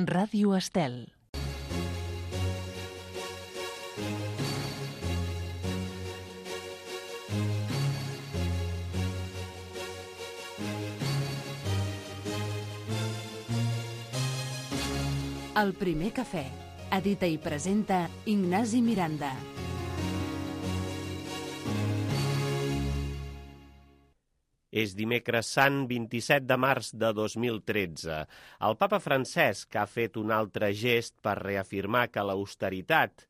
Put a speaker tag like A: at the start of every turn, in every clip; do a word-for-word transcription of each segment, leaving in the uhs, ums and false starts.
A: Ràdio Estel. El primer cafè. Edita i presenta Ignasi Miranda.
B: És dimecres sant vint-i-set de març de dos mil tretze. El papa Francesc ha fet un altre gest per reafirmar que l'austeritat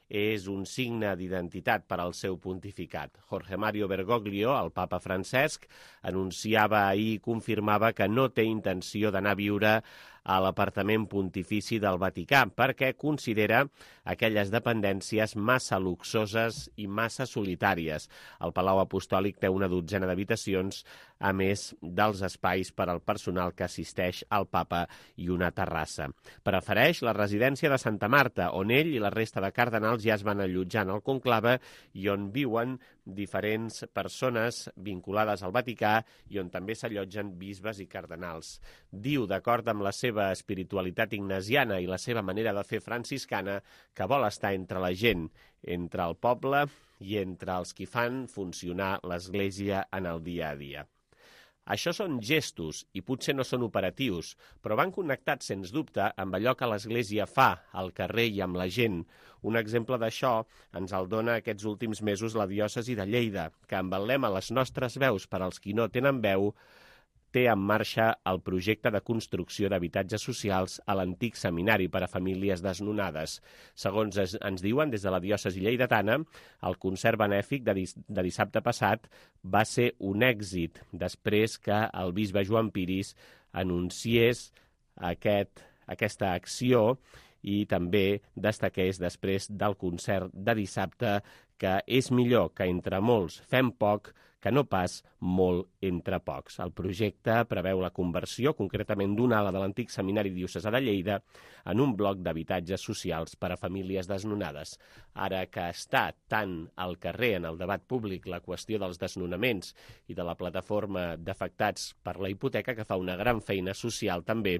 B: és un signe d'identitat per al seu pontificat. Jorge Mario Bergoglio, el papa Francesc, anunciava ahir i confirmava que no té intenció d'anar a viure a l'apartament pontifici del Vaticà, perquè considera aquelles dependències massa luxoses i massa solitàries. El Palau Apostòlic té una dotzena d'habitacions, a més dels espais per al personal que assisteix al papa i una terrassa. Prefereix la residència de Santa Marta, on ell i la resta de cardenals ja es van allotjar en el conclave i on viuen diferents persones vinculades al Vaticà i on també s'allotgen bisbes i cardenals. Diu, d'acord amb la seva espiritualitat ignasiana i la seva manera de fer franciscana, que vol estar entre la gent, entre el poble i entre els qui fan funcionar l'Església en el dia a dia. Això són gestos i potser no són operatius, però van connectats, sens dubte, amb allò que l'Església fa al carrer i amb la gent. Un exemple d'això ens el dona aquests últims mesos la diòcesi de Lleida, que amb el lema Les nostres veus per als qui no tenen veu, té en marxa el projecte de construcció d'habitatges socials a l'antic seminari per a famílies desnonades. Segons es, ens diuen des de la diòcesi lleidatana, el concert benèfic de, dis, de dissabte passat va ser un èxit després que el bisbe Joan Piris anunciés aquest, aquesta acció i també destaqués després del concert de dissabte que és millor que entre molts fem poc que no pas molt entre pocs. El projecte preveu la conversió, concretament d'una ala de l'antic seminari diocesà de Lleida, en un bloc d'habitatges socials per a famílies desnonades. Ara que està tant al carrer en el debat públic la qüestió dels desnonaments i de la plataforma d'afectats per la hipoteca, que fa una gran feina social també,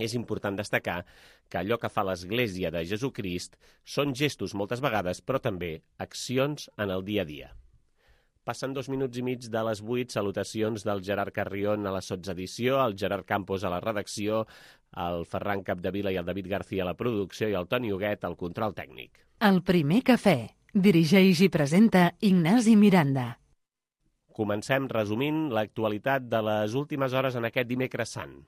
B: és important destacar que allò que fa l'Església de Jesucrist són gestos moltes vegades, però també accions en el dia a dia. Passen dos minuts i mig de les vuit, salutacions del Gerard Carrion a la sotsedició, el Gerard Campos a la redacció, el Ferran Capdevila i el David García a la producció i el Toni Huguet al control tècnic.
A: El primer cafè. Dirigeix i presenta Ignasi Miranda.
B: Comencem resumint l'actualitat de les últimes hores en aquest dimecres sant.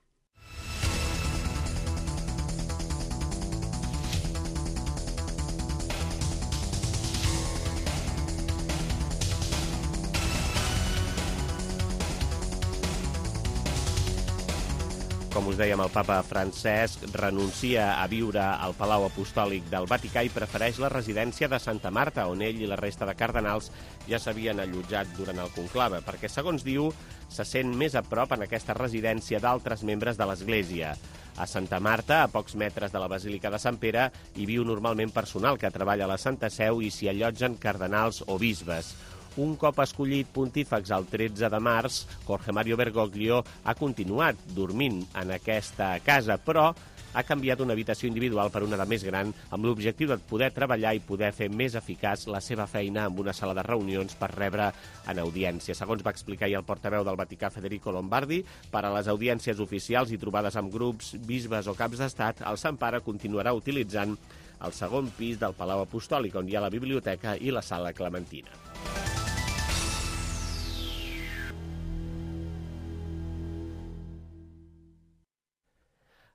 B: Com us dèiem, el papa Francesc renuncia a viure al Palau Apostòlic del Vaticà i prefereix la residència de Santa Marta, on ell i la resta de cardenals ja s'havien allotjat durant el conclave, perquè, segons diu, se sent més a prop en aquesta residència d'altres membres de l'Església. A Santa Marta, a pocs metres de la Basílica de Sant Pere, hi viu normalment personal que treballa a la Santa Seu i s'hi allotgen cardenals o bisbes. Un cop escollit pontífex el tretze de març, Jorge Mario Bergoglio ha continuat dormint en aquesta casa, però ha canviat una habitació individual per una de més gran amb l'objectiu de poder treballar i poder fer més eficaç la seva feina amb una sala de reunions per rebre en audiència. Segons va explicar ahir el portaveu del Vaticà, Federico Lombardi, per a les audiències oficials i trobades amb grups, bisbes o caps d'estat, el Sant Pare continuarà utilitzant el segon pis del Palau Apostòlic, on hi ha la biblioteca i la sala clementina.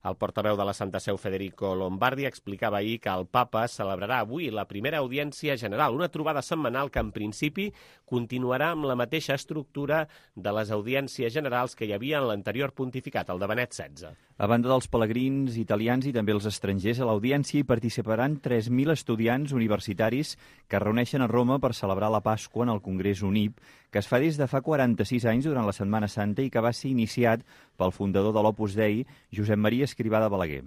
B: El portaveu de la Santa Seu, Federico Lombardi, explicava ahir que el papa celebrarà avui la primera audiència general, una trobada setmanal que, en principi, continuarà amb la mateixa estructura de les audiències generals que hi havia en l'anterior pontificat, el de Benet setze.
C: A banda dels pelegrins italians i també els estrangers, a l'audiència hi participaran tres mil estudiants universitaris que es reuneixen a Roma per celebrar la Pasqua en el Congrés UNIP, que es fa des de fa quaranta-sis anys durant la Setmana Santa i que va ser iniciat pel fundador de l'Opus Dei, Josep Maria Escrivà de Balaguer.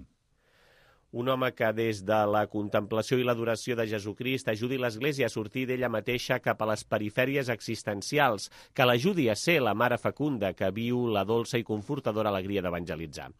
B: Un home que des de la contemplació i l'adoració de Jesucrist ajudi l'Església a sortir d'ella mateixa cap a les perifèries existencials, que l'ajudi a ser la mare fecunda que viu la dolça i confortadora alegria d'evangelitzar.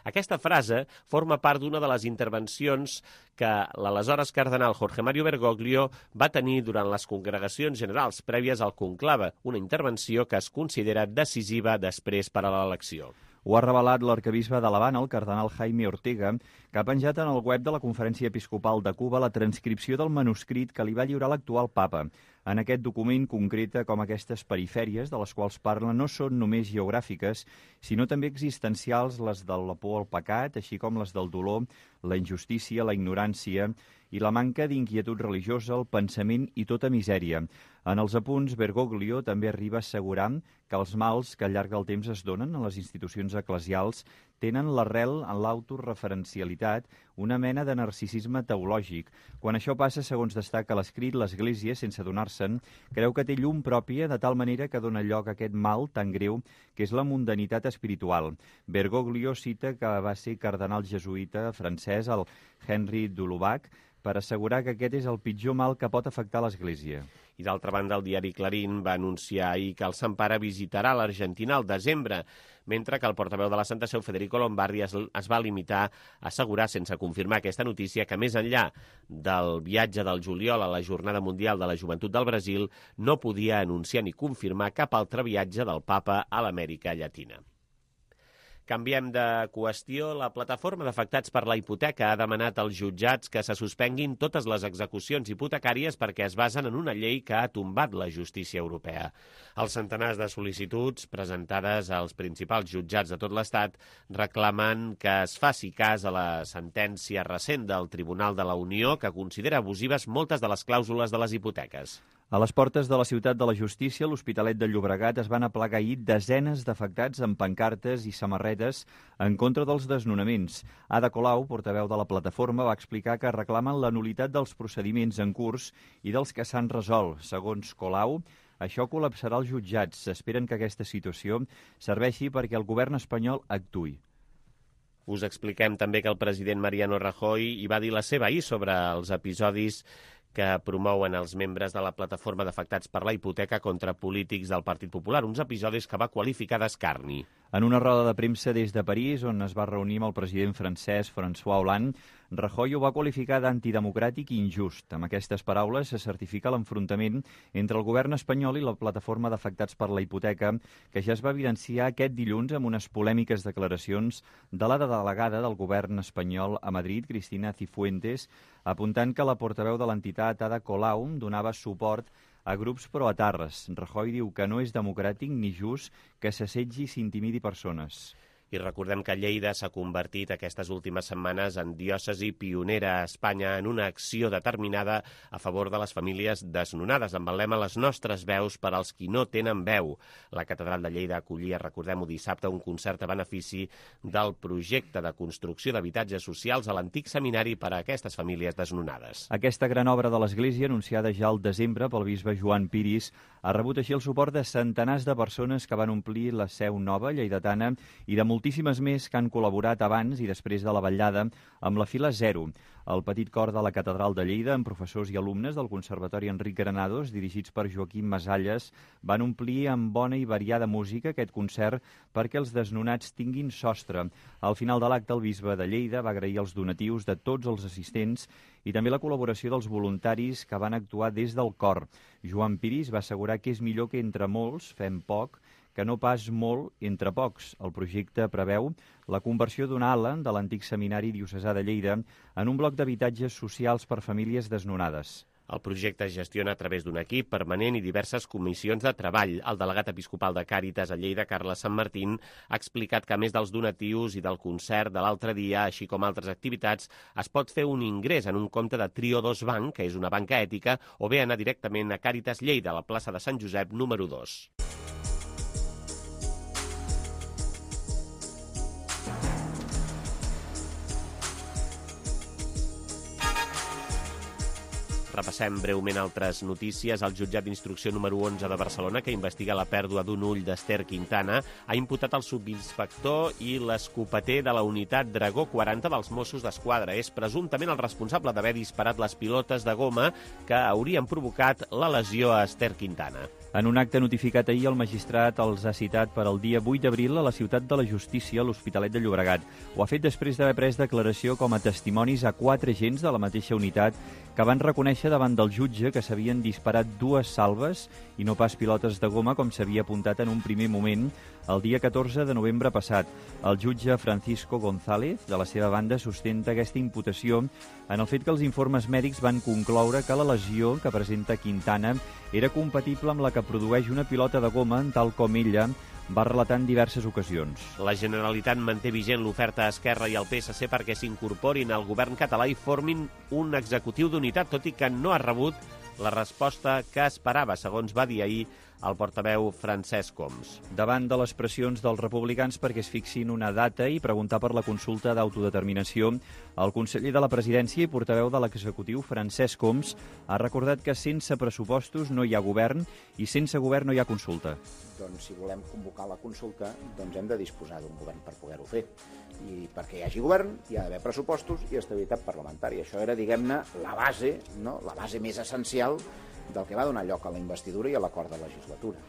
B: Aquesta frase forma part d'una de les intervencions que l'aleshores cardenal Jorge Mario Bergoglio va tenir durant les congregacions generals prèvies al conclave, una intervenció que es considera decisiva després per a l'elecció.
C: Ho ha revelat l'arquebisbe de l'Havana, el cardenal Jaime Ortega, que ha penjat en el web de la Conferència Episcopal de Cuba la transcripció del manuscrit que li va lliurar l'actual papa. En aquest document concreta com aquestes perifèries de les quals parla no són només geogràfiques, sinó també existencials, les de la por al pecat, així com les del dolor, la injustícia, la ignorància i la manca d'inquietud religiosa, el pensament i tota misèria. En els apunts, Bergoglio també arriba a assegurar que els mals que al llarg del temps es donen a les institucions eclesials tenen l'arrel en l'autoreferencialitat, una mena de narcisisme teològic. Quan això passa, segons destaca l'escrit, l'Església, sense adonar-se'n, creu que té llum pròpia de tal manera que dona lloc a aquest mal tan greu que és la mundanitat espiritual. Bergoglio cita que va ser cardenal jesuïta francès, el Henri de Lubac, per assegurar que aquest és el pitjor mal que pot afectar l'Església.
B: I d'altra banda, el diari Clarín va anunciar ahir que el Sant Pare visitarà l'Argentina al desembre, mentre que el portaveu de la Santa Seu, Federico Lombardi, es, es va limitar a assegurar, sense confirmar aquesta notícia, que més enllà del viatge del juliol a la Jornada Mundial de la Joventut del Brasil, no podia anunciar ni confirmar cap altre viatge del papa a l'Amèrica Llatina. Canviem de qüestió. La plataforma d'afectats per la hipoteca ha demanat als jutjats que se suspenguin totes les execucions hipotecàries perquè es basen en una llei que ha tombat la justícia europea. Els centenars de sol·licituds presentades als principals jutjats de tot l'Estat reclamen que es faci cas a la sentència recent del Tribunal de la Unió que considera abusives moltes de les clàusules de les hipoteques.
C: A les portes de la Ciutat de la Justícia, l'Hospitalet de Llobregat, es van aplegar ahir desenes d'afectats amb pancartes i samarretes en contra dels desnonaments. Ada Colau, portaveu de la plataforma, va explicar que reclamen la nul·litat dels procediments en curs i dels que s'han resolt. Segons Colau, això col·lapsarà els jutjats. Esperen que aquesta situació serveixi perquè el govern espanyol actuï.
B: Us expliquem també que el president Mariano Rajoy hi va dir la seva ahir sobre els episodis que promouen els membres de la plataforma d'afectats per la hipoteca contra polítics del Partit Popular, uns episodis que va qualificar d'escarni.
C: En una roda de premsa des de París, on es va reunir amb el president francès François Hollande, Rajoy ho va qualificar d'antidemocràtic i injust. Amb aquestes paraules se certifica l'enfrontament entre el govern espanyol i la plataforma d'afectats per la hipoteca, que ja es va evidenciar aquest dilluns amb unes polèmiques declaracions de la delegada del govern espanyol a Madrid, Cristina Cifuentes, apuntant que la portaveu de l'entitat, Ada Colau, donava suport a grups proetarres. Rajoy diu que no és democràtic ni just que s'assetgi i s'intimidi persones.
B: I recordem que Lleida s'ha convertit aquestes últimes setmanes en diòcesi pionera a Espanya en una acció determinada a favor de les famílies desnonades, amb el lema Les nostres veus per als qui no tenen veu. La catedral de Lleida acollia, recordem-ho, dissabte, un concert a benefici del projecte de construcció d'habitatges socials a l'antic seminari per a aquestes famílies desnonades.
C: Aquesta gran obra de l'Església, anunciada ja al desembre pel bisbe Joan Piris, ha rebut així el suport de centenars de persones que van omplir la seu nova lleidatana i de moltíssimes més que han col·laborat abans i després de la vetllada amb la fila zero. El petit cor de la Catedral de Lleida, amb professors i alumnes del Conservatori Enric Granados, dirigits per Joaquim Masalles, van omplir amb bona i variada música aquest concert perquè els desnonats tinguin sostre. Al final de l'acte, el bisbe de Lleida va agrair els donatius de tots els assistents i també la col·laboració dels voluntaris que van actuar des del cor. Joan Piris va assegurar que és millor que entre molts fem poc que no pas molt entre pocs. El projecte preveu la conversió d'una ala de l'antic seminari diocesà de Lleida en un bloc d'habitatges socials per famílies desnonades.
B: El projecte es gestiona a través d'un equip permanent i diverses comissions de treball. El delegat episcopal de Càritas a Lleida, Carles Sant Martín, ha explicat que a més dels donatius i del concert de l'altre dia, així com altres activitats, es pot fer un ingrés en un compte de Trio dos Bank, que és una banca ètica, o bé anar directament a Càritas Lleida, a la plaça de Sant Josep, número dos. Repassem breument altres notícies. El jutjat d'instrucció número onze de Barcelona, que investiga la pèrdua d'un ull d'Ester Quintana, ha imputat el subinspector i l'escopeter de la unitat Dragó quaranta dels Mossos d'Esquadra. És presumptament el responsable d'haver disparat les pilotes de goma que haurien provocat la lesió aEster Quintana.
C: En un acte notificat ahir, el magistrat els ha citat per al dia vuit d'abril a la Ciutat de la Justícia, a l'Hospitalet de Llobregat. Ho ha fet després d'haver pres declaració com a testimonis a quatre agents de la mateixa unitat que van reconèixer davant del jutge que s'havien disparat dues salves i no pas pilotes de goma, com s'havia apuntat en un primer moment el dia catorze de novembre passat. El jutge Francisco González, de la seva banda, sustenta aquesta imputació en el fet que els informes mèdics van concloure que la lesió que presenta Quintana era compatible amb la que produeix una pilota de goma, tal com ella va relatar en diverses ocasions.
B: La Generalitat manté vigent l'oferta a Esquerra i al P S C perquè s'incorporin al govern català i formin un executiu d'unitat, tot i que no ha rebut la resposta que esperava, segons va dir ahir el portaveu Francesc Homs.
C: Davant de les pressions dels republicans perquè es fixin una data i preguntar per la consulta d'autodeterminació, el conseller de la Presidència i portaveu de l'executiu, Francesc Homs, ha recordat que sense pressupostos no hi ha govern i sense govern no hi ha consulta.
D: Doncs si volem convocar la consulta, doncs hem de disposar d'un govern per poder-ho fer. I perquè hi hagi govern hi ha d'haver pressupostos i estabilitat parlamentària. Això era, diguem-ne, la base, no? la base més essencial del que va donar lloc a la investidura i a l'acord de legislatura.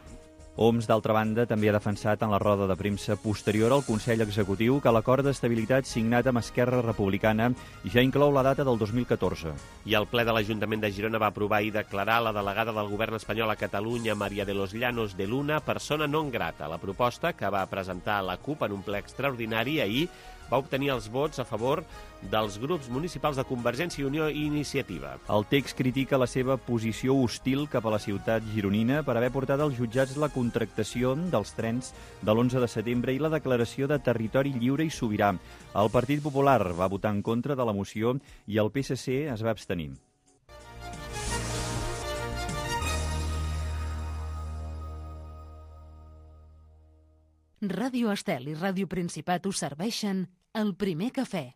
C: Homs, d'altra banda, també ha defensat en la roda de premsa posterior al Consell Executiu que l'acord d'estabilitat signat amb Esquerra Republicana ja inclou la data del dos mil catorze.
B: I el ple de l'Ajuntament de Girona va aprovar i declarar la delegada del govern espanyol a Catalunya, María de los Llanos de Luna, persona non grata. La proposta, que va presentar la CUP en un ple extraordinari ahir, va obtenir els vots a favor dels grups municipals de Convergència i Unió i Iniciativa.
C: El text critica la seva posició hostil cap a la ciutat gironina per haver portat als jutjats la contractació dels trens de l'onze de setembre i la declaració de territori lliure i sobirà. El Partit Popular va votar en contra de la moció i el P S C es va abstenir.
A: Ràdio Estel i Ràdio Principat us serveixen el primer cafè.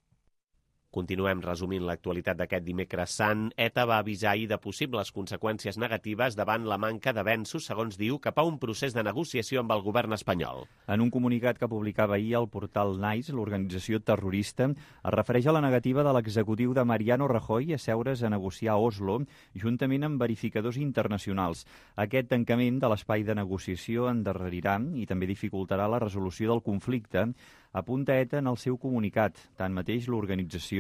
B: Continuem resumint l'actualitat d'aquest dimecres sant. ETA va avisar ahir de possibles conseqüències negatives davant la manca d'avenços, segons diu, cap a un procés de negociació amb el govern espanyol.
C: En un comunicat que publicava ahir el portal NICE, l'organització terrorista, es refereix a la negativa de l'executiu de Mariano Rajoy a seure's a negociar a Oslo, juntament amb verificadors internacionals. Aquest tancament de l'espai de negociació endarrerirà i també dificultarà la resolució del conflicte, apunta ETA en el seu comunicat. Tanmateix, l'organització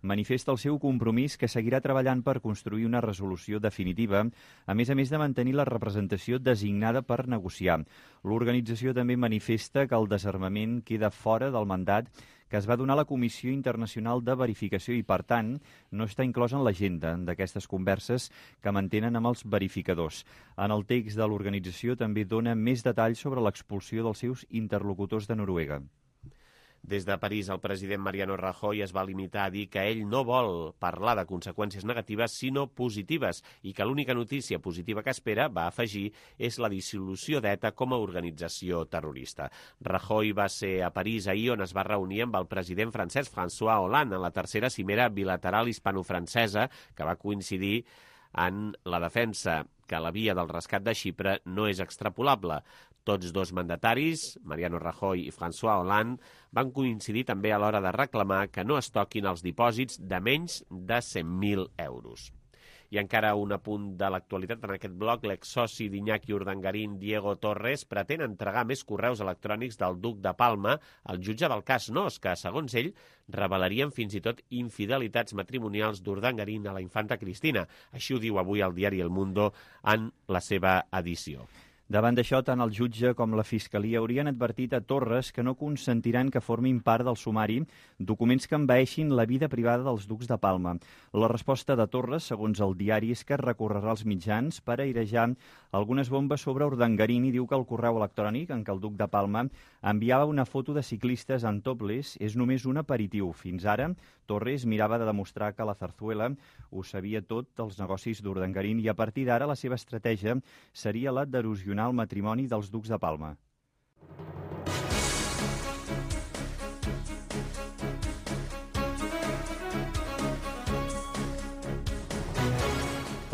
C: manifesta el seu compromís que seguirà treballant per construir una resolució definitiva, a més a més de mantenir la representació designada per negociar. L'organització també manifesta que el desarmament queda fora del mandat que es va donar a la Comissió Internacional de Verificació i, per tant, no està inclòs en l'agenda d'aquestes converses que mantenen amb els verificadors. En el text de l'organització també dona més detalls sobre l'expulsió dels seus interlocutors de Noruega.
B: Des de París, el president Mariano Rajoy es va limitar a dir que ell no vol parlar de conseqüències negatives, sinó positives, i que l'única notícia positiva que espera, va afegir, és la dissolució d'ETA com a organització terrorista. Rajoy va ser a París ahir, on es va reunir amb el president francès François Hollande en la tercera cimera bilateral hispano-francesa, que va coincidir en la defensa que la via del rescat de Xipre no és extrapolable. Tots dos mandataris, Mariano Rajoy i François Hollande, van coincidir també a l'hora de reclamar que no es toquin els dipòsits de menys de cent mil euros. I encara un apunt de l'actualitat en aquest bloc. L'exsoci d'Iñaki Urdangarín, Diego Torres, pretén entregar més correus electrònics del duc de Palma al jutge del cas Nos, que, segons ell, revelarien fins i tot infidelitats matrimonials d'Urdangarín a la infanta Cristina. Així ho diu avui el diari El Mundo en la seva edició.
C: Davant d'això, tant el jutge com la Fiscalia haurien advertit a Torres que no consentiran que formin part del sumari documents que envaeixin la vida privada dels ducs de Palma. La resposta de Torres, segons el diari, és que recorrerà als mitjans per airejar algunes bombes sobre Urdangarín i diu que el correu electrònic en què el duc de Palma enviava una foto de ciclistes en topless és només un aperitiu. Fins ara, Torres mirava de demostrar que la Zarzuela ho sabia tot dels negocis d'Urdangarín i a partir d'ara la seva estratègia seria la d'erosionar el matrimoni dels ducs de Palma.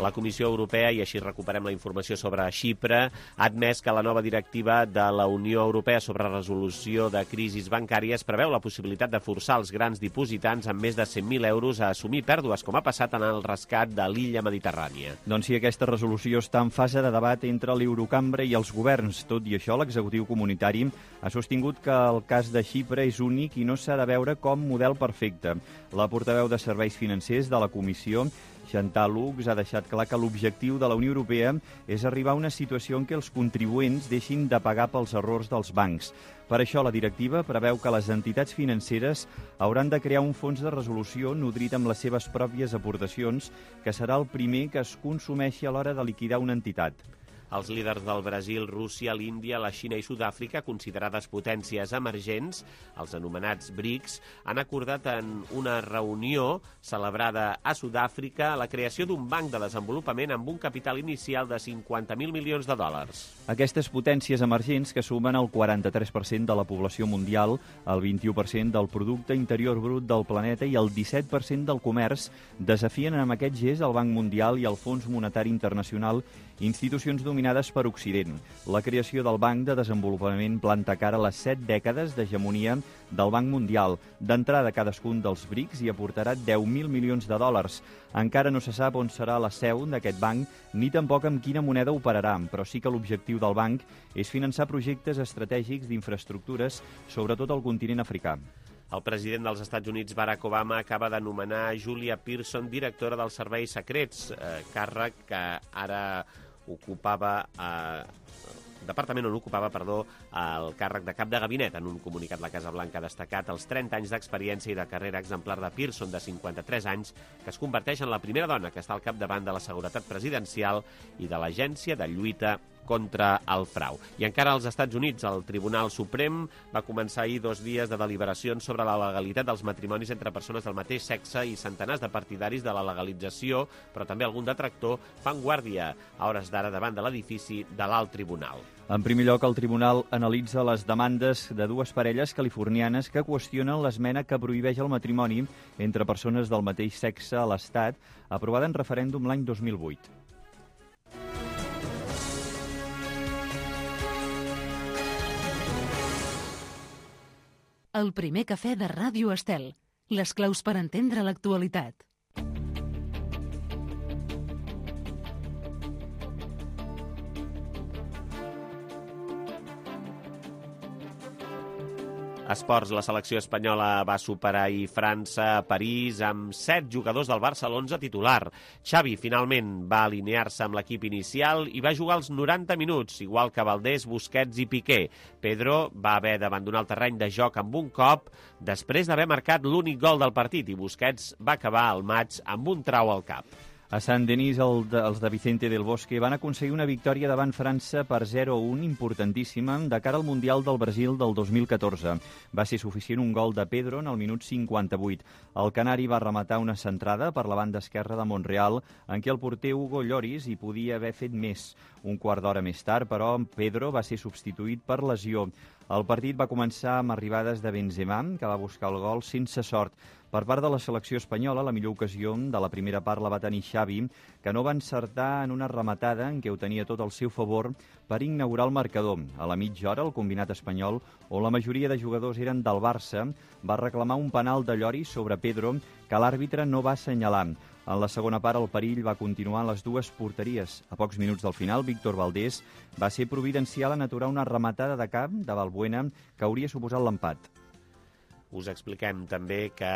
B: La Comissió Europea, i així recuperem la informació sobre Xipre, ha admès que la nova directiva de la Unió Europea sobre resolució de crisis bancàries preveu la possibilitat de forçar els grans dipositants amb més de cent mil euros a assumir pèrdues, com ha passat en el rescat de l'illa Mediterrània.
C: Doncs sí, aquesta resolució està en fase de debat entre l'Eurocambra i els governs. Tot i això, l'executiu comunitari ha sostingut que el cas de Xipre és únic i no s'ha de veure com model perfecte. La portaveu de Serveis Financers de la Comissió, Chantal Lux, ha deixat clar que l'objectiu de la Unió Europea és arribar a una situació en què els contribuents deixin de pagar pels errors dels bancs. Per això, la directiva preveu que les entitats financeres hauran de crear un fons de resolució nodrit amb les seves pròpies aportacions, que serà el primer que es consumeixi a l'hora de liquidar una entitat.
B: Els líders del Brasil, Rússia, l'Índia, la Xina i Sud-àfrica, considerades potències emergents, els anomenats BRICS, han acordat en una reunió celebrada a Sud-àfrica la creació d'un banc de desenvolupament amb un capital inicial de cinquanta mil milions de dòlars.
C: Aquestes potències emergents, que sumen el quaranta-tres per cent de la població mundial, el vint-i-u per cent del producte interior brut del planeta i el disset per cent del comerç, desafien amb aquest gest el Banc Mundial i el Fons Monetari Internacional, institucions dominades per Occident. La creació del Banc de Desenvolupament planta cara a les set dècades d'hegemonia del Banc Mundial. D'entrada, cadascun dels BRICS hi aportarà deu mil milions de dòlars. Encara no se sap on serà la seu d'aquest banc, ni tampoc amb quina moneda operarà, però sí que l'objectiu del banc és finançar projectes estratègics d'infraestructures, sobretot al continent africà.
B: El president dels Estats Units, Barack Obama, acaba d'anomenar Julia Pearson directora dels serveis secrets, eh, càrrec que ara ocupava... Eh, departament on ocupava, perdó, el càrrec de cap de gabinet. En un comunicat, la Casa Blanca ha destacat els trenta anys d'experiència i de carrera exemplar de Pearson, de cinquanta-tres anys, que es converteix en la primera dona que està al capdavant de la seguretat presidencial i de l'Agència de Lluita contra el frau. I encara als Estats Units, el Tribunal Suprem va començar ahir dos dies de deliberacions sobre la legalitat dels matrimonis entre persones del mateix sexe i centenars de partidaris de la legalització, però també algun detractor fan guàrdia a hores d'ara davant de l'edifici de l'Alt Tribunal.
C: En primer lloc, el tribunal analitza les demandes de dues parelles californianes que qüestionen l'esmena que prohibeix el matrimoni entre persones del mateix sexe a l'Estat, aprovada en referèndum l'any dos mil vuit.
A: El primer cafè de Ràdio Estel. Les claus per entendre l'actualitat.
B: Esports, la selecció espanyola va superar ahir França a París amb set jugadors del Barça a l'onze titular. Xavi finalment va alinear-se amb l'equip inicial i va jugar els noranta minuts, igual que Valdés, Busquets i Piqué. Pedro va haver d'abandonar el terreny de joc amb un cop després d'haver marcat l'únic gol del partit i Busquets va acabar el maig amb un trau al cap.
C: A Saint-Denis, el de, els de Vicente del Bosque van aconseguir una victòria davant França per zero a un importantíssima de cara al Mundial del Brasil del dos mil catorze. Va ser suficient un gol de Pedro en el minut cinquanta-vuit. El canari va rematar una centrada per la banda esquerra de Montreal, en què el porter Hugo Lloris hi podia haver fet més. Un quart d'hora més tard, però, Pedro va ser substituït per lesió. El partit va començar amb arribades de Benzema, que va buscar el gol sense sort. Per part de la selecció espanyola, la millor ocasió de la primera part la va tenir Xavi, que no va encertar en una rematada en què ho tenia tot al seu favor per inaugurar el marcador. A la mitja hora, el combinat espanyol, on la majoria de jugadors eren del Barça, va reclamar un penal de Lloris sobre Pedro que l'àrbitre no va assenyalar. En la segona part, el perill va continuar en les dues porteries. A pocs minuts del final, Víctor Valdés va ser providencial en aturar una rematada de cap de Valbuena que hauria suposat l'empat.
B: Us expliquem també que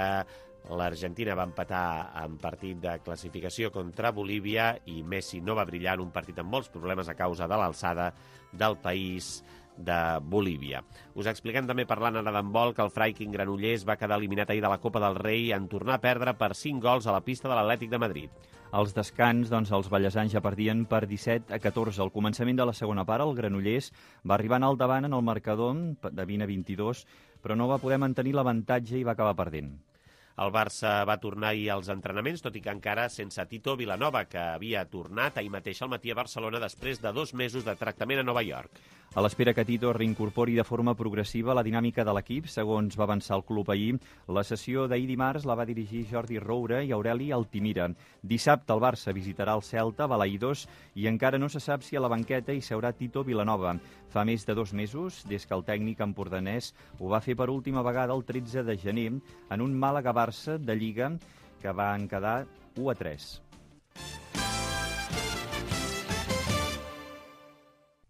B: l'Argentina va empatar en partit de classificació contra Bolívia i Messi no va brillar en un partit amb molts problemes a causa de l'alçada del país de Bolívia. Us expliquem també, parlant ara d'handbol, que el Freiking Granollers va quedar eliminat ahir de la Copa del Rei en tornar a perdre per cinc gols a la pista de l'Atlètic de Madrid.
C: Als descans, doncs, els ballesans ja perdien per disset a catorze. Al començament de la segona part, el Granollers va arribar en al davant en el marcador de vint a vint-i-dos, però no va poder mantenir l'avantatge i va acabar perdent.
B: El Barça va tornar ahir als entrenaments, tot i que encara sense Tito Vilanova, que havia tornat ahir mateix al matí a Barcelona després de dos mesos de tractament a Nova York.
C: A l'espera que Tito reincorpori de forma progressiva la dinàmica de l'equip, segons va avançar el club ahir, la sessió d'ahir dimarts la va dirigir Jordi Roure i Aureli Altimira. Dissabte el Barça visitarà el Celta, Balaïdos, i encara no se sap si a la banqueta hi seurà Tito Vilanova. Fa més de dos mesos, des que el tècnic empordanès ho va fer per última vegada el tretze de gener en un Màlaga-Barça de Lliga que van quedar u a tres.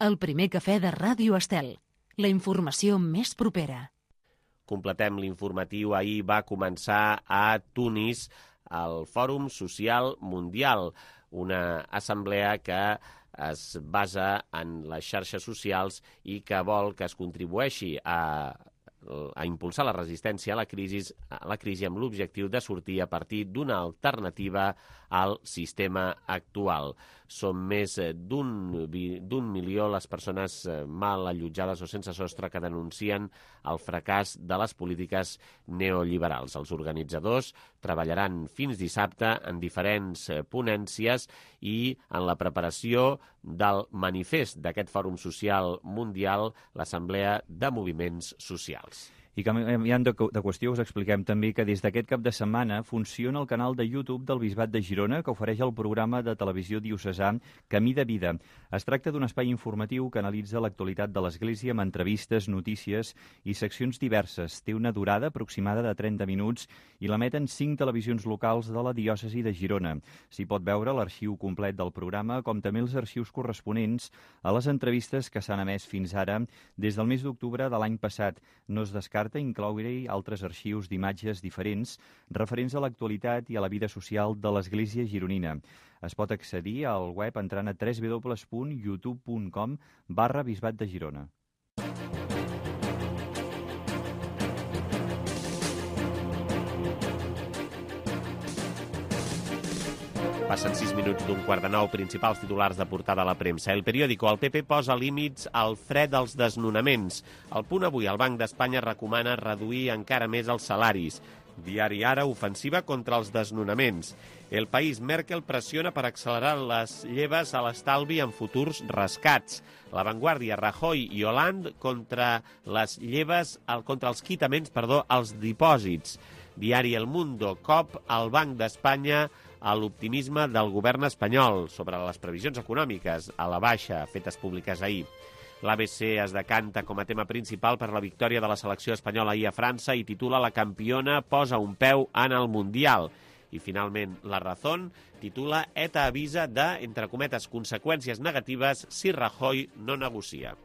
A: El primer cafè de Ràdio Estel. La informació més propera.
B: Completem l'informatiu. Ahir va començar a Tunis el Fòrum Social Mundial, una assemblea que es basa en les xarxes socials i que vol que es contribueixi a a impulsar la resistència a la crisi, a la crisi amb l'objectiu de sortir a partir d'una alternativa al sistema actual. Són més d'un d'un milió les persones mal allotjades o sense sostre que denuncien el fracàs de les polítiques neoliberals. Els organitzadors treballaran fins dissabte en diferents ponències i en la preparació del manifest d'aquest Fòrum Social Mundial, l'Assemblea de Moviments Socials.
C: I canviant de, de qüestió, us expliquem també que des d'aquest cap de setmana funciona el canal de YouTube del Bisbat de Girona, que ofereix el programa de televisió diocesà Camí de Vida. Es tracta d'un espai informatiu que analitza l'actualitat de l'Església amb entrevistes, notícies i seccions diverses. Té una durada aproximada de trenta minuts i l'emeten cinc televisions locals de la diòcesi de Girona. S'hi pot veure l'arxiu complet del programa, com també els arxius corresponents a les entrevistes que s'han emès fins ara des del mes d'octubre de l'any passat. No es descarta incloure-hi altres arxius d'imatges diferents referents a l'actualitat i a la vida social de l'Església gironina. Es pot accedir al web entrant a w w w punt youtube punt com barra Bisbat de Girona.
B: Passen sis minuts d'un quart de nou. Principals titulars de portada a la premsa. El periòdico. El P P posa límits al fre dels desnonaments. El Punt Avui. El Banc d'Espanya recomana reduir encara més els salaris. Diari Ara. Ofensiva contra els desnonaments. El País. Merkel pressiona per accelerar les lleves a l'estalvi en futurs rescats. La Vanguardia. Rajoy i Hollande contra les lleves, contra els quitaments, perdó, als dipòsits. Diari El Mundo. Cop al Banc d'Espanya a l'optimisme del govern espanyol sobre les previsions econòmiques a la baixa fetes públiques ahir. L'A B C es decanta com a tema principal per la victòria de la selecció espanyola ahir a França i titula La campiona posa un peu en el Mundial. I finalment La Razón titula ETA avisa de, entre cometes, conseqüències negatives si Rajoy no negocia.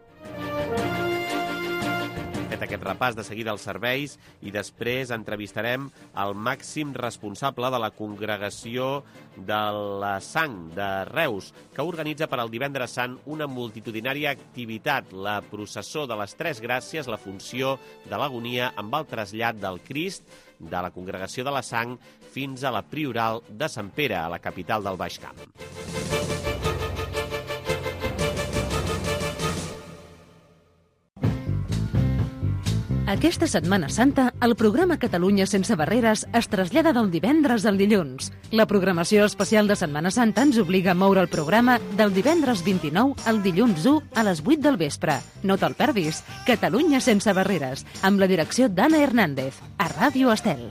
B: Fet aquest repàs, de seguida als serveis i després entrevistarem el màxim responsable de la Congregació de la Sang de Reus, que organitza per al Divendres Sant una multitudinària activitat, la processó de les Tres Gràcies, la funció de l'agonia amb el trasllat del Crist de la Congregació de la Sang fins a la Prioral de Sant Pere, a la capital del Baix Camp.
A: Aquesta Setmana Santa, el programa Catalunya sense barreres es trasllada del divendres al dilluns. La programació especial de Setmana Santa ens obliga a moure el programa del divendres vint-i-nou al dilluns u a les vuit del vespre. No te'l perdis. Catalunya sense barreres, amb la direcció d'Anna Hernández, a Ràdio Estel.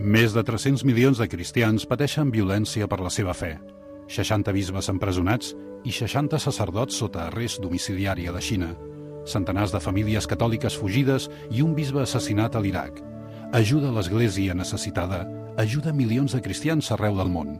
E: Més de tres-cents milions de cristians pateixen violència per la seva fe. seixanta bisbes empresonats i seixanta sacerdots sota arrest domiciliari a la Xina. Centenars de famílies catòliques fugides i un bisbe assassinat a l'Iraq. Ajuda a l'Església necessitada. Ajuda milions de cristians arreu del món.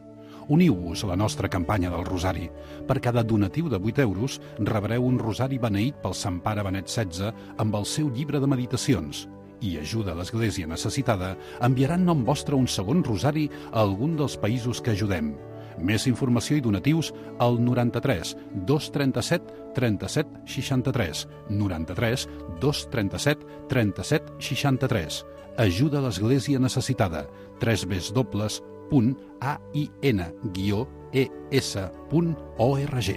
E: Uniu-vos a la nostra campanya del Rosari. Per cada donatiu de vuit euros rebreu un rosari beneït pel Sant Pare Benet setze amb el seu llibre de meditacions. I Ajuda a l'Església necessitada enviarà en nom vostre un segon rosari a algun dels països que ajudem. Més informació i donatius al noranta-tres dos trenta-set trenta-set seixanta-tres, noranta-tres dos trenta-set trenta-set seixanta-tres. Ajuda a l'Església necessitada. tres w punt a i n guió e s punt org.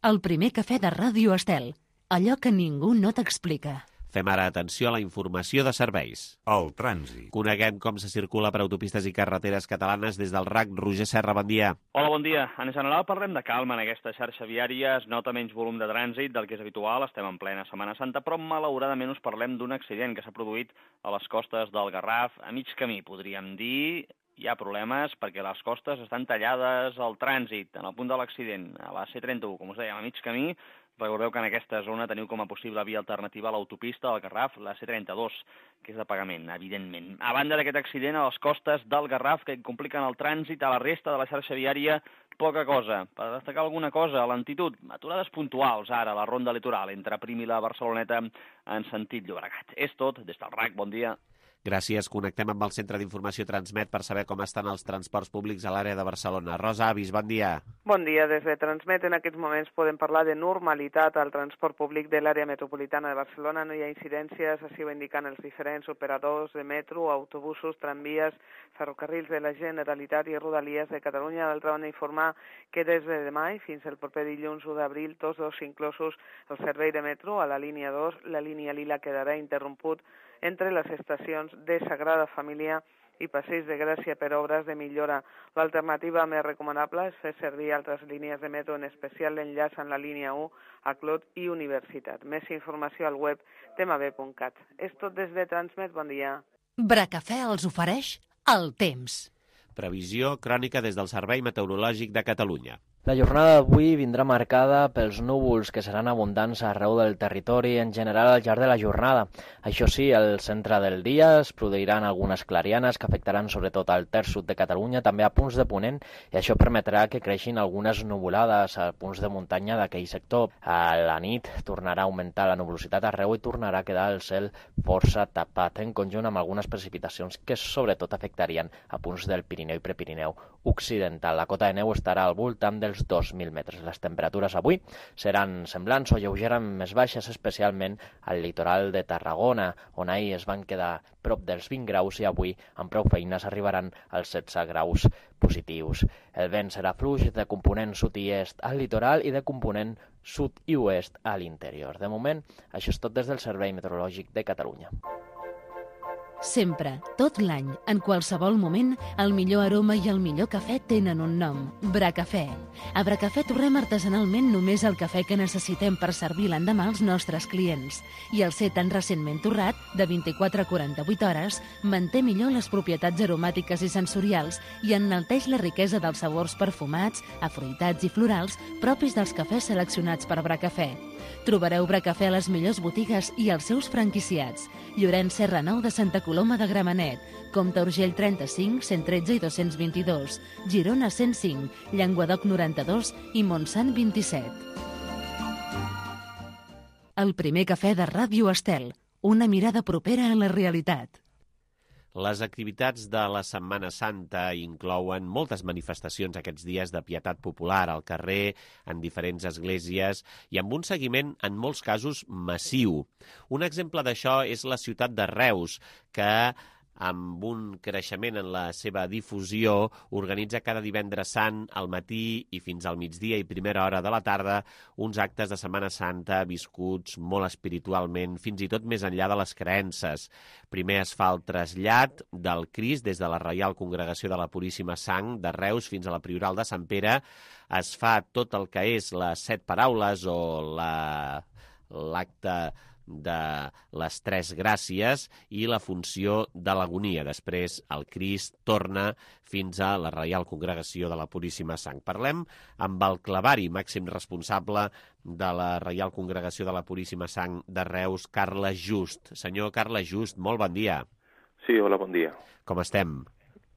A: El primer cafè de Ràdio Estel. Allò que ningú no t'explica.
B: Fem ara atenció a la informació de serveis.
F: El trànsit.
B: Coneguem com se circula per autopistes i carreteres catalanes des del R A C. Roger Serra, bon dia.
G: Hola, bon dia. En general parlem de calma en aquesta xarxa viària, es nota menys volum de trànsit del que és habitual, estem en plena Setmana Santa, però malauradament us parlem d'un accident que s'ha produït a les costes del Garraf, a mig camí, podríem dir. Hi ha problemes perquè les costes estan tallades al trànsit, en el punt de l'accident, a la C trenta-u, com us dèiem, a mig camí. Recordeu que en aquesta zona teniu com a possible via alternativa a l'autopista del Garraf, la C trenta-dos, que és de pagament, evidentment. A banda d'aquest accident, a les costes del Garraf, que compliquen el trànsit a la resta de la xarxa viària, poca cosa. Per destacar alguna cosa, a lentitud, aturades puntuals ara a la ronda litoral entre Prim i la Barceloneta en sentit Llobregat. És tot, des del R A C, bon dia.
B: Gràcies. Connectem amb el Centre d'Informació Transmet per saber com estan els transports públics a l'àrea de Barcelona. Rosa Avis, bon dia.
H: Bon dia. Des de Transmet en aquests moments podem parlar de normalitat al transport públic de l'àrea metropolitana de Barcelona. No hi ha incidències, així ho indiquen els diferents operadors de metro, autobusos, tramvies, ferrocarrils de la Generalitat i Rodalies de Catalunya. D'altra banda, informar que des de demà i fins el proper dilluns u d'abril, tots dos inclosos el servei de metro a la línia dos, la línia lila quedarà interromput entre les estacions de Sagrada Família i Passeig de Gràcia per obres de millora. L'alternativa més recomanable és fer servir altres línies de metro, en especial l'enllaç en la línia u a Clot i Universitat. Més informació al web temab punt cat. És tot des de Transmet, bon dia.
A: Bracafè els ofereix el temps.
B: Previsió crònica des del Servei Meteorològic de Catalunya.
I: La jornada d'avui vindrà marcada pels núvols que seran abundants arreu del territori en general al llarg de la jornada. Això sí, al centre del dia es produiran algunes clarianes que afectaran sobretot al terç sud de Catalunya, també a punts de ponent, i això permetrà que creixin algunes nuvolades a punts de muntanya d'aquell sector. A la nit tornarà a augmentar la nuvolositat arreu i tornarà a quedar el cel força tapat, en conjunt amb algunes precipitacions que sobretot afectarien a punts del Pirineu i Prepirineu occidental. La cota de neu estarà al voltant dels dos mil metres. Les temperatures avui seran semblants o lleugerament més baixes, especialment al litoral de Tarragona, on ahir es van quedar prop dels vint graus i avui amb prou feines arribaran als setze graus positius. El vent serà fluix de component sud i est al litoral i de component sud i oest a l'interior. De moment, això és tot des del Servei Meteorològic de Catalunya.
A: Sempre, tot l'any, en qualsevol moment, el millor aroma i el millor cafè tenen un nom, Bracafè. A Bracafè torrem artesanalment només el cafè que necessitem per servir l'endemà als nostres clients. I el ser tan recentment torrat, de vint-i-quatre a quaranta-vuit hores, manté millor les propietats aromàtiques i sensorials i enalteix la riquesa dels sabors perfumats, afruitats i florals propis dels cafès seleccionats per Bracafè. Trobareu Bracafè a les millors botigues i als seus franquiciats. Llorenç Serra nou de Santa Coloma de Gramenet, Comte Urgell trenta-cinc, cent tretze i dos-cents vint-i-dos, Girona cent cinc, Llenguadoc noranta-dos i Montsant vint-i-set. El primer cafè de Ràdio Estel, una mirada propera a la realitat.
B: Les activitats de la Setmana Santa inclouen moltes manifestacions aquests dies de pietat popular al carrer, en diferents esglésies i amb un seguiment, en molts casos, massiu. Un exemple d'això és la ciutat de Reus, que amb un creixement en la seva difusió, organitza cada divendres sant al matí i fins al migdia i primera hora de la tarda uns actes de Setmana Santa viscuts molt espiritualment, fins i tot més enllà de les creences. Primer es fa el trasllat del Crist des de la Reial Congregació de la Puríssima Sang de Reus fins a la Prioral de Sant Pere. Es fa tot el que és les set paraules o la l'acte de les tres gràcies i la funció de l'agonia. Després el Crist torna fins a la Reial Congregació de la Puríssima Sang. Parlem amb el clavari, màxim responsable de la Reial Congregació de la Puríssima Sang de Reus, Carles Just. Senyor Carles Just, molt bon dia.
J: Sí, hola, bon dia.
B: Com estem?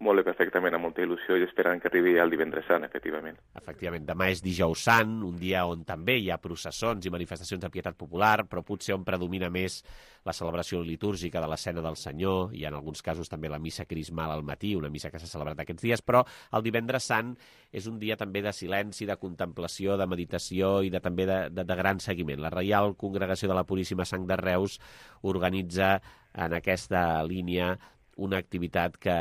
J: Molt bé, perfectament, amb molta il·lusió i esperant que arribi el divendres sant, efectivament.
B: Efectivament, demà és dijous sant, un dia on també hi ha processons i manifestacions de pietat popular, però potser on predomina més la celebració litúrgica de l'escena del Senyor, i en alguns casos també la missa crismal al matí, una missa que s'ha celebrat aquests dies, però el divendres sant és un dia també de silenci, de contemplació, de meditació i de, també de, de, de gran seguiment. La Reial Congregació de la Puríssima Sang de Reus organitza en aquesta línia una activitat que,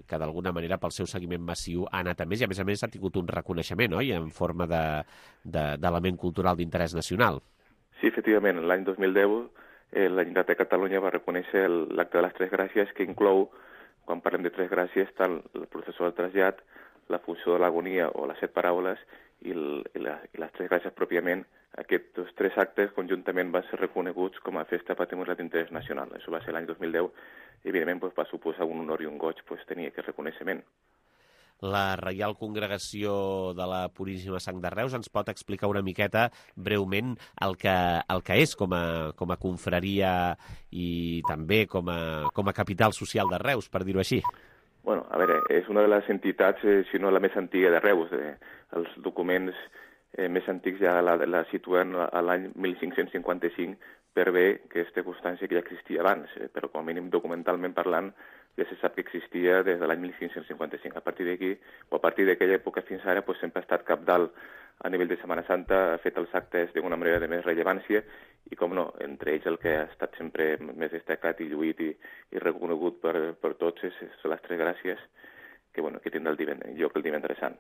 B: que d'alguna manera pel seu seguiment massiu ha anat a més i a més a més ha tingut un reconeixement, oi?, en forma d'element de, cultural d'interès nacional.
J: Sí, efectivament, l'any dos mil deu eh, la Generalitat de Catalunya va reconèixer l'acte de les Tres Gràcies, que inclou, quan parlem de Tres Gràcies, tant el processó del trasllat, la funció de l'agonia o les set paraules i, el, i, la, i les Tres Gràcies pròpiament. Aquests tres actes conjuntament van ser reconeguts com a festa patrimonial d'interès nacional. Això va ser l'any dos mil deu i, evidentment, doncs, va suposar un honor i un goig doncs, tenir aquest reconeixement.
B: La Reial Congregació de la Puríssima Sang de Reus ens pot explicar una miqueta breument el que, el que és com a, com a confraria i també com a, com a capital social de Reus, per dir-ho així.
J: Bueno, a veure, és una de les entitats, eh, si no la més antiga de Reus. Eh, els documents eh, més antics ja la, la situen a l'any mil cinc-cents cinquanta-cinc per bé que aquesta constància que ja existia abans, eh, però com a mínim documentalment parlant ja se sap que existia des de l'any mil cinc-cents cinquanta-cinc. A partir d'aquí, o a partir d'aquella època fins ara, pues, sempre ha estat capdalt a nivell de Setmana Santa, ha fet els actes d'una manera de més rellevància i, com no, entre ells el que ha estat sempre més destacat i lluït i, i reconegut per, per tots és, és les Tres Gràcies que, bueno, que tindrà el divendres, lloc el divendres sant.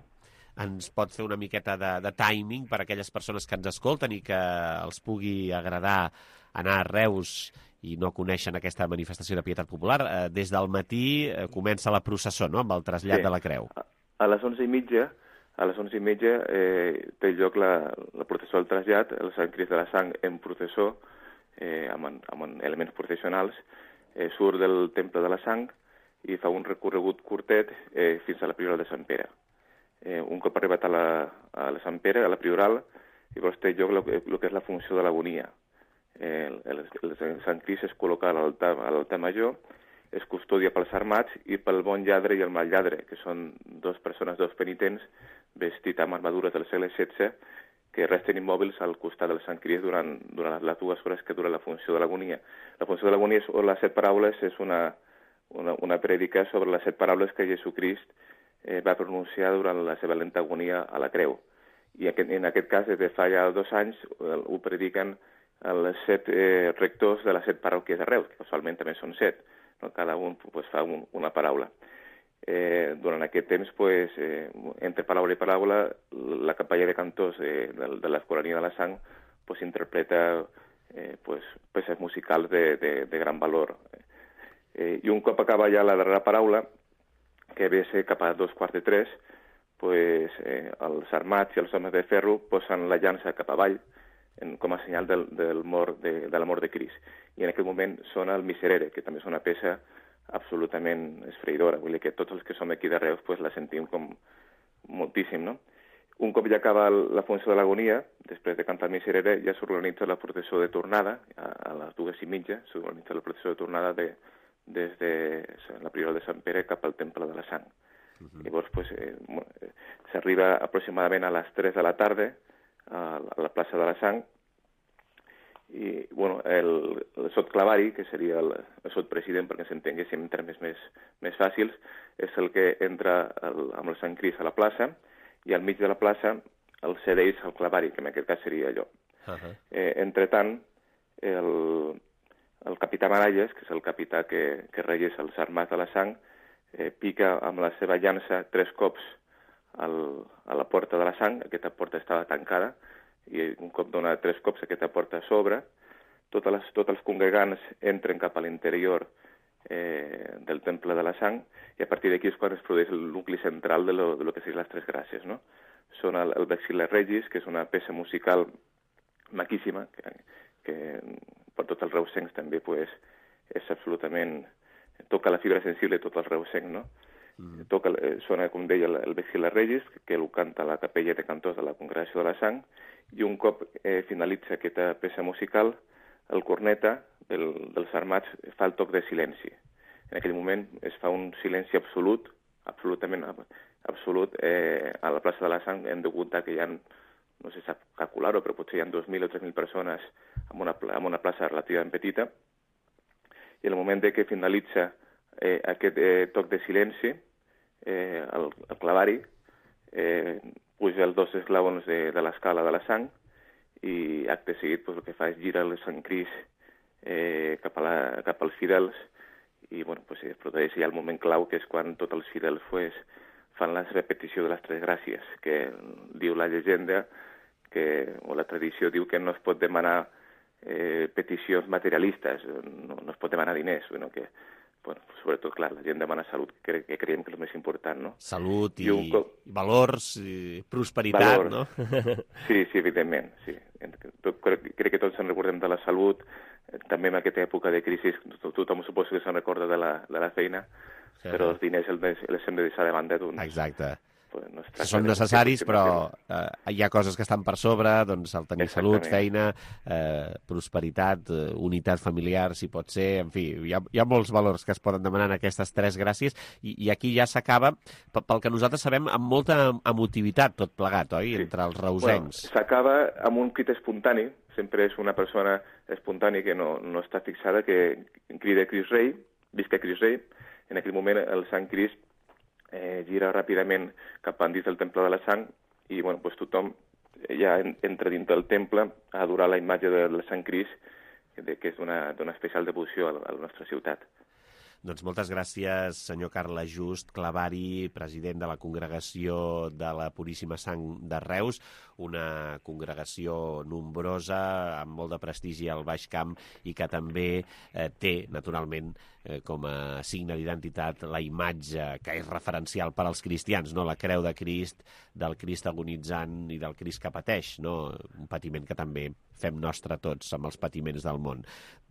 B: Ens pot fer una miqueta de, de timing per a aquelles persones que ens escolten i que els pugui agradar anar a Reus i no coneixen aquesta manifestació de pietat popular? Eh, des del matí eh, comença la processó, no?, amb el trasllat sí. de la creu.
J: A, a les onze i mitja, a les onze i mitja eh, té lloc la, la processó del trasllat, el Sant Crist de la Sang en processó, eh, amb, amb elements processionals, eh, surt del Temple de la Sang i fa un recorregut curtet eh, fins a la Prioral de Sant Pere. Eh, un cop arribat a la, a la Sant Pere, a la Prioral, llavors té lloc el que, que és la funció de l'agonia. Eh, el, el, el Sant Crist es col·loca a l'altar, a l'altar major, es custodia pels armats i pel bon lladre i el mal lladre, que són dues persones, dos penitents, vestits amb armadures del segle setze, que resten immòbils al costat del Sant Crist durant, durant les dues hores que dura la funció de l'agonia. La funció de l'agonia o les set paraules és una, una, una prèdica sobre les set paraules que Jesucrist eh, va pronunciar durant la seva lenta agonia a la creu. I en aquest cas, des de fa ja dos anys, ho prediquen els set eh, rectors de les set parròquies de Reus, que casualment també són set, no? Cada un pues, fa un, una paraula. Eh, durant aquest temps, pues, eh, entre paraula i paraula, la capella de cantors de, de, de l'Escolania de la Sang pues, interpreta eh, pues, peces musicals de, de, de gran valor. Eh, I un cop acaba ja la darrera paraula, que ve a ser cap a dos quarts de tres, pues, eh, els armats i els homes de ferro posen la llança cap avall en, com a senyal del, del mort de, de la mort de Crist. I en aquest moment sona el Miserere, que també és una peça absolutament esfreïdora. Vull dir que tots els que som aquí de Reus pues, la sentim com moltíssim, no? Un cop ja acaba la funció de l'agonia, després de cantar el Miserere, ja s'organitza la processó de tornada, a, a les dues i mitja, s'organitza la processó de tornada de des de la Prioral de Sant Pere cap al Temple de la Sang. Uh-huh. Llavors, pues, eh, s'arriba aproximadament a les tres de la tarda a la plaça de la Sang i, bueno, el, el sotclavari, que seria el, el sotpresident, perquè s'entenguéssim en termes més, més fàcils, és el que entra el, amb el Sant Crist a la plaça i al mig de la plaça el cedeix al clavari, que en aquest cas seria allò. Uh-huh. Eh, entretant, el El capità Maralles, que és el capità que, que regeix els armats de la Sang, eh, pica amb la seva llança tres cops al, a la porta de la Sang. Aquesta porta estava tancada i un cop dona tres cops aquesta porta s'obre. Tots els, tots els congregants entren cap a l'interior eh, del Temple de la Sang i a partir d'aquí és quan es produeix el nucli central de lo, de lo que serien les Tres Gràcies, no? Són el, el Vexilla Regis, que és una peça musical maquíssima, que, que per tots els reusencs també pues, és absolutament... toca la fibra sensible de tot el reusenc, no? Mm. Toca, eh, sona, com deia, el, el Vexilla Regis, que el canta la capella de cantors de la Congregació de la Sang, i un cop eh, finalitza aquesta peça musical, el corneta del, dels armats fa el toc de silenci. En aquell moment es fa un silenci absolut, absolutament absolut, eh, a la plaça de la Sang. Hem de comptar que hi ha, no sé sap calcular-ho, però potser hi ha dos mil o tres mil persones en una, en una plaça relativament petita, i en el moment de que finalitza eh, aquest eh, toc de silenci, eh, el, el clavari, eh, puja els dos esglaons de, de l'escala de la Sang, i acte seguit pues, el que fa és girar el Sant Crist eh, cap, a la, cap als fidels i bueno, pues, es produeix ja el moment clau, que és quan tots els fidels pues, fan la repetició de les tres gràcies, que diu la llegenda, que, o la tradició diu que no es pot demanar eh, peticions materialistes, no, no es pot demanar diners, bueno, que bueno, sobretot, clar, la gent demana salut, que, que creiem que és el més important, no?
B: Salut i,
J: I un...
B: valors, i prosperitat,
J: valors.
B: No?
J: Sí, sí, evidentment, sí. Tot, crec, crec que tots ens recordem de la salut, també en aquesta època de crisi, tothom suposo que se'n recorda de la, de la feina, sí, però els diners els, els hem de deixar de banda. Doncs,
B: exacte.
J: Pues, no
B: són necessaris, però eh, hi ha coses que estan per sobre, doncs el tenir salut, feina, eh, prosperitat, eh, unitat familiar, si pot ser, en fi, hi ha, hi ha molts valors que es poden demanar en aquestes tres gràcies, i, i aquí ja s'acaba, pel que nosaltres sabem, amb molta emotivitat tot plegat, oi?, sí. Entre els reusencs.
J: Bueno, s'acaba amb un crit espontani, sempre és una persona espontània que no, no està fixada, que crida Crist Rei, visca Crist Rei. En aquell moment el Sant Crist Eh, gira ràpidament cap endins del temple de la sang i bueno, pues tothom ja entra dins del temple a adorar la imatge del Sant Crist, que és d'una especial devoció a la nostra ciutat.
B: Doncs moltes gràcies, senyor Carles Just Clavari, president de la Congregació de la Puríssima Sang de Reus, una congregació nombrosa, amb molt de prestigi al Baix Camp i que també eh, té, naturalment, eh, com a signe d'identitat la imatge que és referencial per als cristians, no? La creu de Crist, del Crist agonitzant i del Crist que pateix, no? Un patiment que també fem nostre tots amb els patiments del món.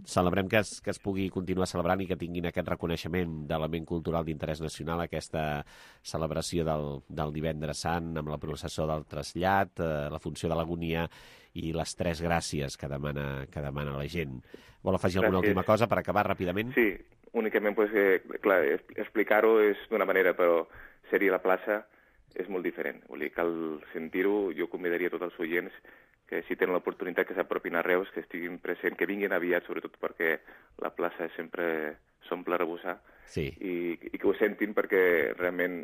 B: Celebrem que es, que es pugui continuar celebrant i que tinguin aquest reconeixement d'element cultural d'interès nacional, aquesta celebració del, del Divendres Sant amb la processó del trasllat, eh, la funció de l'agonia i les tres gràcies que demana, que demana la gent. Vol afegir alguna
J: Gràcies.
B: última cosa per acabar ràpidament?
J: Sí, únicament pues, eh, clar, explicar-ho és d'una manera, però ser-hi a la plaça és molt diferent. Vull dir, cal sentir-ho. Jo convidaria a tots els oients que si tenen l'oportunitat que s'apropin a Reus, que estiguin presents, que vinguin aviat, sobretot perquè la plaça sempre s'omple a rebossar,
B: sí.
J: i, i que ho sentin, perquè realment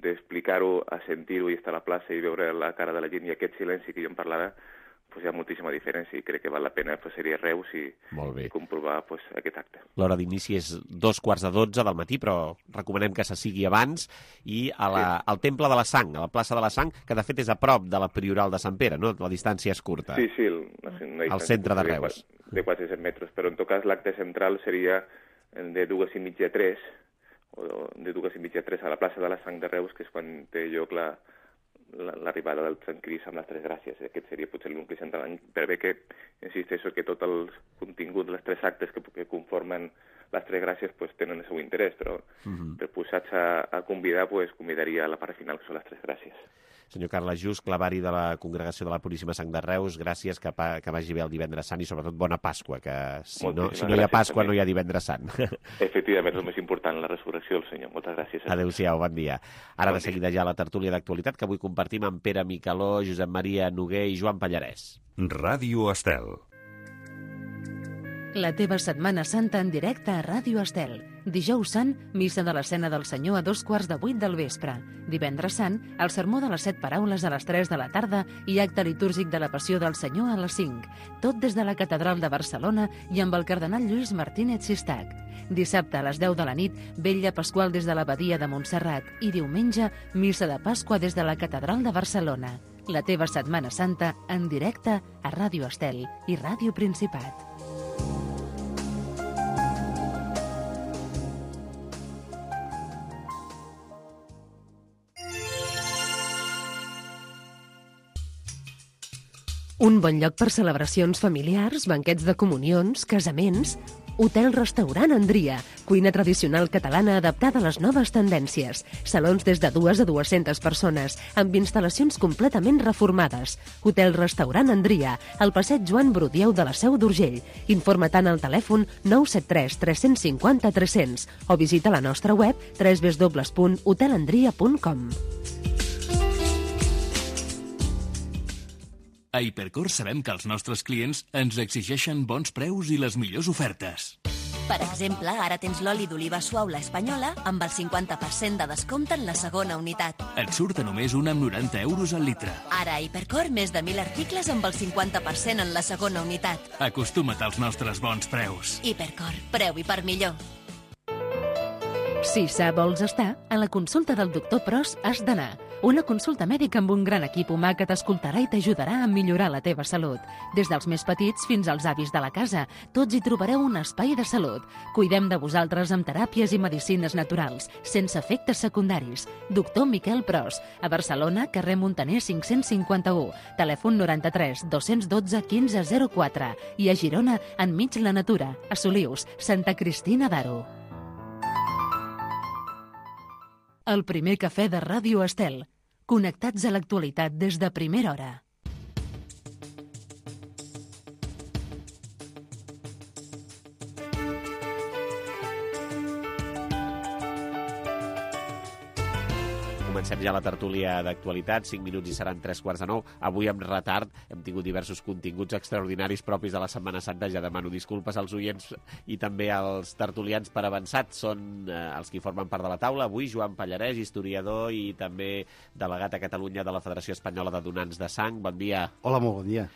J: d'explicar-ho a sentir-ho i estar a la plaça i veure la cara de la gent i aquest silenci que jo em parlava, pues hi ha moltíssima diferència i crec que val la pena pues, ser-hi a Reus i, i comprovar pues, aquest acte.
B: L'hora d'inici és dos quarts de dotze del matí, però recomanem que se sigui abans, i a la, sí. al Temple de la Sang, a la plaça de la Sang, que de fet és a prop de la Prioral de Sant Pere, no? La distància és curta.
J: Sí, sí. El, no sé, no
B: al centre de Reus.
J: De quasi cent metres, però en tot cas l'acte central seria de dues i mitja a tres, o de dues i mitja a tres a la plaça de la Sang de Reus, que és quan té lloc la l'arribada del Sant Crist amb les tres gràcies. Aquest seria potser el nucli central, per bé que insisteixo que tot el contingut, les tres actes que, que conformen les tres gràcies pues, tenen el seu interès, però uh-huh. per posats a, a convidar, pues, convidaria a la part final, que són les tres gràcies.
B: Senyor Carles Just, clavari de la Congregació de la Puríssima Sang de Reus, gràcies, que, pa, que vagi bé el Divendres Sant i sobretot bona Pasqua, que si no, si no hi ha Pasqua també. No hi ha Divendres Sant.
J: Efectivament, és el més important, la resurrecció del Senyor. Moltes gràcies.
B: Adéu-siau, bon dia. Ara
J: bon
B: de seguida ja la tertúlia d'actualitat que avui compartim amb Pere Micaló, Josep Maria Noguer i Joan Pallarès.
F: Ràdio Estel.
A: La teva Setmana Santa en directe a Ràdio Estel. Dijous Sant, missa de l'escena del Senyor a dos quarts de vuit del vespre. Divendres Sant, el sermó de les set paraules a les tres de la tarda i acte litúrgic de la Passió del Senyor a les cinc. Tot des de la Catedral de Barcelona i amb el cardenal Lluís Martínez Sistac. Dissabte a les deu de la nit, vetlla pasqual des de l'Abadia de Montserrat i diumenge, missa de Pasqua des de la Catedral de Barcelona. La teva Setmana Santa en directe a Ràdio Estel i Ràdio Principat. Un bon lloc per celebracions familiars, banquets de comunions, casaments. Hotel-restaurant Andria, cuina tradicional catalana adaptada a les noves tendències. Salons des de dues a dues-centes persones, amb instal·lacions completament reformades. Hotel-restaurant Andria, al passeig Joan Brudieu de la Seu d'Urgell. Informa-te'n al telèfon nou set tres tres cinc zero tres zero zero o visita la nostra web w w w punt hotel andria punt com.
K: A Hipercor sabem que els nostres clients ens exigeixen bons preus i les millors ofertes.
L: Per exemple, ara tens l'oli d'oliva suau La Espanyola amb el cinquanta per cent de descompte en la segona unitat.
K: Et surt a només un amb noranta euros al litre.
L: Ara a Hipercor més de mil articles amb el cinquanta per cent en la segona unitat.
K: Acostuma't als nostres bons preus.
L: Hipercor, preu i per millor.
A: Si sa vols estar, a la consulta del doctor Pros has d'anar. Una consulta mèdica amb un gran equip humà que t'escoltarà i t'ajudarà a millorar la teva salut. Des dels més petits fins als avis de la casa, tots hi trobareu un espai de salut. Cuidem de vosaltres amb teràpies i medicines naturals, sense efectes secundaris. Doctor Miquel Pros, a Barcelona, carrer Montaner cinc-cents cinquanta-u, telèfon noranta-tres dos-cents dotze quinze zero quatre i a Girona, enmig la natura, a Solius, Santa Cristina d'Aro. El primer cafè de Ràdio Estel. Connectats a l'actualitat des de primera hora.
B: Comencem ja la tertúlia d'actualitat, cinc minuts i seran tres quarts de nou. Avui amb retard hem tingut diversos continguts extraordinaris propis de la Setmana Santa. Ja demano disculpes als oients i també als tertulians per avançat. Són eh, els que formen part de la taula. Avui Joan Pallarès, historiador i també delegat a Catalunya de la Federació Espanyola de Donants de Sang. Bon dia.
F: Hola, molt bon dia.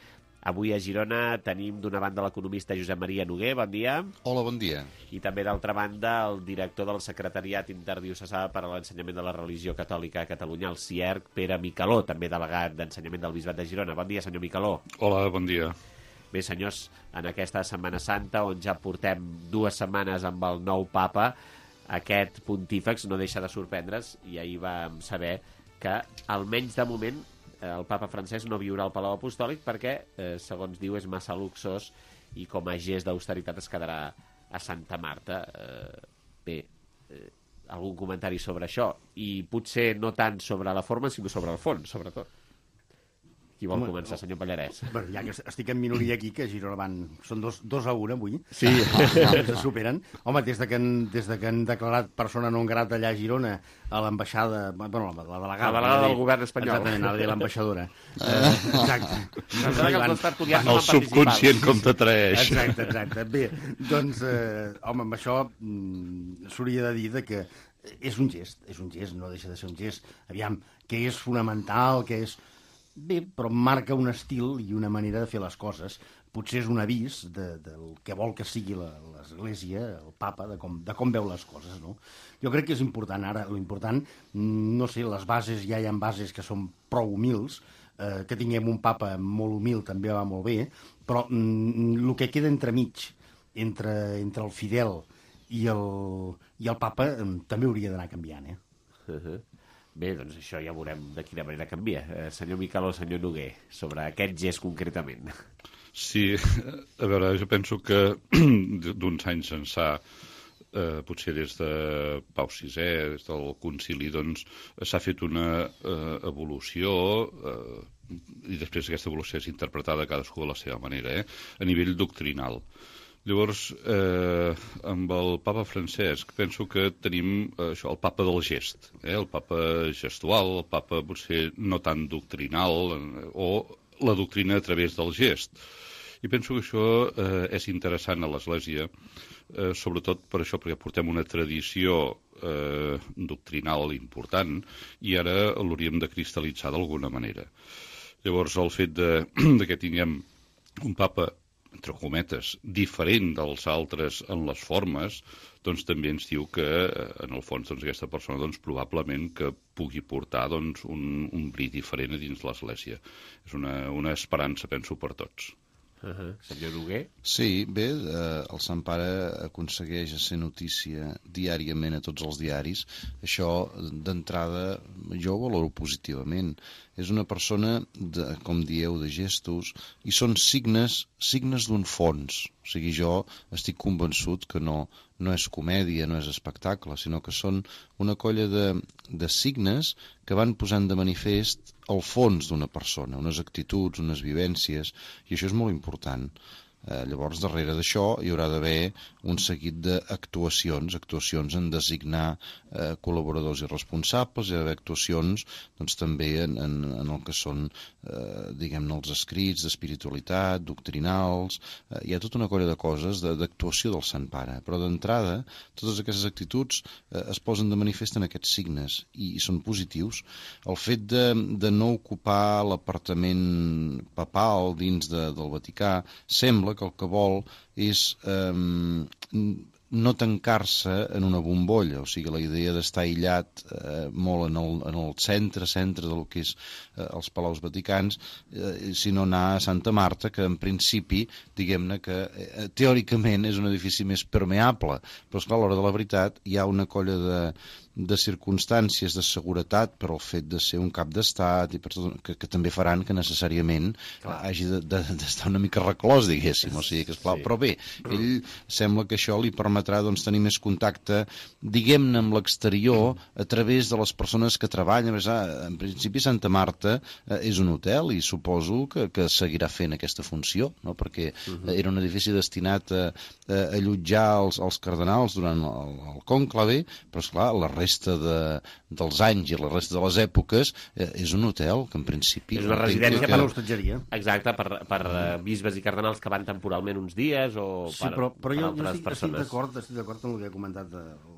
B: Avui a Girona tenim d'una banda l'economista Josep Maria Noguer, bon dia.
M: Hola, bon dia.
B: I també d'altra banda el director del Secretariat Interdiocesà per a l'Ensenyament de la Religió Catòlica a Catalunya, el C I E R C, Pere Micaló, també delegat d'Ensenyament del Bisbat de Girona. Bon dia, senyor Micaló.
M: Hola, bon dia.
B: Bé, senyors, en aquesta Setmana Santa, on ja portem dues setmanes amb el nou papa, aquest pontífex no deixa de sorprendre's, i ahir vam saber que, almenys de moment, el papa francès no viurà al Palau Apostòlic perquè, eh, segons diu, és massa luxós i com a gest d'austeritat es quedarà a Santa Marta. Eh, bé, eh, algun comentari sobre això? I potser no tant sobre la forma, sinó sobre el fons, sobretot. Qui vol Home, començar, senyor Pallarès?
F: Bueno, ja que estic en minoria aquí, que a Girona van... Són dos, dos a una, avui.
B: Sí.
F: Els superen. Home, des de, que han, des de que han declarat persona non grata allà a Girona, a l'ambaixada... Bueno, la, la delegada...
B: La delegada del govern espanyol.
F: Exactament, anava a dir l'ambaixadora. Uh, exacte.
M: El subconscient com t'atraeix.
F: Exacte, exacte. Bé, doncs, eh, home, amb això mm, s'hauria de dir de que és un gest, és un gest, no deixa de ser un gest. Aviam, que és fonamental, que és... Bé, però marca un estil i una manera de fer les coses. Potser és un avís de, del que vol que sigui l'Església, el papa, de com, de com veu les coses, no? Jo crec que és important ara, l'important, no sé, les bases, ja hi ha bases que són prou humils, eh, que tinguem un papa molt humil també va molt bé, però mm, el que queda entremig, entre, entre el fidel i el, i el papa, eh, també hauria d'anar canviant, eh?
B: Uh-huh. Bé, doncs això ja veurem de quina manera canvia. Eh, senyor Micaló, senyor Noguer, sobre aquest gest concretament.
M: Sí, a veure, jo penso que d'uns anys ençà, eh, potser des de Pau sisè, des del concili, doncs s'ha fet una eh, evolució eh, i després aquesta evolució és interpretada cadascú de la seva manera, eh, a nivell doctrinal. Llavors, eh, amb el papa Francesc, penso que tenim eh, això, el papa del gest, eh, el papa gestual, el papa potser no tan doctrinal, eh, o la doctrina a través del gest. I penso que això eh, és interessant a l'Església, eh, sobretot per això, perquè portem una tradició eh, doctrinal important i ara l'hauríem de cristal·litzar d'alguna manera. Llavors, el fet de, de que tinguem un papa entre cometes, diferent dels altres en les formes, doncs també ens diu que, en el fons, doncs, aquesta persona doncs, probablement que pugui portar doncs, un, un bri diferent a dins l'Església. És una, una esperança, penso, per tots.
B: Uh-huh. Senyor Noguer?
N: Sí, bé, eh, el Sant Pare aconsegueix ser notícia diàriament a tots els diaris. Això, d'entrada, jo ho valoro positivament. És una persona, de, com dieu, de gestos, i són signes, signes d'un fons. O sigui, jo estic convençut que no, no és comèdia, no és espectacle, sinó que són una colla de, de signes que van posant de manifest el fons d'una persona, unes actituds, unes vivències, i això és molt important. Eh, llavors, darrere d'això hi haurà d'haver un seguit d'actuacions, actuacions en designar eh, col·laboradors i responsables, hi ha d'haver actuacions doncs, també en, en, en el que són eh, diguem-ne els escrits d'espiritualitat, doctrinals, eh, hi ha tota una colla de coses d'actuació del Sant Pare, però d'entrada totes aquestes actituds eh, es posen de manifest en aquests signes i, i són positius. El fet de, de no ocupar l'apartament papal dins de, del Vaticà sembla que el que vol és eh, no tancar-se en una bombolla, o sigui, la idea d'estar aïllat eh, molt en el, en el centre, centre del que és eh, els Palaus Vaticans, eh, sinó anar a Santa Marta, que en principi, diguem-ne que eh, teòricament és un edifici més permeable, però esclar, a l'hora de la veritat hi ha una colla de, de circumstàncies de seguretat per al fet de ser un cap d'estat i per tot, que, que també faran que necessàriament clar, hagi d'estar de, de, una mica reclòs, diguéssim, o sigui que esclar, sí. Però bé, ell sembla que això li permetrà doncs, tenir més contacte, diguem-ne, amb l'exterior a través de les persones que treballen. En principi Santa Marta eh, és un hotel i suposo que, que seguirà fent aquesta funció, no? Perquè uh-huh. era un edifici destinat a, a allotjar els, els cardenals durant el, el conclave, però esclar, la resta de, dels anys i la resta de les èpoques eh, és un hotel que en principi...
B: És una residència
F: que... per l'hostatgeria.
B: Exacte, per, per uh, bisbes i cardenals que van temporalment uns dies o
F: sí,
B: per,
F: però, però
B: per
F: jo,
B: altres
F: jo estic,
B: persones.
F: Estic d'acord estic d'acord amb el que ha comentat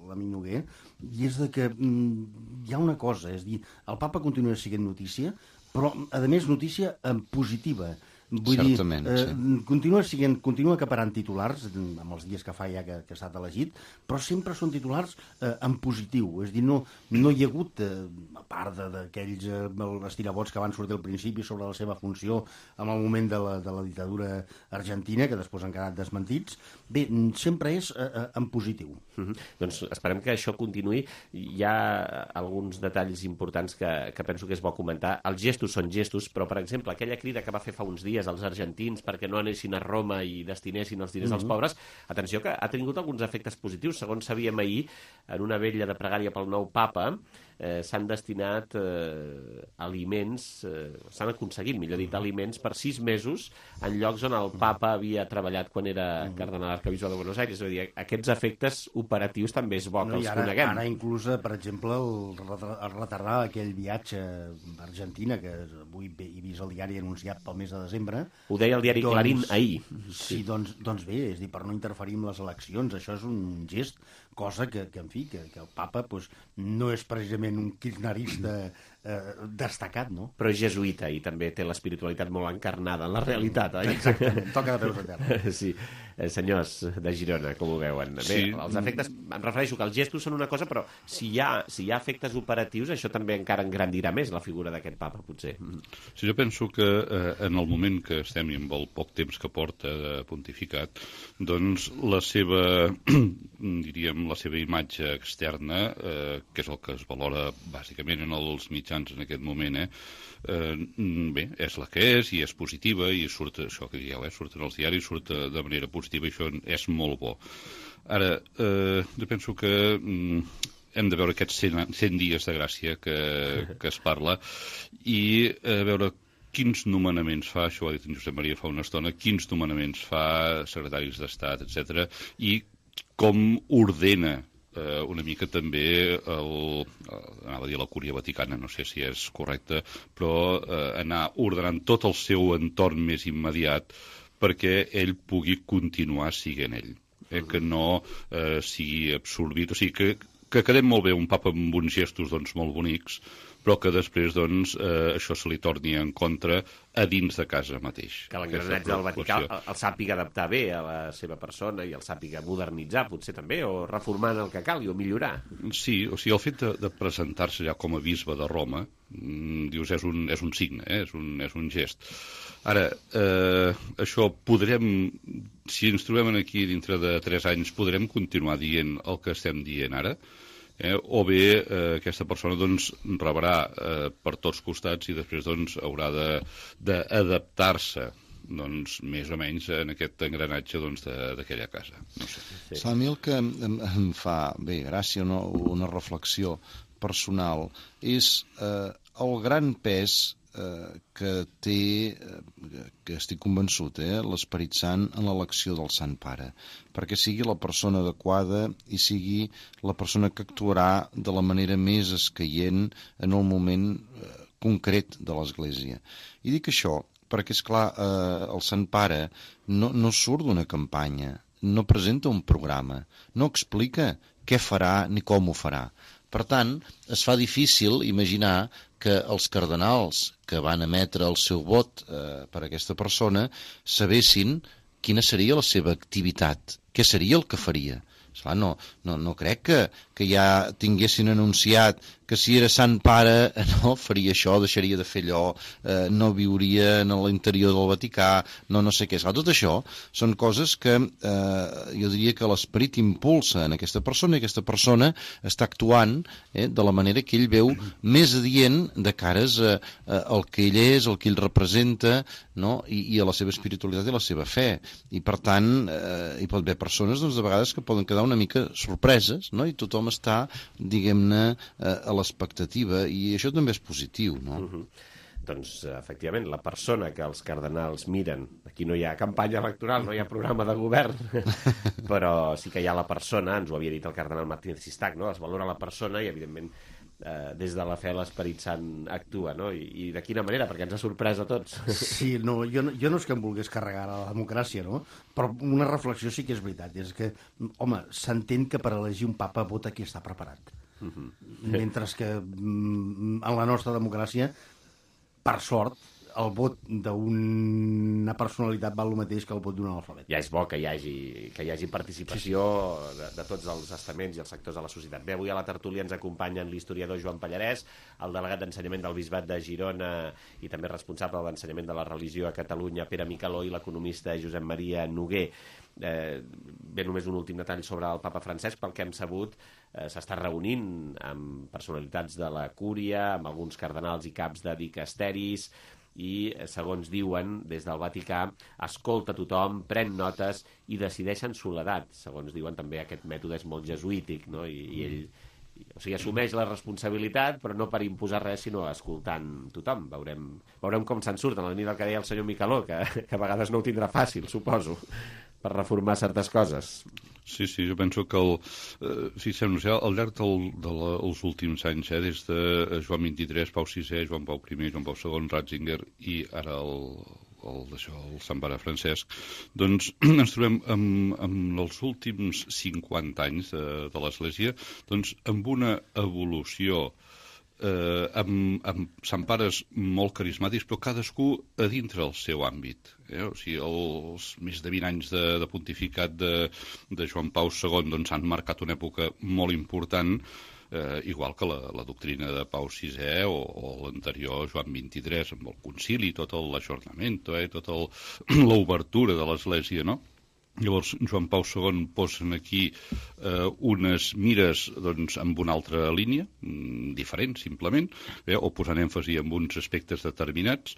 F: l'amic Noguer, i és de que mm, hi ha una cosa, és dir, el papa continua sent notícia, però, a més, notícia en positiva. Vull
N: Certament,
F: dir, eh,
N: sí.
F: continua, siguent, continua acaparant titulars, amb els dies que fa ja que, que ha estat elegit, però sempre són titulars eh, en positiu. És dir, no, no hi ha hagut, eh, a part d'aquells eh, estirabots que van sortir al principi sobre la seva funció en el moment de la, de la dictadura argentina, que després han quedat desmentits, bé, sempre és eh, en positiu.
B: Mm-hmm. Doncs esperem que això continuï. Hi ha alguns detalls importants que, que penso que és bo comentar. Els gestos són gestos, però, per exemple, aquella crida que va fer fa uns dies als argentins perquè no anessin a Roma i destinessin els diners mm-hmm. als pobres, atenció que ha tingut alguns efectes positius. Segons sabíem ahir, en una vetlla de pregària pel nou papa, eh, s'han destinat eh, aliments, eh, s'han aconseguit, millor dit, aliments per sis mesos en llocs on el papa havia treballat quan era cardenal arquebisbe de Buenos Aires. És a dir, aquests efectes operatius també és bo que
F: no,
B: els
F: ara,
B: coneguem.
F: Ara inclús, per exemple, el, el retardar aquell viatge a Argentina, que avui he vist el diari anunciat pel mes de desembre.
B: Ho deia el diari
F: doncs,
B: Clarín ahir.
F: Sí, sí doncs, doncs bé, és dir, per no interferir en les eleccions, això és un gest, cosa que, que en fi, que, que el papa pues, no és precisament un kirchnerista eh, destacat, no?
B: Però és jesuïta i també té l'espiritualitat molt encarnada en la realitat, oi?
F: Exactament, toca de peus a terra.
B: Sí, eh, senyors de Girona, com ho veuen? Bé, sí. Els efectes, em refereixo que els gestos són una cosa, però si hi ha, si hi ha efectes operatius, això també encara engrandirà més la figura d'aquest papa, potser.
M: Sí, jo penso que eh, en el moment que estem i amb el poc temps que porta de pontificat, doncs la seva, diríem, la seva imatge externa, eh, que és el que es valora bàsicament en els mitjans en aquest moment, eh, eh, bé, és la que és i és positiva i surt, això que dieu, eh, surt en els diaris, surt de manera positiva i això és molt bo. Ara, eh, jo penso que mm, hem de veure aquests cent dies de gràcia que, que es parla i eh, veure quins nomenaments fa, això ho ha dit en Josep Maria fa una estona, quins nomenaments fa secretaris d'Estat, etcètera, i com ordena eh, una mica també el, anava a dir la Cúria Vaticana, no sé si és correcte, però eh, anar ordenant tot el seu entorn més immediat perquè ell pugui continuar siguent ell, eh, que no eh, sigui absorbit, o sigui que, que quedem molt bé un papa amb uns gestos doncs, molt bonics, però que després doncs, eh, això se li torni en contra a dins de casa mateix.
B: Que l'engranatge del Vaticà el, el sàpiga adaptar bé a la seva persona i el sàpiga modernitzar, potser també, o reformar en el que calgui, o millorar.
M: Sí, o sigui, el fet de, de presentar-se ja com a bisbe de Roma, mm, dius, és un, és un signe, eh? és, un, és un gest. Ara, eh, això podrem, si ens trobem aquí dintre de tres anys, podrem continuar dient el que estem dient ara? Eh, o bé eh, aquesta persona doncs, rebrà eh, per tots costats i després doncs, haurà d'adaptar-se doncs, més o menys en aquest engranatge doncs, d'aquella casa. No sé.
N: Sí. A mi el que em, em fa bé, gràcia, una, una reflexió personal és eh, el gran pes eh, que té, eh, que estic convençut, eh, l'Esperit Sant en l'elecció del Sant Pare, perquè sigui la persona adequada i sigui la persona que actuarà de la manera més escaient en el moment eh, concret de l'Església. I dic això perquè, és clar, eh, el Sant Pare no, no surt d'una campanya, no presenta un programa, no explica què farà ni com ho farà. Per tant, es fa difícil imaginar que els cardenals que van emetre el seu vot eh, per a aquesta persona sabessin quina seria la seva activitat, què seria el que faria. Esclar, no, no, no crec que, que ja tinguessin anunciat que si era Sant Pare no faria això, deixaria de fer allò, eh, no viuria en l'interior del Vaticà, no no sé què. Esclar, tot això són coses que eh, jo diria que l'esperit impulsa en aquesta persona i aquesta persona està actuant eh, de la manera que ell veu més adient de cares a, a, al que ell és, el que ell representa, no? I, i a la seva espiritualitat i la seva fe. I per tant, eh, hi pot haver persones doncs, de vegades que poden quedar una mica sorpreses, no? I tothom està, diguem-ne, eh, a l'expectativa, i això també és positiu, no?
B: Uh-huh. Doncs, efectivament, la persona que els cardenals miren, aquí no hi ha campanya electoral, no hi ha programa de govern, però sí que hi ha la persona, ens ho havia dit el cardenal Martínez Sistac, no? Es valora la persona i, evidentment, eh, des de la fe l'Esperit Sant actua, no? I, i de quina manera, perquè ens ha sorprès a tots.
F: Sí, no, jo, no, jo no és que em volgués carregar a la democràcia, no? Però una reflexió sí que és veritat, és que, home, s'entén que per elegir un papa vota qui està preparat. Uh-huh. Mentre que mm, en la nostra democràcia, per sort, el vot d'una personalitat val el mateix que el vot d'un analfabet.
B: Ja és bo que hi hagi, que hi hagi participació sí, sí. De, de tots els estaments i els sectors de la societat. Bé, avui a la tertúlia ens acompanyen l'historiador Joan Pallarès, el delegat d'ensenyament del Bisbat de Girona i també responsable de l'ensenyament de la religió a Catalunya, Pere Micaló, i l'economista Josep Maria Noguer. Eh, bé, només un últim detall sobre el papa Francesc. Pel que hem sabut, eh, s'està reunint amb personalitats de la cúria, amb alguns cardenals i caps de dicasteris, i, segons diuen, des del Vaticà, escolta tothom, pren notes i decideix en soledat. Segons diuen, també aquest mètode és molt jesuític, no? I, i ell, o sigui, assumeix la responsabilitat, però no per imposar res, sinó escoltant tothom. Veurem, veurem com se'n surt, en la línia del que deia el senyor Micaló, que, que a vegades no ho tindrà fàcil, suposo, per reformar certes coses.
M: Sí, sí, jo penso que el, eh, fixem-nos, ja, al llarg dels de la, últims anys, eh, des de Joan vint-i-tres, Pau sisè, Joan Pau primer, Joan Pau segon, Ratzinger i ara el, el, això, el Sant Pare Francesc, doncs ens trobem amb, amb els últims cinquanta anys de, de l'Església doncs, amb una evolució Eh, amb, amb Sant Pares molt carismàtics, però cadascú a dintre el seu àmbit. Eh? O sigui, els més de vint anys de, de pontificat de, de Joan Pau segon doncs, han marcat una època molt important, eh, igual que la, la doctrina de Pau sisè o, o l'anterior Joan vint-i-tres, amb el concili, tot l'ajornament, eh? Tota l'obertura de l'Església, no? Llavors, Joan Pau segon posen aquí eh, unes mires doncs, amb una altra línia, mm, diferent, simplement, eh, o posant èmfasi en uns aspectes determinats.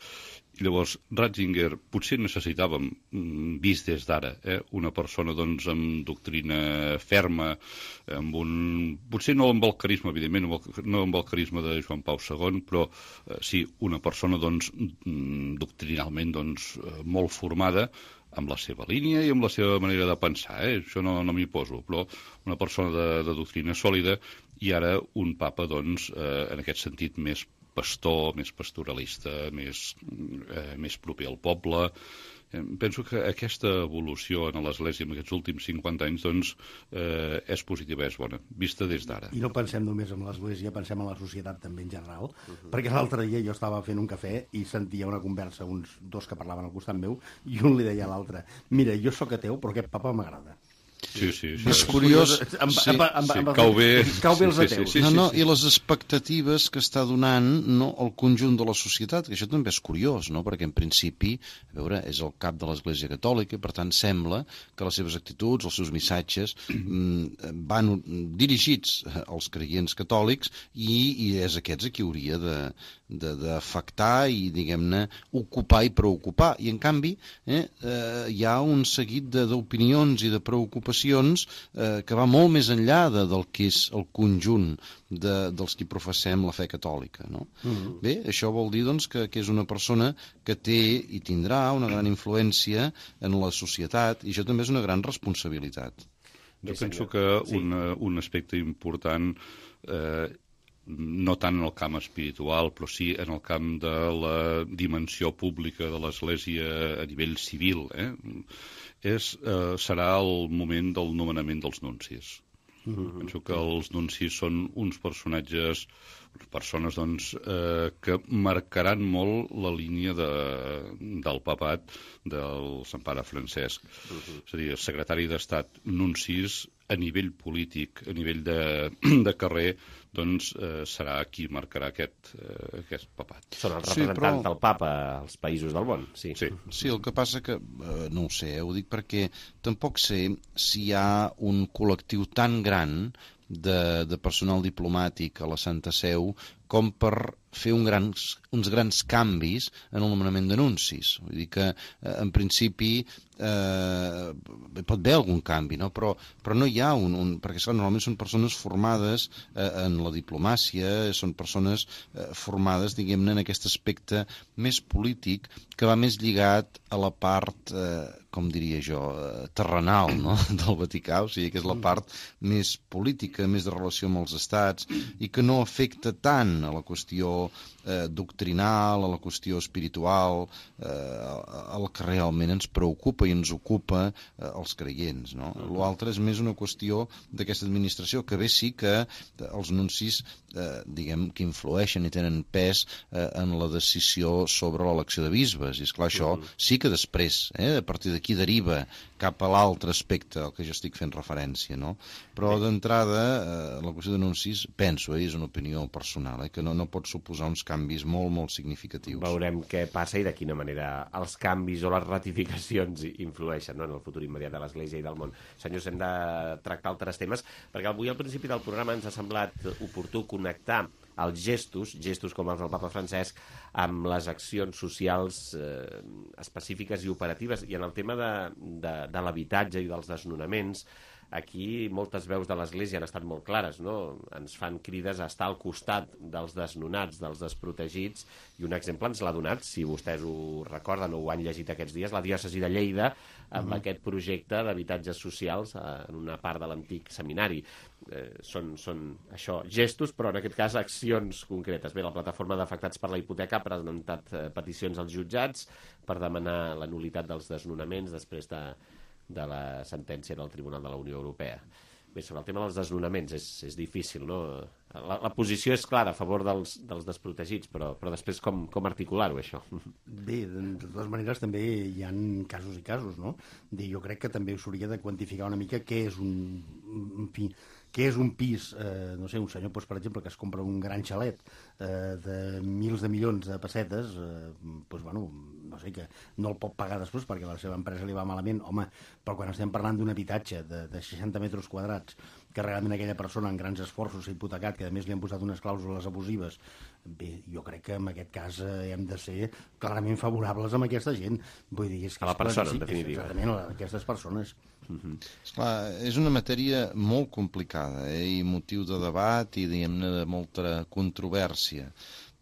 M: I llavors, Ratzinger potser necessitàvem, mm, vist des d'ara, eh, una persona doncs, amb doctrina ferma, amb un... potser no amb el carisma, evidentment, no amb el carisma de Joan Pau segon, però eh, sí, una persona doncs, mm, doctrinalment doncs, molt formada, amb la seva línia i amb la seva manera de pensar, eh? Això no, no m'hi poso, però una persona de, de doctrina sòlida i ara un papa, doncs, eh, en aquest sentit, més pastor, més pastoralista, més, eh, més proper al poble. Eh, penso que aquesta evolució en l'Església en aquests últims cinquanta anys doncs, eh, és positiva, és bona, vista des d'ara.
F: I no pensem només en l'Església, pensem en la societat també en general, uh-huh. perquè l'altre dia jo estava fent un cafè i sentia una conversa, uns dos que parlaven al costat meu, i un li deia a l'altre, mira, jo sóc ateu, però aquest papa m'agrada.
M: Sí, sí, sí.
N: És curiós...
F: Amb,
N: sí,
F: amb, amb,
M: sí,
F: amb,
M: cau bé.
F: Cau bé els ateus.
N: Sí, sí, sí, no, no, i les expectatives que està donant no, el conjunt de la societat, que això també és curiós, no? Perquè en principi, a veure, és el cap de l'Església Catòlica, per tant sembla que les seves actituds, els seus missatges mm, van dirigits als creients catòlics i, i és aquests a qui hauria de, de, d'afectar i, diguem-ne, ocupar i preocupar. I, en canvi, eh, eh, hi ha un seguit de, d'opinions i de preocupacions eh, que va molt més enllà de, del que és el conjunt de, dels qui professem la fe catòlica, no? Uh-huh. Bé, això vol dir doncs, que, que és una persona que té i tindrà una gran influència en la societat i això també és una gran responsabilitat.
M: Jo penso que un, un aspecte important eh, no tant en el camp espiritual, però sí en el camp de la dimensió pública de l'Església a nivell civil, eh? és, eh, serà el moment del nomenament dels nuncis. Mm-hmm. Penso que els nuncis són uns personatges persones doncs, eh, que marcaran molt la línia de, del papat del Sant Pare Francesc. Uh-huh. És a dir, el secretari d'Estat, nuncis, a nivell polític, a nivell de, de carrer, doncs eh, serà qui marcarà aquest, eh, aquest papat.
B: Són els representants sí, però... del papa als països del món, sí.
M: Sí,
N: sí el que passa que, eh, no ho sé, eh, ho dic perquè tampoc sé si hi ha un col·lectiu tan gran de, de personal diplomàtic a la Santa Seu com per fer un grans, uns grans canvis en el nomenament d'anuncis. Vull dir que, eh, en principi, eh, pot haver algun canvi, no? Però, però no hi ha un... un perquè, esclar, normalment són persones formades eh, en la diplomàcia, són persones eh, formades, diguem-ne, en aquest aspecte més polític, que va més lligat a la part, eh, com diria jo, eh, terrenal, no?, del Vaticà, o sigui, que és la part més política, més de relació amb els estats, i que no afecta tant a la qüestió eh, doctrinal, a la qüestió espiritual, eh, el que realment ens preocupa i ens ocupa eh, els creients, no? L'altre és més una qüestió d'aquesta administració, que bé sí que els nuncis, eh, diguem, que influeixen i tenen pes eh, en la decisió sobre l'elecció de bisbes, i esclar, això sí que després, eh, a partir d'aquí deriva cap a l'altre aspecte al que jo estic fent referència, no? Però d'entrada, eh, la qüestió d'anuncis, penso, eh, és una opinió personal, eh, que no, no pot suposar uns canvis molt, molt significatius.
B: Veurem què passa i de quina manera els canvis o les ratificacions influeixen, no?, en el futur immediat de l'Església i del món. Senyors, hem de tractar altres temes, perquè avui al principi del programa ens ha semblat oportú connectar els gestos, gestos com els del papa Francesc, amb les accions socials eh, específiques i operatives. I en el tema de, de, de l'habitatge i dels desnonaments, aquí moltes veus de l'Església han estat molt clares, no? Ens fan crides a estar al costat dels desnonats, dels desprotegits, i un exemple ens l'ha donat, si vostès ho recorden o ho han llegit aquests dies, la diòcesi de Lleida, amb mm-hmm. aquest projecte d'habitatges socials en una part de l'antic seminari. Eh, són, són això, gestos, però en aquest cas accions concretes. Bé, la plataforma d'afectats per la hipoteca ha presentat eh, peticions als jutjats per demanar la nul·litat dels desnonaments després de, de la sentència del Tribunal de la Unió Europea. Bé, sobre el tema dels desnonaments és, és difícil, no? La, la posició és clara a favor dels, dels desprotegits, però, però després com, com articular-ho, això?
F: Bé, de, de totes maneres també hi ha casos i casos, no? De, jo crec que també s'hauria de quantificar una mica què és un, en fi, què és un pis, eh, no sé, un senyor, doncs, per exemple, que es compra un gran xalet eh, de mils de milions de pessetes, eh, doncs, bueno, no sé, que no el pot pagar després perquè la seva empresa li va malament. Home, però quan estem parlant d'un habitatge de, de seixanta metres quadrats, que realment aquella persona en grans esforços s'ha hipotecat, que a més li han posat unes clàusules abusives, bé, jo crec que en aquest cas eh, hem de ser clarament favorables amb aquesta gent. Vull dir, és que
B: a la persona, en definitiva.
F: Exactament, a aquestes persones.
N: Uh-huh. Esclar, és una matèria molt complicada, eh, i motiu de debat i, diguem-ne, de molta controvèrsia,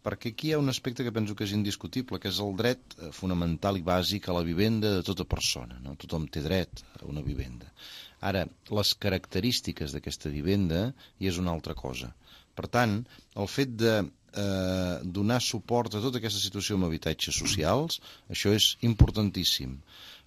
N: perquè aquí hi ha un aspecte que penso que és indiscutible, que és el dret fonamental i bàsic a la vivenda de tota persona, no? Tothom té dret a una vivenda. Ara, les característiques d'aquesta vivenda hi és una altra cosa. Per tant, el fet de eh, donar suport a tota aquesta situació amb habitatges socials, això és importantíssim.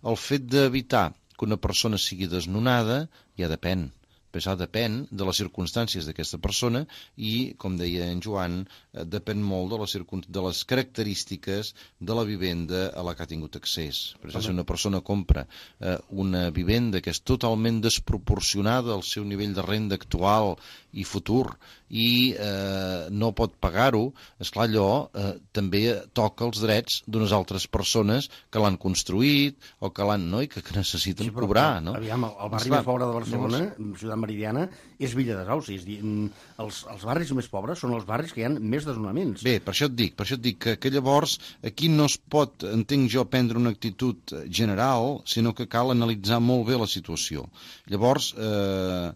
N: El fet d'evitar que una persona sigui desnonada ja depèn. Però això depèn de les circumstàncies d'aquesta persona i, com deia en Joan, eh, depèn molt de les, de les característiques de la vivenda a la que ha tingut accés. Per exemple, si una persona compra eh, una vivenda que és totalment desproporcionada al seu nivell de renda actual i futur i eh, no pot pagar-ho, esclar, allò eh, també toca els drets d'unes altres persones que l'han construït o que l'han, no?, i que, que necessiten sí, però, cobrar, no?
F: Aviam, el, el barri esclar, més pobre de Barcelona, llavors... Ciutat Meridiana, és Villa de Sauci. És dir, els, els barris més pobres són els barris que hi ha més desnonaments.
N: Bé, per això et dic, per això et dic que, que llavors aquí no es pot, entenc jo, prendre una actitud general, sinó que cal analitzar molt bé la situació. Llavors, eh,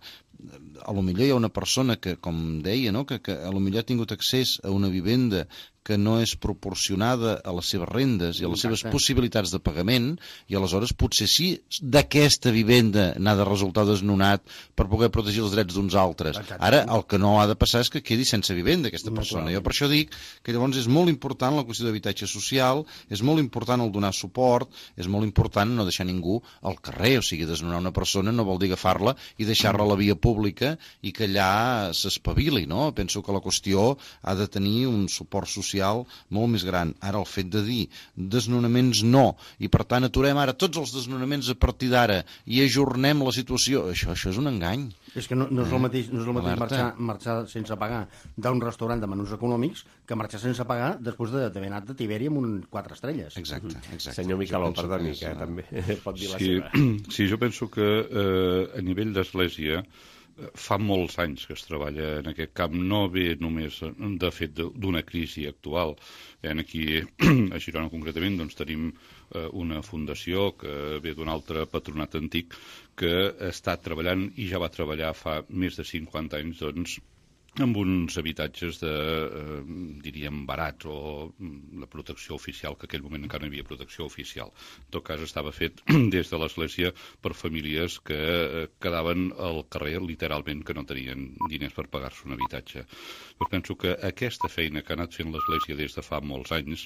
N: a lo millor hi ha una persona que, com deia, no?, que, que a lo millor ha tingut accés a una vivenda que no és proporcionada a les seves rendes i a les seves
F: Exacte.
N: possibilitats de pagament, i aleshores potser sí d'aquesta vivenda n'ha de resultar desnonat per poder protegir els drets d'uns altres.
F: Exacte.
N: Ara, el que no ha de passar és que quedi sense vivenda aquesta persona. Jo per això dic que llavors és molt important la qüestió d'habitatge social, és molt important el donar suport, és molt important no deixar ningú al carrer, o sigui, desnonar una persona no vol dir agafar-la i deixar-la a la via pública i que allà s'espavili, no? Penso que la qüestió ha de tenir un suport social molt més gran. Ara, el fet de dir desnonaments no, i per tant aturem ara tots els desnonaments a partir d'ara i ajornem la situació, això, això és un engany.
F: És que no, no és el mateix, no és el mateix
N: Alerta.
F: marxar, marxar sense pagar d'un restaurant de menús econòmics que marxar sense pagar després d'haver anat de Tiberi amb un quatre estrelles.
N: Exacte, exacte.
B: Senyor Micaló,
N: Jo penso
B: perdoni,
N: que
B: que
N: és-
B: també pot dir la
M: Sí,
B: seva.
M: sí, jo penso que eh, a nivell d'església eh, fa molts anys que es treballa en aquest camp, no ve només de fet de- d'una crisi actual. Eh, aquí a Girona concretament doncs, tenim eh, una fundació que ve d'un altre patronat antic que està treballant i ja va treballar fa més de cinquanta anys doncs, amb uns habitatges de, eh, diríem, barats o mm, la protecció oficial, que en aquell moment encara no hi havia protecció oficial. En tot cas, estava fet des de l'Església per famílies que eh, quedaven al carrer, literalment, que no tenien diners per pagar-se un habitatge. Doncs penso que aquesta feina que ha anat fent l'Església des de fa molts anys,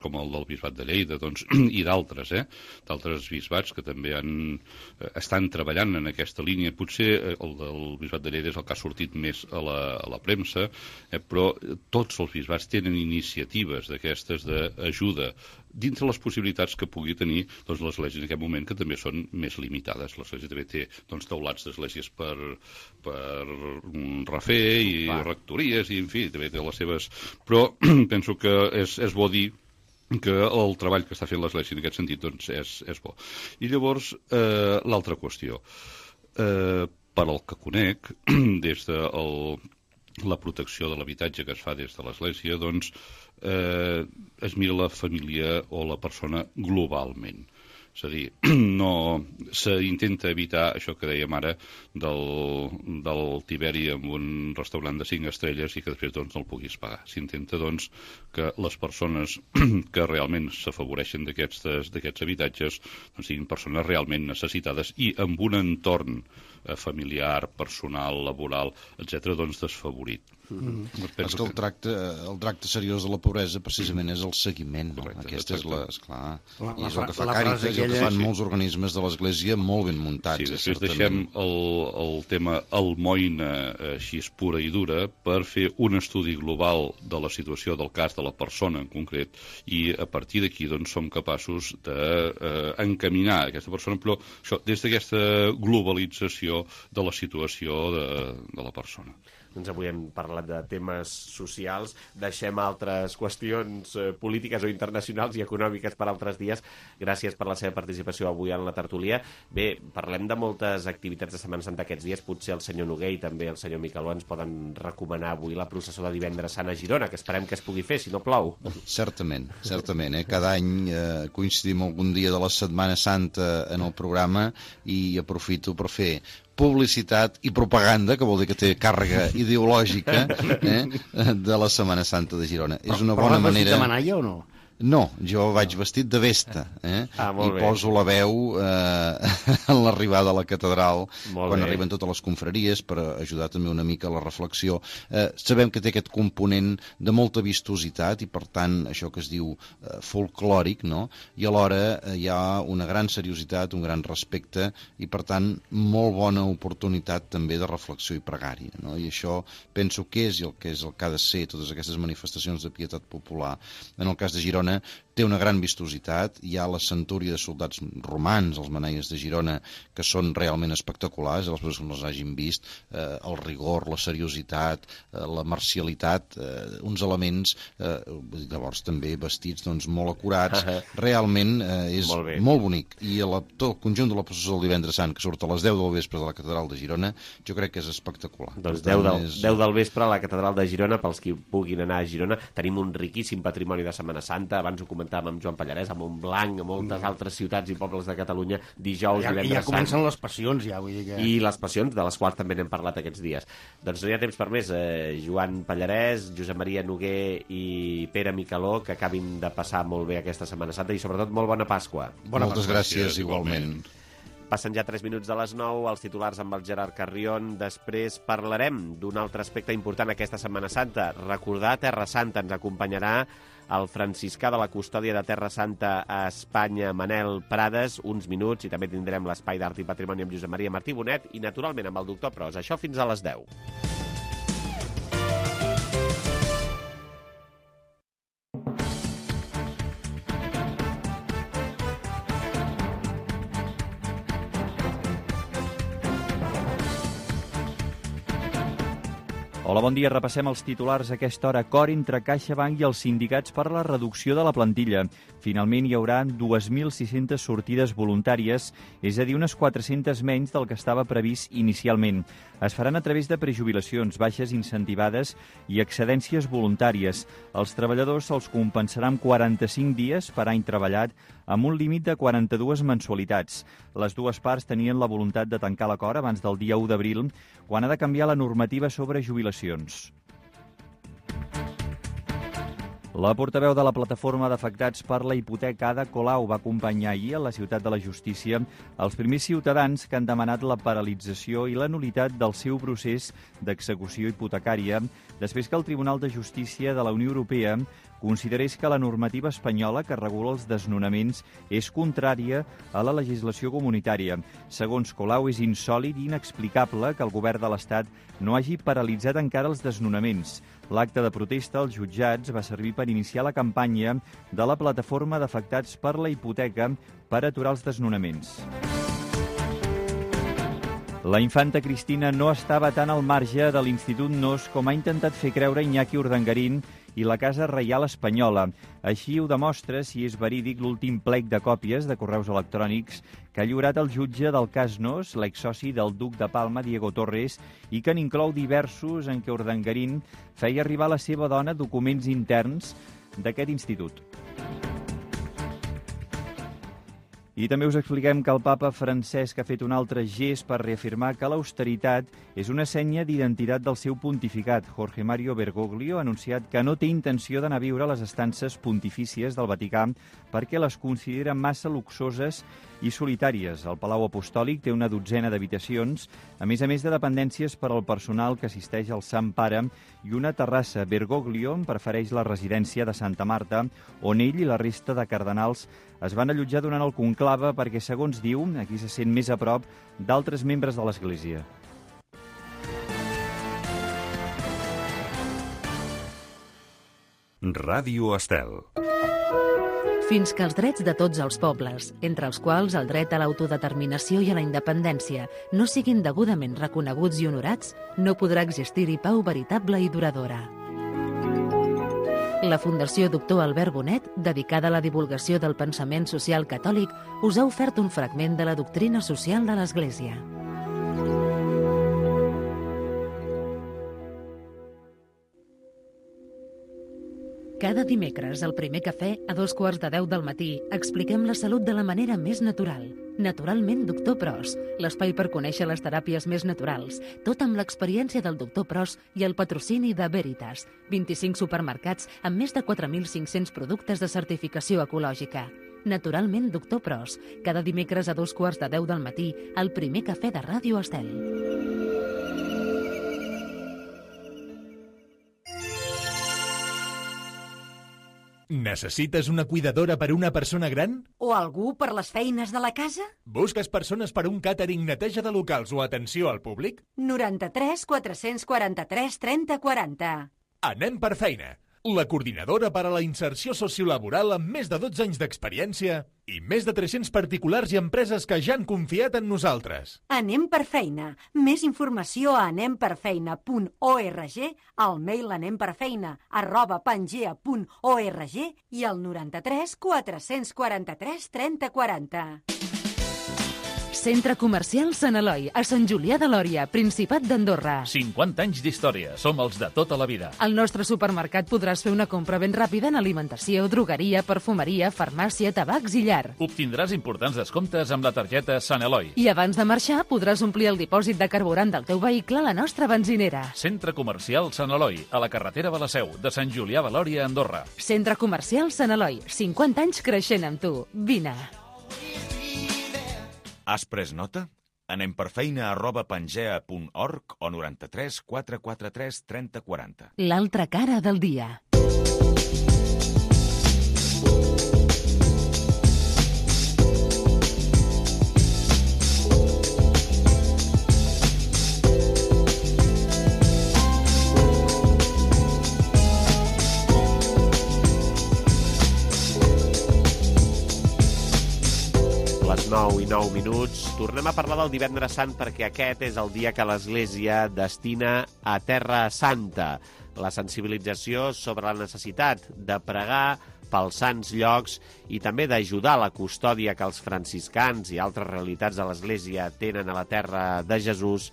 M: com el del Bisbat de Lleida, doncs, i d'altres, eh? d'altres bisbats que també han, eh, estan treballant en aquesta línia. Potser eh, el del Bisbat de Lleida és el que ha sortit més a la, a la premsa, eh? però tots els bisbats tenen iniciatives d'aquestes d'ajuda dintre les possibilitats que pugui tenir doncs, l'Església en aquest moment, que també són més limitades. L'Església també té doncs, taulats d'esglésies per, per mm, refer i
B: Clar.
M: rectories, i en fi, també té les seves... Però penso que és, és bo dir que el treball que està fent l'Església en aquest sentit doncs, és, és bo. I llavors, eh, l'altra qüestió. Eh, per al que conec, des de el, la protecció de l'habitatge que es fa des de l'Església, doncs, eh, es mira la família o la persona globalment. És a dir, no s'intenta evitar això que dèiem ara del, del Tiberi amb un restaurant de cinc estrelles i que després doncs, no el puguis pagar. S'intenta doncs, que les persones que realment s'afavoreixen d'aquests habitatges doncs, siguin persones realment necessitades i amb un entorn eh, familiar, personal, laboral, etcètera, doncs desfavorit.
N: Mm-hmm. És que el tracte, el tracte seriós de la pobresa precisament és el seguiment. No?
M: Correcte,
N: Aquesta és la, esclar,
F: La-
N: i
F: la
N: és el que fa
F: fra- la
N: Càritas,
F: frase
N: i el que
F: aquella-
N: fan
M: Sí.
N: molts organismes de l'Església molt ben muntats.
M: Sí,
N: eh,
M: després
N: certament.
M: deixem el, el tema almoina eh, així pura i dura per fer un estudi global de la situació del cas de la persona en concret i a partir d'aquí doncs, som capaços d'encaminar de, eh, aquesta persona, però això, des d'aquesta globalització de la situació de, de la persona.
B: Doncs avui hem parlat de temes socials, deixem altres qüestions eh, polítiques o internacionals i econòmiques per altres dies. Gràcies per la seva participació avui en la tertúlia. Bé, parlem de moltes activitats de Setmana Santa aquests dies. Potser el senyor Noguer i també el senyor Micaló ens poden recomanar avui la processó de divendres sant a Girona, que esperem que es pugui fer, si no plou.
N: Certament, certament. Eh? Cada any eh, coincidim algun dia de la Setmana Santa en el programa i aprofito per fer publicitat i propaganda, que vol dir que té càrrega ideològica eh, de la Setmana Santa de Girona. És una bona
F: Però
N: manera...
F: de manalla o no?
N: No, jo vaig vestit de vesta, eh?
B: Ah,
N: I
B: molt bé.
N: poso la veu eh, en l'arribada a la catedral,
B: Molt
N: quan
B: bé.
N: arriben totes les confraries, per ajudar també una mica a la reflexió. Eh, sabem que té aquest component de molta vistositat i, per tant, això que es diu eh, folclòric, no? I alhora eh, hi ha una gran seriositat, un gran respecte i, per tant, molt bona oportunitat també de reflexió i pregària, no? I això penso que és el que és el que ha de ser totes aquestes manifestacions de pietat popular. En el cas de Girona té una gran vistositat, hi ha la centúria de soldats romans, els manaies de Girona, que són realment espectaculars, les persones que no els hagin vist, eh, el rigor, la seriositat, eh, la marcialitat, eh, uns elements, eh, llavors també vestits doncs, molt acurats, realment eh, és
B: Molt bé.
N: molt bonic. I la, tot el conjunt de la processó del divendres sant, que surt a les deu del vespre de la catedral de Girona, jo crec que és espectacular.
B: Doncs
N: Per tant,
B: deu del,
N: és-
B: deu del vespre a la catedral de Girona, pels qui puguin anar a Girona. Tenim un riquíssim patrimoni de Setmana Santa, Santa, abans ho comentàvem amb Joan Pallarès, a Montblanc, a moltes mm. altres ciutats i pobles de Catalunya, dijous,
F: ja,
B: divendres
F: ja comencen Sant. Les passions, ja, vull dir que...
B: I les passions, de les quals també n'hem parlat aquests dies. Doncs no hi ha temps per més. Eh, Joan Pallarès, Josep Maria Noguer i Pere Micaló, que acabin de passar molt bé aquesta Setmana Santa i sobretot molt bona Pasqua.
N: Bona Moltes Pasqua. Gràcies, igualment.
B: Passen ja tres minuts de les nou, els titulars amb el Gerard Carrion. Després parlarem d'un altre aspecte important aquesta Setmana Santa. Recordar Terra Santa. Ens acompanyarà el franciscà de la custòdia de Terra Santa a Espanya, Manel Prades, uns minuts, i també tindrem l'espai d'art i patrimoni amb Josep Maria Martí Bonet i, naturalment, amb el doctor Pros. Això fins a les deu.
C: Hola, bon dia. Repassem els titulars a aquesta hora. Acord entre CaixaBank i els sindicats per la reducció de la plantilla. Finalment hi haurà dos mil sis-centes sortides voluntàries, és a dir, unes quatre-centes menys del que estava previst inicialment. Es faran a través de prejubilacions, baixes incentivades i excedències voluntàries. Els treballadors se'ls compensarà amb quaranta-cinc dies per any treballat, amb un límit de quaranta-dues mensualitats. Les dues parts tenien la voluntat de tancar l'acord abans del dia u d'abril, quan ha de canviar la normativa sobre jubilacions. La portaveu de la plataforma d'afectats per la hipoteca, Ada Colau, va acompanyar ahir a la Ciutat de la Justícia els primers ciutadans que han demanat la paralització i la nul·litat del seu procés d'execució hipotecària després que el Tribunal de Justícia de la Unió Europea considerés que la normativa espanyola que regula els desnonaments és contrària a la legislació comunitària. Segons Colau, és insòlit i inexplicable que el govern de l'Estat no hagi paralitzat encara els desnonaments. L'acte de protesta als jutjats va servir per iniciar la campanya de la plataforma d'afectats per la hipoteca per aturar els desnonaments. La infanta Cristina no estava tan al marge de l'Institut Nos com ha intentat fer creure Iñaki Urdangarín i la Casa Reial Espanyola. Així ho demostra, si és verídic, l'últim plec de còpies de correus electrònics que ha lliurat el jutge del cas Nos, l'exsoci del duc de Palma, Diego Torres, i que n'inclou diversos en què Urdangarín feia arribar a la seva dona documents interns d'aquest institut. I també us expliquem que el papa Francesc ha fet un altre gest per reafirmar que l'austeritat és una senya d'identitat del seu pontificat. Jorge Mario Bergoglio ha anunciat que no té intenció d'anar a viure a les estances pontifícies del Vaticà perquè les considera massa luxoses i solitàries. El Palau Apostòlic té una dotzena d'habitacions, a més a més de dependències per al personal que assisteix al Sant Pare i una terrassa. Bergoglio prefereix la residència de Santa Marta, on ell i la resta de cardenals es van allotjar durant el conclave perquè, segons diu, aquí se sent més a prop d'altres membres de l'Església.
O: Ràdio Estel.
A: Fins que els drets de tots els pobles, entre els quals el dret a l'autodeterminació i a la independència, no siguin degudament reconeguts i honorats, no podrà existir-hi pau veritable i duradora. La Fundació Doctor Albert Bonet, dedicada a la divulgació del pensament social catòlic, us ha ofert un fragment de la doctrina social de l'Església. Cada dimecres, al primer cafè, a dos quarts de deu del matí, expliquem la salut de la manera més natural. Naturalment, doctor Pros, l'espai per conèixer les teràpies més naturals, tot amb l'experiència del doctor Pros i el patrocini de Veritas, vint-i-cinc supermercats amb més de quatre mil cinc-cents productes de certificació ecològica. Naturalment, doctor Pros, cada dimecres a dos quarts de deu del matí, al primer cafè de Ràdio Estel.
P: Necessites una cuidadora per a una persona gran?
Q: O algú per les feines de la casa?
P: Busques persones per a un càtering, neteja de locals o atenció al públic?
Q: noranta-tres quatre-cents quaranta-tres trenta quaranta.
P: Anem per feina. La coordinadora per a la inserció sociolaboral amb més de dotze anys d'experiència i més de tres-cents particulars i empreses que ja han confiat en nosaltres.
Q: Anem per feina. Més informació a anem per feina punt org, al mail anemperfeina arroba pangea punt org i al noranta-tres quatre-cents quaranta-tres trenta quaranta.
A: Centre Comercial Sant Eloi, a Sant Julià de Lòria, Principat d'Andorra.
K: cinquanta anys d'història. Som els de tota la vida.
A: Al nostre supermercat podràs fer una compra ben ràpida en alimentació, drogueria, perfumeria, farmàcia, tabacs i llar.
K: Obtindràs importants descomptes amb la targeta Sant Eloi.
A: I abans de marxar podràs omplir el dipòsit de carburant del teu vehicle a la nostra benzinera.
K: Centre Comercial Sant Eloi, a la carretera de la Seu, de Sant Julià de Lòria, Andorra.
A: Centre Comercial Sant Eloi, cinquanta anys creixent amb tu. Vine.
O: Has pres nota? Anem per feina arroba pangea punt org o noranta-tres quatre quatre tres trenta quaranta.
A: L'altra cara del dia.
B: Les nou i nou minuts. Tornem a parlar del Divendres Sant perquè aquest és el dia que l'Església destina a Terra Santa. La sensibilització sobre la necessitat de pregar pels sants llocs i també d'ajudar a la custòdia que els franciscans i altres realitats de l'Església tenen a la terra de Jesús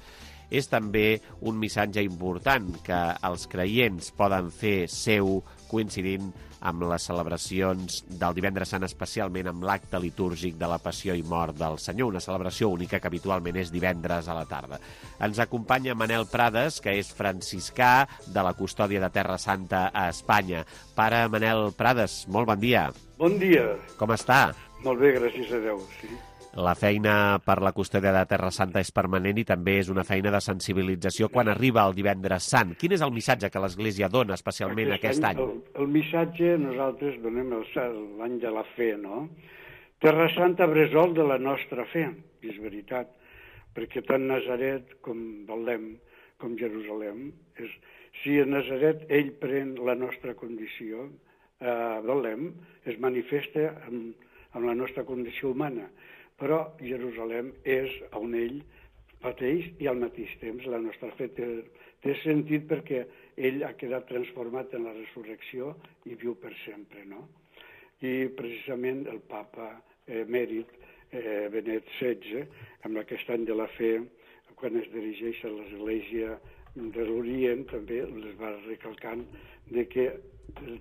B: és també un missatge important que els creients poden fer seu coincidint amb les celebracions del Divendres Sant, especialment amb l'acte litúrgic de la Passió i Mort del Senyor, una celebració única que habitualment és divendres a la tarda. Ens acompanya Manel Prades, que és franciscà de la Custòdia de Terra Santa a Espanya. Pare Manel Prades, molt bon dia.
R: Bon dia.
B: Com està?
R: Molt bé, gràcies a Déu, sí.
B: La feina per la custòdia de Terra Santa és permanent i també és una feina de sensibilització quan arriba el Divendres Sant. Quin és el missatge que l'Església dona especialment aquest, aquest any?
R: El, el missatge nosaltres donem l'any de la fe, no? Terra Santa bressol de la nostra fe, és veritat, perquè tant Nazaret com Belém, com Jerusalem, és, si a Nazaret ell pren la nostra condició, a Belém es manifesta amb, amb la nostra condició humana, però Jerusalem és on ell pateix i al mateix temps la nostra fe té, té sentit perquè ell ha quedat transformat en la resurrecció i viu per sempre, no? I precisament el papa emèrit eh, Benet setze, amb aquest any de la fe, quan es dirigeix a l'Església de l'Orient, també les va recalcant de que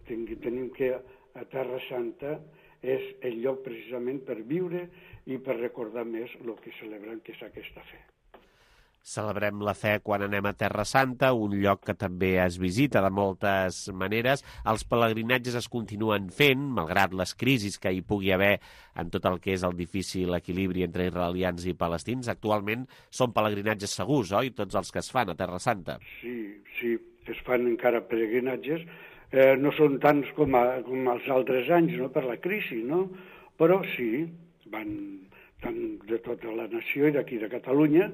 R: tenim que a Terra Santa és el lloc precisament per viure i per recordar més el que celebrem, que és aquesta fe.
B: Celebrem la fe quan anem a Terra Santa, un lloc que també es visita de moltes maneres. Els pelegrinatges es continuen fent, malgrat les crisis que hi pugui haver en tot el que és el difícil equilibri entre israelians i palestins. Actualment són pelegrinatges segurs, oi? Tots els que es fan a Terra Santa.
R: Sí, sí, es fan encara pelegrinatges. Eh, no són tants com, a, com els altres anys, no?, per la crisi, no? Però sí, van tant de tota la nació i d'aquí de Catalunya.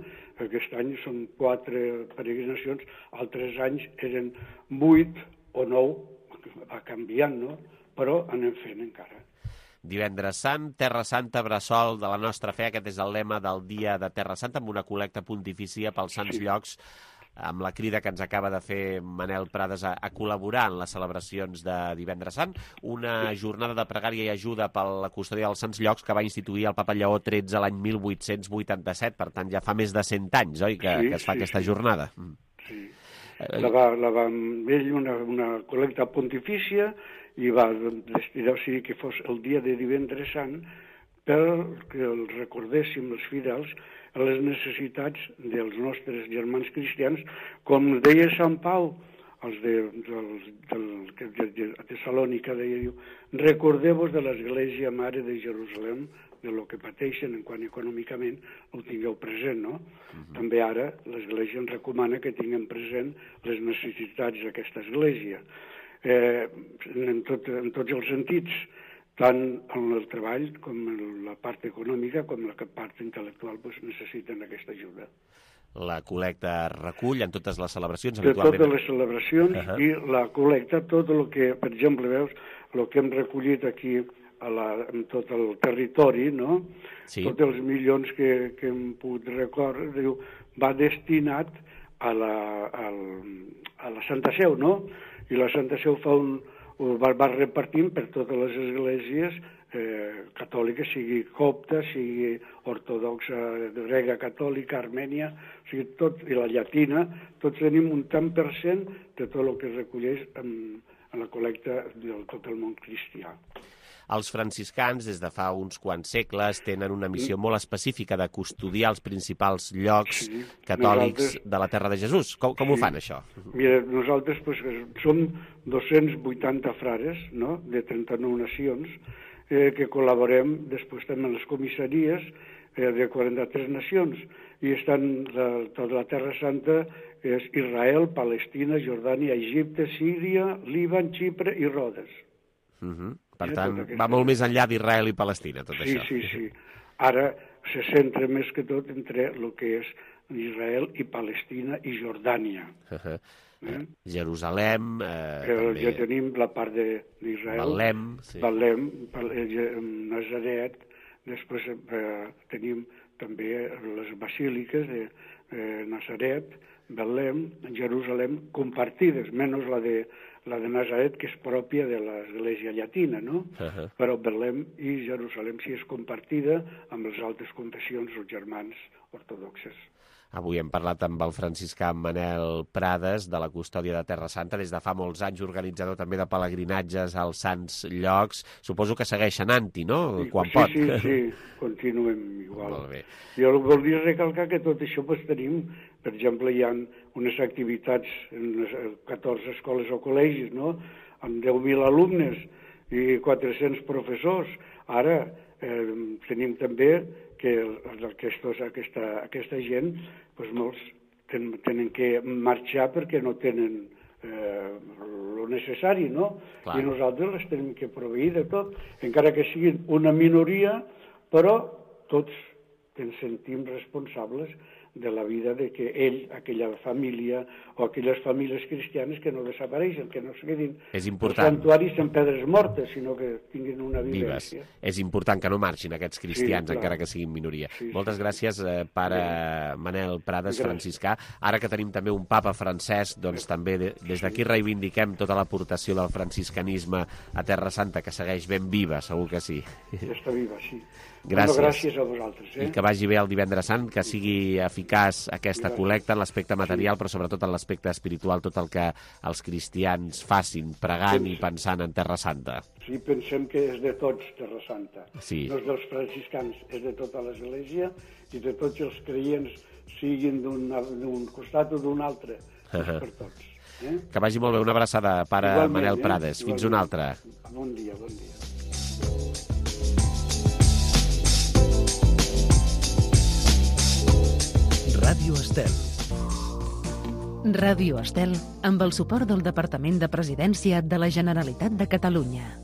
R: Aquest any són quatre peregrinacions, altres anys eren vuit o nou, va canviant, no? Però anem fent encara.
B: Divendres Sant, Terra Santa, bressol de la nostra fe. Aquest és el lema del dia de Terra Santa, amb una col·lecta pontifícia pels sants sí. llocs, amb la crida que ens acaba de fer Manel Prades a, a col·laborar en les celebracions de Divendres Sant, una jornada de pregària i ajuda per la custòdia dels sants llocs que va instituir el papa Lleó tretze l'any mil vuit-cents vuitanta-set, per tant ja fa més de cent anys, oi, que, sí, que es fa sí, aquesta sí. jornada.
R: Sí. La va, la va amb ell una, una col·lecta pontifícia i va destinar, o sigui, que fos el dia de Divendres Sant perquè el recordéssim els fidels a les necessitats dels nostres germans cristians, com deia Sant Pau, els de, dels, del, de, de, de Tessalònica, deia, recordeu-vos de l'Església Mare de Jerusalem, de lo que pateixen en quant econòmicament, ho tingueu present, no? Uh-huh. També ara l'Església ens recomana que tinguem present les necessitats d'aquesta Església, eh, en, tot, en tots els sentits, tant en el treball com en la part econòmica com en la part intel·lectual doncs necessiten aquesta ajuda.
B: La col·lecta recull en totes les celebracions?
R: De habitualment... totes les celebracions uh-huh. i la col·lecta, tot el que, per exemple, veus, el que hem recollit aquí a la, en tot el territori, no? Sí. Tots els milions que, que hem pogut recórrer, diu, va destinat a la, a, a la Santa Seu, no? I la Santa Seu fa un... va, va repartint per totes les esglésies eh, catòliques que sigui copta, sigui ortodoxa, grega, catòlica, armènia, o sigui, tot, i la llatina, tots tenim un tant per cent de tot el que es recolleix en, en la col·lecta de tot el món cristià.
B: Els franciscans, des de fa uns quants segles, tenen una missió molt específica de custodiar els principals llocs sí, catòlics nosaltres... de la Terra de Jesús. Com, com sí. ho fan, això?
R: Mira, nosaltres pues, som dos-cents vuitanta frares, no?, de trenta-nou nacions, eh, que col·laborem després també en les comissaries eh, de quaranta-tres nacions, i estan la, tota la Terra Santa és Israel, Palestina, Jordània, Egipte, Síria, Líban, Xipre i Rodes.
B: Uh -huh. Per tant, va molt més enllà d'Israel i Palestina, tot
R: sí,
B: això.
R: Sí, sí, sí. Ara se centra més que tot entre el que és Israel i Palestina i Jordània.
B: Uh -huh. eh? Jerusalem... Eh,
R: també... Ja tenim la part d'Israel.
B: Betlem, sí.
R: Betlem, Nazaret. Després eh, tenim també les basíliques de eh, Nazaret, Betlem, Jerusalem, compartides, menys la de la de Nazaret, que és pròpia de l'Església Llatina, no? Uh-huh. Però Betlem i Jerusalem sí és compartida amb les altres confessions o germans ortodoxes.
B: Avui hem parlat amb el franciscà Manel Prades, de la Custòdia de Terra Santa, des de fa molts anys, organitzador també de pelegrinatges als sants llocs. Suposo que segueix anant-hi, no?,
R: sí,
B: quan
R: sí,
B: pot.
R: Sí, sí, continuem igual.
B: Molt bé.
R: Jo volia recalcar que tot això pues, tenim, per exemple, hi ha unes activitats en les catorze escoles o col·legis, no?, amb deu mil alumnes i quatre-cents professors. Ara eh, tenim també que aquestos, aquesta, aquesta gent, doncs molts ten, tenen que marxar perquè no tenen eh, el necessari, no? Clar. I nosaltres les tenim que proveir de tot, encara que siguin una minoria, però tots ens sentim responsables de la vida de que ell, aquella família o aquelles famílies cristianes que no desapareixen, que no es quedin els santuaris en pedres mortes, sinó que tinguin una vivència.
B: Vives. És important que no marxin aquests cristians, sí, encara que siguin minoria. Sí, Moltes sí, gràcies, eh, pare sí. Manel Prades, gràcies. Franciscà. Ara que tenim també un papa francès, doncs sí. també de, des d'aquí reivindiquem tota l'aportació del franciscanisme a Terra Santa, que segueix ben viva, segur que sí.
R: Ja està viva, sí.
B: Gràcies.
R: Bueno, gràcies a vosaltres. Eh?
B: I que vagi bé el divendres sant, que sigui eficaç aquesta gràcies. Col·lecta en l'aspecte material, sí. però sobretot en l'aspecte espiritual, tot el que els cristians facin, pregant Pens... i pensant en Terra Santa.
R: Sí, pensem que és de tots, Terra Santa.
B: Sí.
R: No és dels franciscans, és de tota l'Església i de tots els creients, siguin d'un costat o d'un altre, uh -huh. per tots. Eh?
B: Que vagi molt bé. Una abraçada, pare Igualment, Manel Prades. Eh? Fins una altra.
R: Bon dia, bon dia.
A: Ràdio Estel. Ràdio Estel, amb el suport del Departament de Presidència de la Generalitat de Catalunya.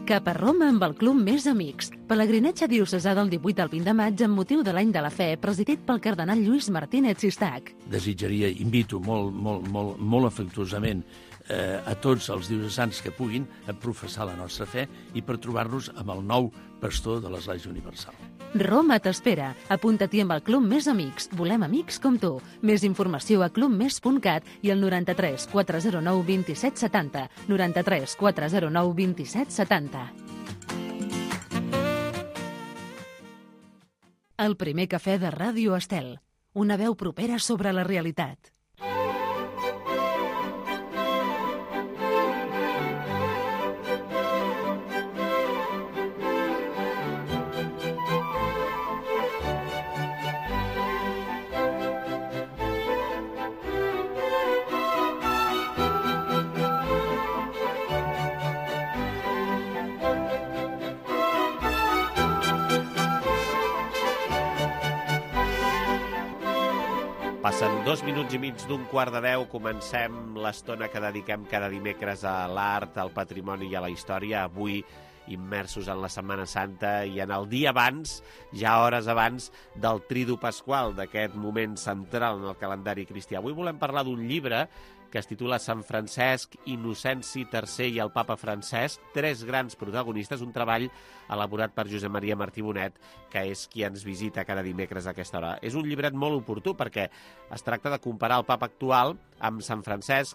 A: Cap a Roma amb el Club Més Amics. Pelegrinatge diocesà del divuit al vint de maig amb motiu de l'Any de la Fe, presidit pel cardenal Lluís Martínez Sistac.
S: Desitjaria, invito molt, molt, molt, molt afectuosament eh, a tots els diocesans que puguin a professar la nostra fe i per trobar-nos amb el nou pastor de l'Església Universal.
A: Roma t'espera. Apunta-t'hi amb el Club Més Amics. Volem amics com tu. Més informació a club més punt cat i al noranta-tres quatre zero nou vint-i-set setanta. noranta-tres quatre zero nou vint-i-set setanta. El primer cafè de Ràdio Estel. Una veu propera sobre la realitat.
B: Passen dos minuts i mig d'un quart de deu. Comencem l'estona que dediquem cada dimecres a l'art, al patrimoni i a la història. Avui immersos en la Setmana Santa i en el dia abans, ja hores abans del Tridu Pasqual, d'aquest moment central en el calendari cristià. Avui volem parlar d'un llibre que es titula Sant Francesc, Innocenci tercer i el papa Francesc, tres grans protagonistes, un treball elaborat per Josep Maria Martí Bonet, que és qui ens visita cada dimecres a aquesta hora. És un llibret molt oportú perquè es tracta de comparar el papa actual amb Sant Francesc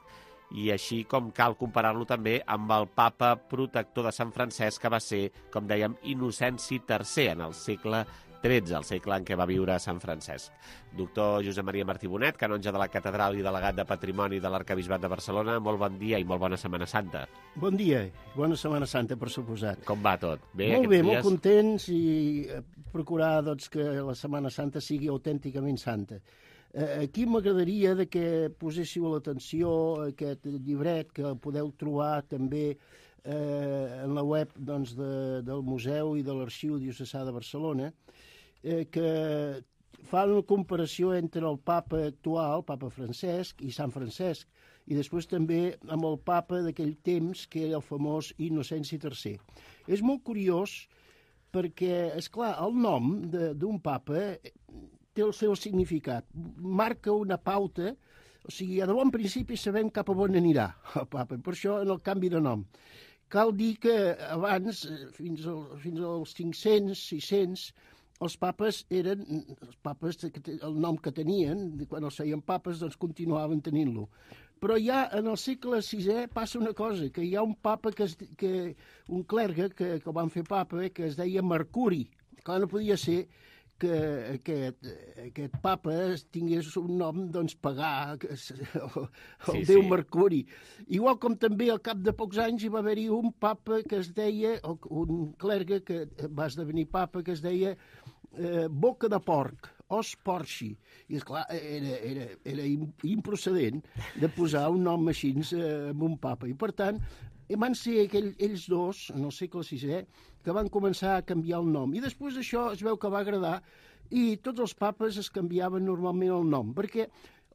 B: i així com cal comparar-lo també amb el papa protector de Sant Francesc, que va ser, com dèiem, Innocenci tercer en el segle tretze, el segle en què va viure Sant Francesc. Doctor Josep Maria Martí Bonet, canonge de la Catedral i delegat de Patrimoni de l'Arquebisbat de Barcelona, molt bon dia i molt bona Setmana Santa.
T: Bon dia, bona Setmana Santa, per suposat.
B: Com va tot? Bé,
T: molt bé,
B: dies?
T: Molt contents i procurar doncs, que la Setmana Santa sigui autènticament santa. Aquí m'agradaria que poséssiu l'atenció a aquest llibret que podeu trobar també eh, en la web doncs, de, del Museu i de l'Arxiu Diocesà de Barcelona, eh, que fa una comparació entre el papa actual, papa Francesc, i Sant Francesc, i després també amb el papa d'aquell temps, que era el famós Innocenci tercer. És molt curiós perquè, és clar, el nom d'un papa té el seu significat, marca una pauta, o sigui, de bon principi sabem cap a on anirà el papa, per això en el canvi de nom. Cal dir que abans, fins, al, fins als cinc-cents, sis-cents, els papes eren, els papes, el nom que tenien, quan els feien papes, doncs continuaven tenint-lo. Però ja en el segle sisè passa una cosa, que hi ha un papa, que, es, que un clergue que, que van fer papa, que es deia Mercuri. Clar, no podia ser que aquest, aquest papa tingués un nom, doncs, pagà, el, el sí, déu sí. Mercuri. Igual com també al cap de pocs anys hi va haver-hi un papa que es deia, un clergue que va esdevenir papa, que es deia eh, Boca de Porc, Os Porci. I, esclar, era, era, era improcedent de posar un nom així eh, amb un papa. I, per tant, van ser aquell, ells dos, en el segle sisè, que van començar a canviar el nom. I després d'això es veu que va agradar i tots els papes es canviaven normalment el nom, perquè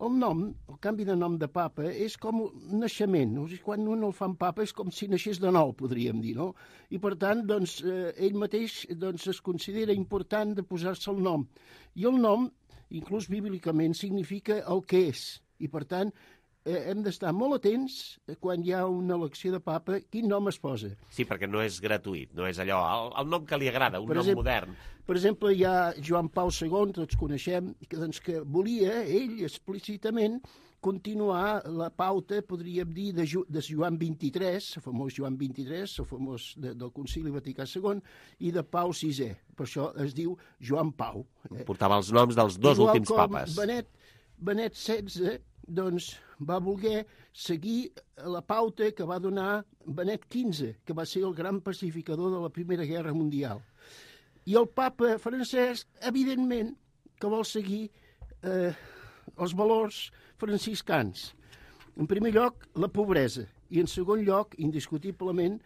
T: el nom, el canvi de nom de papa, és com un naixement. O sigui, quan un el fan papa és com si naixés de nou, podríem dir, no? I per tant, doncs, eh, ell mateix doncs, es considera important de posar-se el nom. I el nom, inclús bíblicament, significa el que és. I per tant, Eh, hem d'estar molt atents quan hi ha una elecció de papa, quin nom es posa.
B: Sí, perquè no és gratuït, no és allò, el, el nom que li agrada, un per nom exemple, modern.
T: Per exemple, hi ha Joan Pau segon, tots coneixem, que, doncs, que volia, ell, explícitament, continuar la pauta, podríem dir, de, Ju, de Joan vint-i-tres, el famós Joan vint-i-tres, el famós de, del Concili Vaticà segon, i de Pau sisè. Per això es diu Joan Pau.
B: Portava els noms dels dos
T: Igual
B: últims papes.
T: Benet, Benet setze, doncs, va voler seguir la pauta que va donar Benet quinze, que va ser el gran pacificador de la Primera Guerra Mundial. I el papa Francesc, evidentment, que vol seguir eh, els valors franciscans. En primer lloc, la pobresa, i en segon lloc, indiscutiblement,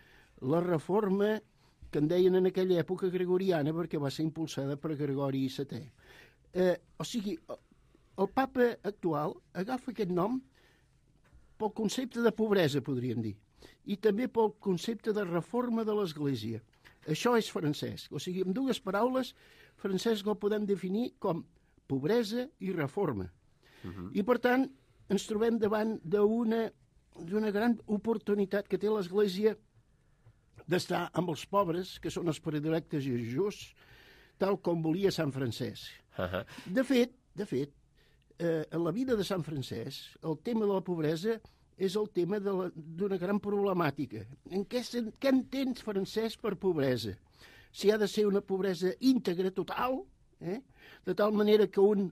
T: la reforma que en deien en aquella època gregoriana, perquè va ser impulsada per Gregori setè. Eh, o sigui, el papa actual agafa aquest nom pel concepte de pobresa, podríem dir, i també pel concepte de reforma de l'Església. Això és Francesc. O sigui, amb dues paraules, Francesc el podem definir com pobresa i reforma. Uh-huh. I, per tant, ens trobem davant d'una d'una gran oportunitat que té l'Església d'estar amb els pobres, que són els predilectes i justos, tal com volia Sant Francesc. Uh-huh. De fet, de fet, Eh, en la vida de Sant Francesc, el tema de la pobresa és el tema d'una gran problemàtica. En què, què entén Francesc per pobresa? Si ha de ser una pobresa íntegra, total, eh? De tal manera que un,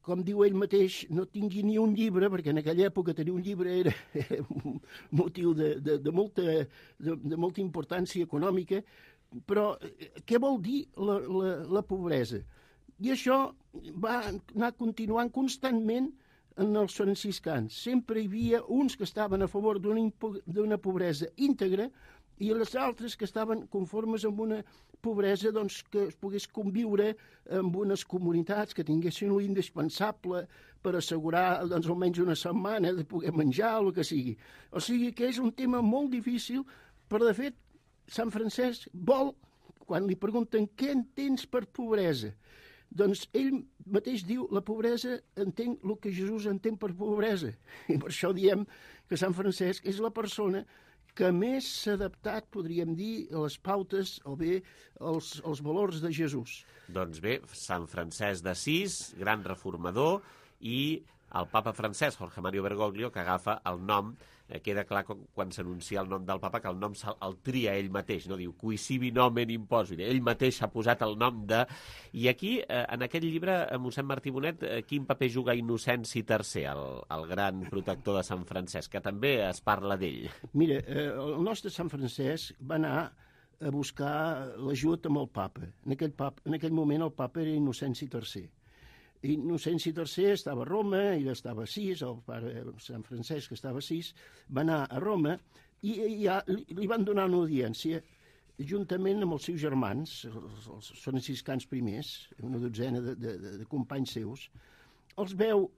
T: com diu ell mateix, no tingui ni un llibre, perquè en aquella època tenir un llibre era, era un motiu de, de, de, molta, de, de molta importància econòmica, però què vol dir la, la, la pobresa? I això va anar continuant constantment en els franciscans. Sempre hi havia uns que estaven a favor d'una pobresa íntegra i els altres que estaven conformes amb una pobresa doncs, que es pogués conviure amb unes comunitats que tinguessin l'indispensable per assegurar doncs, almenys una setmana de poder menjar o el que sigui. O sigui que és un tema molt difícil, però de fet Sant Francesc vol, quan li pregunten què entens per pobresa, doncs ell mateix diu, la pobresa entenc el que Jesús entén per pobresa. I per això diem que Sant Francesc és la persona que més s'ha adaptat, podríem dir, a les pautes o bé als, als valors de Jesús.
B: Doncs bé, Sant Francesc d'Assís, gran reformador, i el papa francès, Jorge Mario Bergoglio, que agafa el nom, eh, queda clar quan s'anuncia el nom del papa, que el nom el tria ell mateix, no diu qui sibi nomen imposit, ell mateix ha posat el nom de... I aquí, eh, en aquest llibre, mossèn Martí Bonet, eh, quin paper juga Innocenci tercer, el, el gran protector de Sant Francesc, que també es parla d'ell?
T: Mira, eh, el nostre Sant Francesc va anar a buscar l'ajut amb el papa. En aquell, pap, en aquell moment el papa era Innocenci tercer. Innocenci tercer estava a Roma, ell estava a Sis, el pare Sant Francesc estava a Sis, va anar a Roma i, i ja, li, li van donar una audiència juntament amb els seus germans, els, els franciscans primers, una dotzena de, de, de, de companys seus. Els veu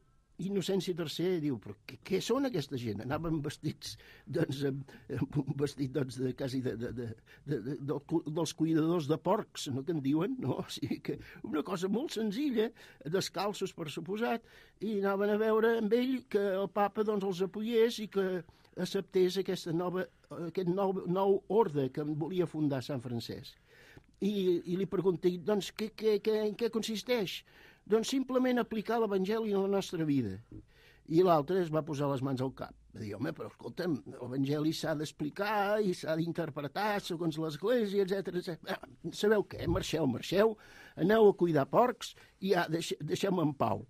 T: Innocenci tercer i diu, però què, què són aquesta gent? Anaven vestits, doncs, amb, amb un vestit, doncs, de, quasi de, de, de, de, de, de, dels cuidadors de porcs, no que en diuen, no? O sigui que una cosa molt senzilla, descalços per suposat, i anaven a veure amb ell que el papa, doncs, els apoyés i que acceptés aquesta nova, aquest nou, nou ordre que volia fundar Sant Francesc. I, i li pregunté, doncs, què, què, què, en què consisteix? Doncs simplement aplicar l'Evangeli a la nostra vida. I l'altre es va posar les mans al cap. Va dir, home, però escolta'm, l'Evangeli s'ha d'explicar i s'ha d'interpretar segons l'Església, etcètera, etcètera. Sabeu què? Marxeu, marxeu, aneu a cuidar porcs i ja, deix, deixem en pau.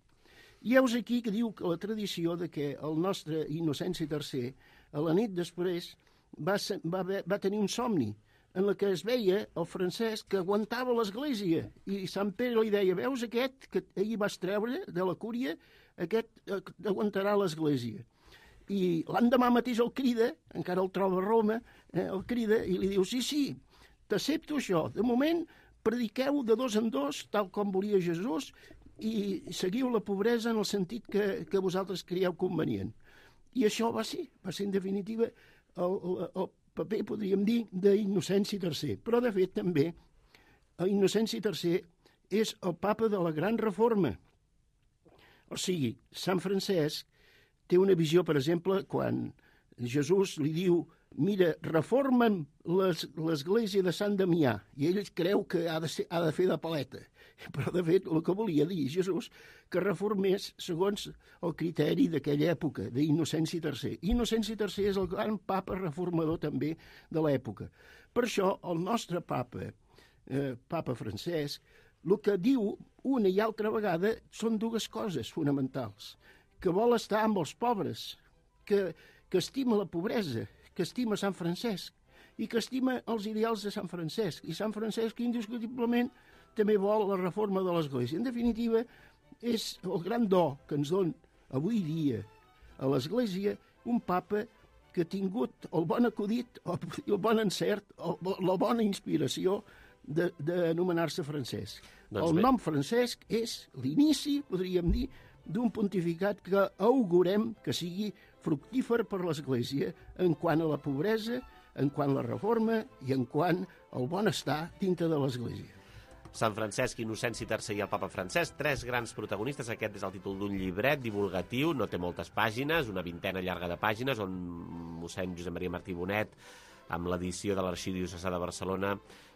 T: I heus aquí que diu que la tradició de que el nostre Innocenci tercer, a la nit després, va, va, va tenir un somni en la que es veia el Francesc que aguantava l'Església. I Sant Pere li deia, veus aquest que ahir vas treure de la cúria, aquest aguantarà l'Església. I l'endemà mateix el crida, encara el troba a Roma, eh, el crida i li diu, sí, sí, t'accepto això. De moment, prediqueu de dos en dos, tal com volia Jesús, i seguiu la pobresa en el sentit que, que vosaltres creieu convenient. I això va ser, va ser en definitiva el, el, el paper, podríem dir, d'Innocenci tercer. Però, de fet, també, Innocenci tercer és el papa de la Gran Reforma. O sigui, Sant Francesc té una visió, per exemple, quan Jesús li diu, mira, reforma'm l'església de Sant Damià, i ell creu que ha de, ser, ha de fer de paleta. Però, de fet, el que volia dir Jesús, que reformés segons el criteri d'aquella època, d'Innocenci tercer. Innocenci tercer és el gran papa reformador també de l'època. Per això, el nostre papa, eh, papa Francesc, el que diu una i altra vegada són dues coses fonamentals. Que vol estar amb els pobres, que, que estima la pobresa, que estima Sant Francesc i que estima els ideals de Sant Francesc. I Sant Francesc, indiscutiblement, també vol la reforma de l'Església. En definitiva, és el gran do que ens dona avui dia a l'Església un papa que ha tingut el bon acudit, el bon encert, la bona inspiració d'anomenar-se Francesc. Doncs el bé. Nom Francesc és l'inici, podríem dir, d'un pontificat que augurem que sigui fructífer per l'Església en quant a la pobresa, en quant a la reforma i en quant al benestar dintre de l'Església.
B: Sant Francesc, Innocenci tercer i el papa Francesc, tres grans protagonistes. Aquest és el títol d'un llibret divulgatiu, no té moltes pàgines, una vintena llarga de pàgines, on mossèn Josep Maria Martí Bonet, amb l'edició de l'Arxidiocesà de Barcelona,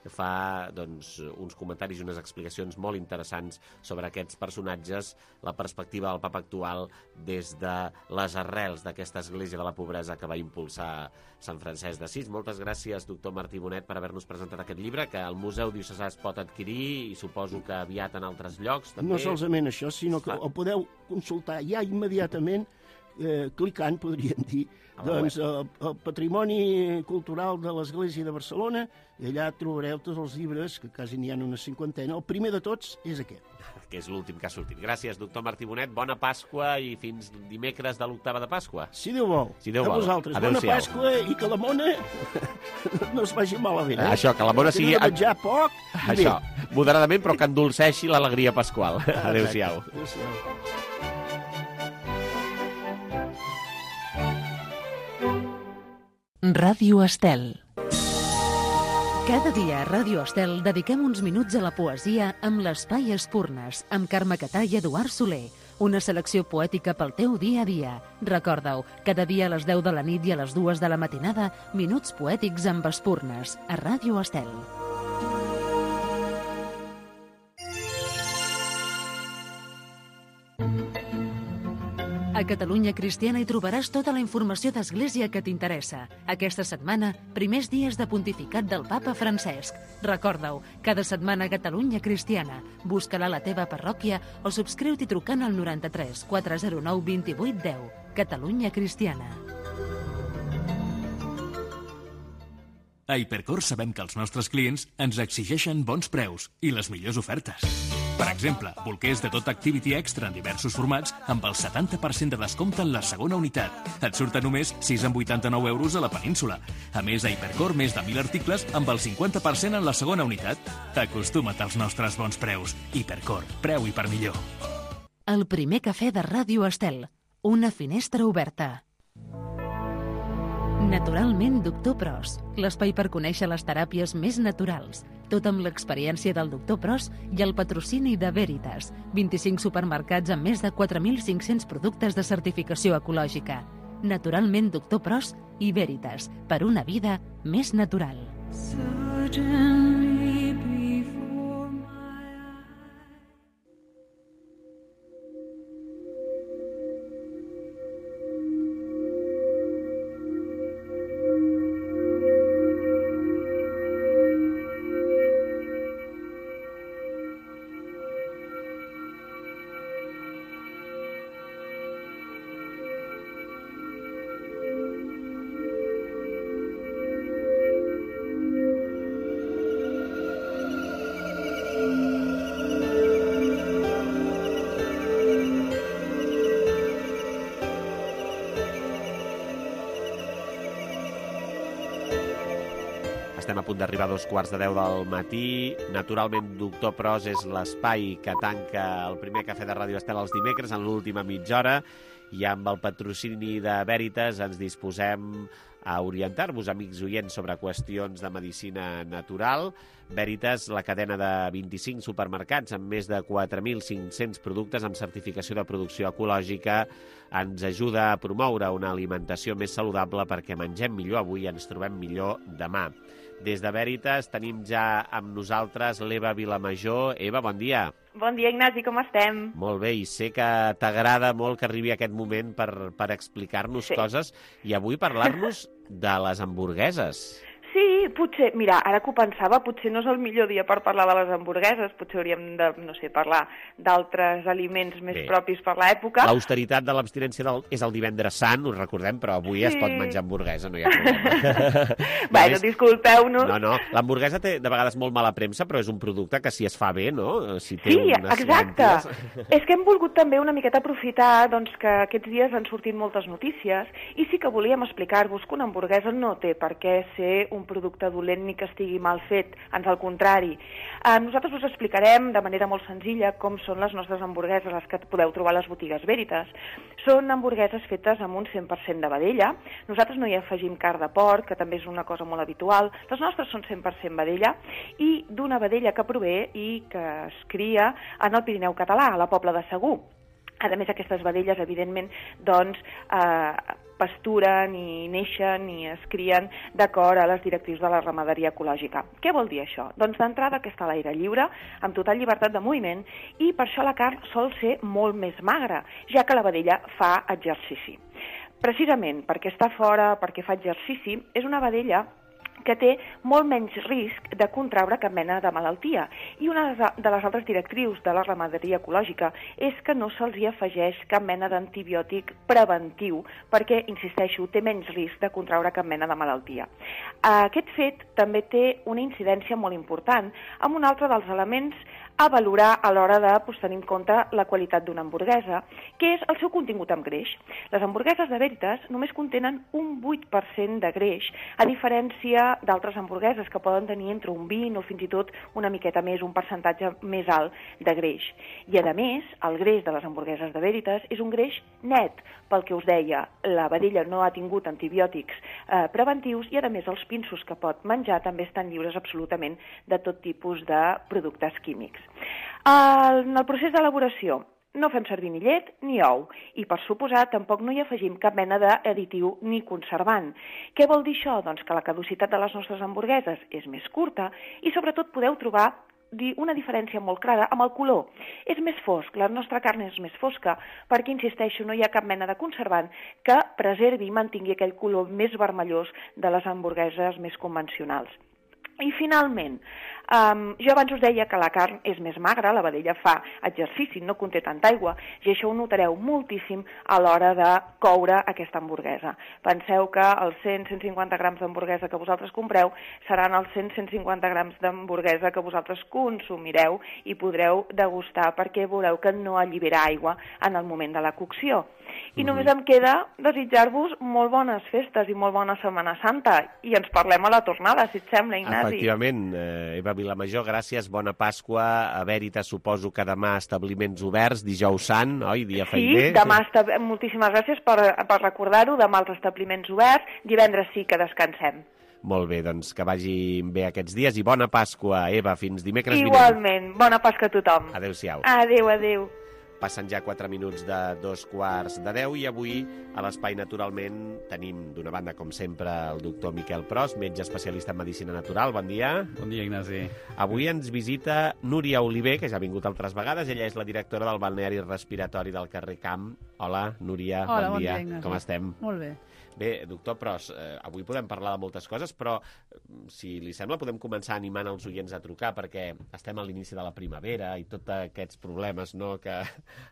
B: fa doncs, uns comentaris i unes explicacions molt interessants sobre aquests personatges, la perspectiva del papa actual des de les arrels d'aquesta església de la pobresa que va impulsar Sant Francesc d'Assís. Moltes gràcies, doctor Martí Bonet, per haver-nos presentat aquest llibre, que al Museu Diocesà es pot adquirir i suposo que aviat en altres llocs. També.
T: No solament això, sinó que el podeu consultar ja immediatament, eh, clicant, podríem dir, doncs, el, el patrimoni cultural de l'Església de Barcelona, i allà trobareu tots els llibres, que quasi n'hi ha una cinquantena. El primer de tots és aquest.
B: Que és l'últim que ha sortit. Gràcies, doctor Martí Bonet. Bona Pasqua i fins dimecres de l'octava de Pasqua.
T: Si Déu vol.
B: Si Déu
T: a
B: vol.
T: vosaltres. Bona Pasqua i que la mona no es vagi malament. Eh?
B: Això, que la mona sigui...
T: Que no menjar poc i
B: Això,
T: bé.
B: moderadament, però que endolceixi l'alegria pasqual. Adéu-siau.
T: Adéu-siau.
A: Ràdio Estel. Cada dia a Ràdio Estel dediquem uns minuts a la poesia amb l'Espai Espurnes, amb Carme Catà i Eduard Soler. Una selecció poètica pel teu dia a dia. Recorda-ho, cada dia a les deu de la nit i a les dues de la matinada, Minuts Poètics amb Espurnes, a Ràdio Estel. A Catalunya Cristiana hi trobaràs tota la informació d'Església que t'interessa. Aquesta setmana, primers dies de pontificat del papa Francesc. Recorda-ho, cada setmana a Catalunya Cristiana. Busca-la a la teva parròquia o subscriu-t'hi trucant al noranta-tres quatre zero nou vint vuit deu. Catalunya Cristiana.
K: A Hipercor sabem que els nostres clients ens exigeixen bons preus i les millors ofertes. Per exemple, bolquers de tot Activity Extra en diversos formats amb el setanta per cent de descompte en la segona unitat. Et surten només sis coma vuitanta-nou euros a la península. A més, a Hipercor, més de mil articles amb el cinquanta per cent en la segona unitat. Acostuma't als nostres bons preus. Hipercor, preu i per millor.
A: El primer cafè de Ràdio Estel. Una finestra oberta. Naturalment Doctor Pros, l'espai per conèixer les teràpies més naturals. Tot amb l'experiència del Doctor Pros i el patrocini de Veritas. vint-i-cinc supermercats amb més de quatre mil cinc-cents productes de certificació ecològica. Naturalment Doctor Pros i Veritas, per una vida més natural.
B: Estem a punt d'arribar a dos quarts de deu del matí. Naturalment, Doctor Pros és l'espai que tanca el primer cafè de Ràdio Estel els dimecres en l'última mitja hora i amb el patrocini de Veritas ens disposem a orientar-vos, amics oients, sobre qüestions de medicina natural. Veritas, la cadena de vint-i-cinc supermercats amb més de quatre mil cinc-cents productes amb certificació de producció ecològica, ens ajuda a promoure una alimentació més saludable perquè mengem millor avui i ens trobem millor demà. Des de Veritas tenim ja amb nosaltres l'Eva Vilamajor. Eva, bon dia.
U: Bon dia, Ignasi, com estem?
B: Molt bé, i sé que t'agrada molt que arribi aquest moment per, per explicar-nos sí. coses i avui parlar-nos de les hamburgueses.
U: Sí, potser, mira, ara que ho pensava, potser no és el millor dia per parlar de les hamburgueses, potser hauríem de, no sé, parlar d'altres aliments més Bé. propis per l'època.
B: L'austeritat de l'abstinència del... és el divendres sant, us recordem, però avui sí. es pot menjar hamburguesa, no hi ha problema.
U: Bueno, més... disculpeu-nos.
B: No, no, l'hamburguesa té de vegades molt mala premsa, però és un producte que si es fa bé, no? Si té
U: sí,
B: unes
U: exacte.
B: Lànties...
U: És que hem volgut també una miqueta aprofitar doncs, que aquests dies han sortit moltes notícies i sí que volíem explicar-vos que una hamburguesa no té per què ser un producte dolent ni que estigui mal fet, ans al contrari. Eh, nosaltres us explicarem de manera molt senzilla com són les nostres hamburgueses, les que podeu trobar a les botigues Veritas. Són hamburgueses fetes amb un cent per cent de vedella. Nosaltres no hi afegim carn de porc, que també és una cosa molt habitual. Les nostres són cent per cent vedella i d'una vedella que prové i que es cria en el Pirineu català, a la Pobla de Segur. A més, aquestes vedelles, evidentment, doncs, eh, pasturen i neixen i es crien d'acord a les directrius de la ramaderia ecològica. Què vol dir això? Doncs d'entrada que està a l'aire lliure, amb total llibertat de moviment, i per això la carn sol ser molt més magra, ja que la vedella fa exercici. Precisament perquè està fora, perquè fa exercici, és una vedella que té molt menys risc de contraure cap mena de malaltia. I una de les altres directrius de la ramaderia ecològica és que no se'ls hi afegeix cap mena d'antibiòtic preventiu, perquè, insisteixo, té menys risc de contraure cap mena de malaltia. Aquest fet també té una incidència molt important amb un altre dels elements a valorar a l'hora de pues, tenir en compte la qualitat d'una hamburguesa, que és el seu contingut en greix. Les hamburgueses de Veritas només contenen un vuit per cent de greix, a diferència d'altres hamburgueses que poden tenir entre un vint o fins i tot una miqueta més, un percentatge més alt de greix. I a més, el greix de les hamburgueses de Veritas és un greix net, pel que us deia, la vedella no ha tingut antibiòtics eh, preventius i a més els pinsos que pot menjar també estan lliures absolutament de tot tipus de productes químics. En el procés d'elaboració no fem servir ni llet ni ou i, per suposat, tampoc no hi afegim cap mena d'additiu ni conservant. Què vol dir això? Doncs que la caducitat de les nostres hamburgueses és més curta i, sobretot, podeu trobar una diferència molt clara amb el color. És més fosc, la nostra carn és més fosca, perquè, insisteixo, no hi ha cap mena de conservant que preservi i mantingui aquell color més vermellós de les hamburgueses més convencionals. I finalment, um, jo abans us deia que la carn és més magra, la vedella fa exercici, no conté tanta aigua, i això ho notareu moltíssim a l'hora de coure aquesta hamburguesa. Penseu que els cent a cent cinquanta grams d'hamburguesa que vosaltres compreu seran els cent a cent cinquanta grams d'hamburguesa que vosaltres consumireu i podreu degustar, perquè veureu que no allibera aigua en el moment de la cocció. I només em queda desitjar-vos molt bones festes i molt bona Setmana Santa, i ens parlem a la tornada, si et sembla, Ignasi.
B: Efectivament, eh, Eva Vilamajor, gràcies, bona Pasqua. A Veritas suposo que demà establiments oberts, dijous sant, oi? Dia feiner.
U: Sí, demà, moltíssimes gràcies per, per recordar-ho, demà els establiments oberts, divendres sí que descansem.
B: Molt bé, doncs que vagin bé aquests dies i bona Pasqua, Eva, fins dimecres vinent.
U: Igualment, bona Pasqua a tothom.
B: Adéu-siau.
U: Adéu, adéu.
B: Passen ja quatre minuts de dos quarts de deu i avui a l'Espai Naturalment tenim d'una banda, com sempre, el doctor Miquel Pros, metge especialista en Medicina Natural. Bon dia.
D: Bon dia, Ignasi.
B: Avui ens visita Núria Oliver, que ja ha vingut altres vegades. Ella és la directora del balneari respiratori del carrer Camp. Hola, Núria,
V: Hola,
B: bon, bon dia.
V: dia, Ignasi.
B: Com estem?
V: Molt bé.
B: Bé, doctor Pros, eh, avui podem parlar de moltes coses, però si li sembla podem començar animant els oients a trucar, perquè estem a l'inici de la primavera i tots aquests problemes, no?, que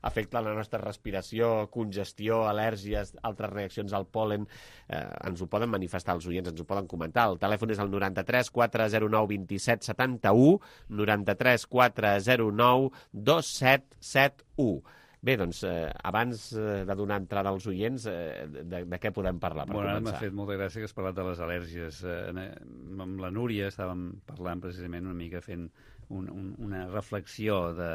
B: afecten la nostra respiració, congestió, al·lèrgies, altres reaccions al pol·len, eh, ens ho poden manifestar els oients, ens ho poden comentar. El telèfon és el noranta-tres quatre zero nou dos set set u, noranta-tres quatre zero nou dos set set u. Bé, doncs, eh, abans eh, de donar entrada als oients, eh, de, de què podem parlar per
D: bueno,
B: començar?
D: M'ha fet molta gràcia que has parlat de les al·lèrgies. Eh, amb la Núria estàvem parlant precisament una mica fent un, un, una reflexió de,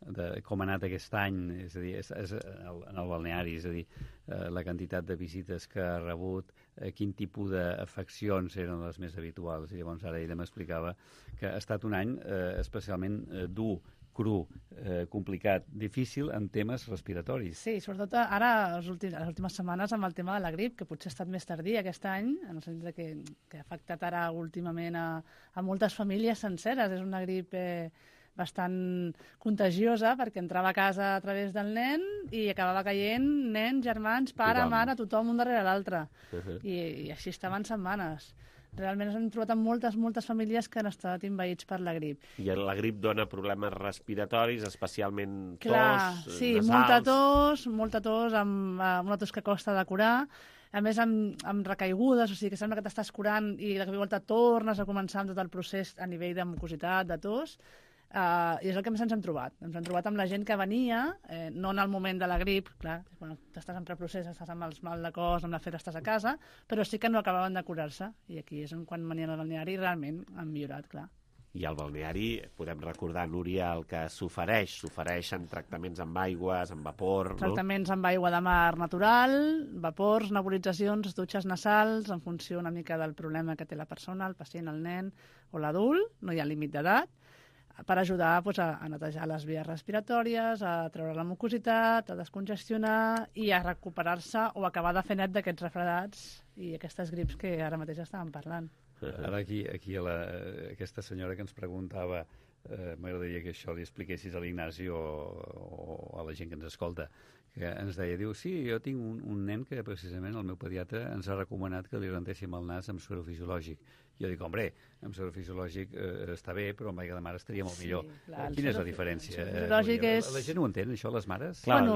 D: de com ha anat aquest any, és a dir, és, és, en el balneari, és a dir, eh, la quantitat de visites que ha rebut, eh, quin tipus d'afeccions eren les més habituals. I llavors ara ella m'explicava que ha estat un any eh, especialment eh, dur, cru, eh, complicat, difícil en temes respiratoris.
V: Sí, sobretot ara, les últimes, les últimes setmanes, amb el tema de la grip, que potser ha estat més tardí aquest any, en el sentit que, que ha afectat ara últimament a, a moltes famílies senceres. És una grip eh, bastant contagiosa, perquè entrava a casa a través del nen i acabava caient nens, germans, pare, tothom. mare, tothom un darrere l'altre. Uh-huh. I, I així estaven setmanes. Realment ens hem trobat amb moltes, moltes famílies que han estat envaïts per la grip.
B: I la grip dona problemes respiratoris, especialment tos,
V: Clar, sí,
B: nasals.
V: molta tos, molta tos, amb, amb una tos que costa de curar, a més amb, amb recaigudes, o sigui que sembla que t'estàs curant i de cop i volta tornes a començar amb tot el procés a nivell de mucositat, de tos. Uh, I és el que més ens hem trobat. Ens hem trobat amb la gent que venia, eh, no en el moment de la grip, clar, quan estàs en preprocés, estàs amb els mal de cos, amb la fer, estàs a casa, però sí que no acabaven de curar-se. I aquí és quan venien al balneari i realment han millorat, clar.
B: I al balneari, podem recordar, Núria, el que s'ofereix. S'ofereixen tractaments amb aigües, amb vapor, no?
V: Tractaments amb aigua de mar natural, vapors, nebulitzacions, dutxes nasals, en funció una mica del problema que té la persona, el pacient, el nen o l'adult, no hi ha límit d'edat, per ajudar doncs, a, a netejar les vies respiratòries, a treure la mucositat, a descongestionar i a recuperar-se o acabar de fer net d'aquests refredats i aquestes grips que ara mateix estàvem parlant.
D: Ara aquí, aquí a la, aquesta senyora que ens preguntava, eh, m'agradaria que això li expliquessis a l'Ignasi o, o a la gent que ens escolta, que ens deia, diu, sí, jo tinc un, un nen que precisament el meu pediatre ens ha recomanat que li rentéssim el nas amb suero fisiològic. Jo dic, hombre, amb suero fisiològic eh, està bé, però amb aigua de mar estaria molt millor. Sí, clar, Quina és la diferència?
V: El fisiològic
D: eh,
V: és...
D: La, la gent ho entén, això, les mares?
V: Clar. Bueno,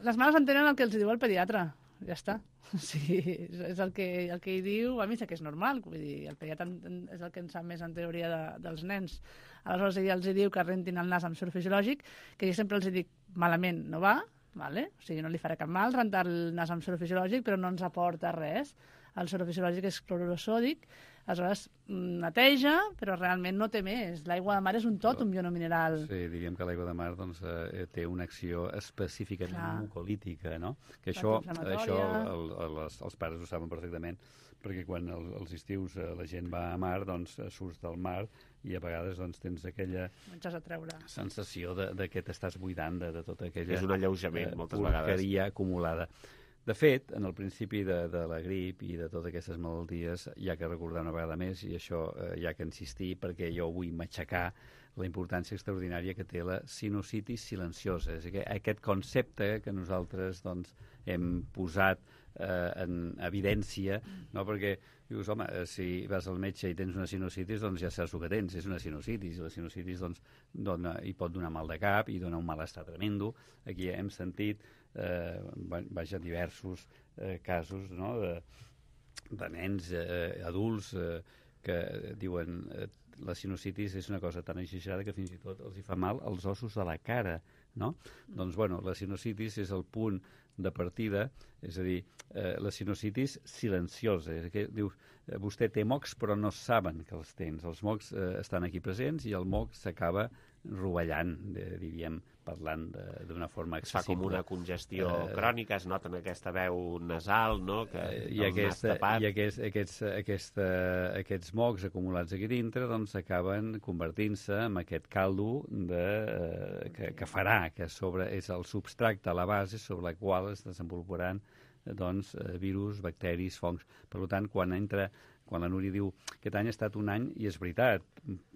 V: les mares entenen el que els diu el pediatre, ja està. Sí, és el que, el que hi diu, a mi sé que és normal, vull dir, el pediatre és el que en sap més en teoria de, dels nens. Aleshores ell els diu que rentin el nas amb suero fisiològic, que jo sempre els dic, malament no va, vale? O sigui, no li farà cap mal rentar el nas amb suero fisiològic, però no ens aporta res. El suero fisiològic és clorur sòdic, aleshores neteja, però realment no té més. L'aigua de mar és un tòtum bionomineral.
D: Sí, diríem que l'aigua de mar doncs, eh, té una acció específicament Clar. mucolítica, no? Que això, això el, el, els, els pares ho saben perfectament, perquè quan el, els estius eh, la gent va a mar, doncs surts del mar i a vegades doncs, tens aquella
V: a treure.
D: sensació de, de que t'estàs buidant de, de tota aquella...
B: És un alleujament, eh, moltes
D: vegades.
B: Porqueria
D: acumulada. De fet, en el principi de, de la grip i de totes aquestes malalties, hi ha que recordar una vegada més, i això eh, hi ha que insistir, perquè jo vull matxacar la importància extraordinària que té la sinusitis silenciosa. És que aquest concepte que nosaltres doncs, hem posat eh, en evidència, no? Perquè dius, home, si vas al metge i tens una sinusitis, doncs ja saps el que tens, és una sinusitis, i la sinusitis doncs, dona, hi pot donar mal de cap i dona un malestar tremendo. Aquí hem sentit eh, vaja, diversos eh, casos, no?, de, de nens eh, adults eh, que diuen eh, la sinusitis és una cosa tan exagerada que fins i tot els hi fa mal als ossos de la cara, no? Mm. Doncs, bueno, la sinusitis és el punt de partida, és a dir, eh, la sinusitis silenciosa. És que dius, eh, vostè té mocs però no saben que els tens. Els mocs eh, estan aquí presents i el moc s'acaba rovellant, eh, diríem, parlant d'una forma accessible.
B: Es fa com una congestió eh, crònica, es nota en aquesta veu nasal, no?, que
D: eh, i, aquesta, i aquests, aquests, aquesta, aquests mocs acumulats aquí dintre doncs acaben convertint-se en aquest caldo de, eh, que, que farà, que sobre és el substracte a la base sobre la qual es desenvoluparan doncs, virus, bacteris, fongs. Per tant, quan entra quan la Núria diu que aquest any ha estat un any, i és veritat,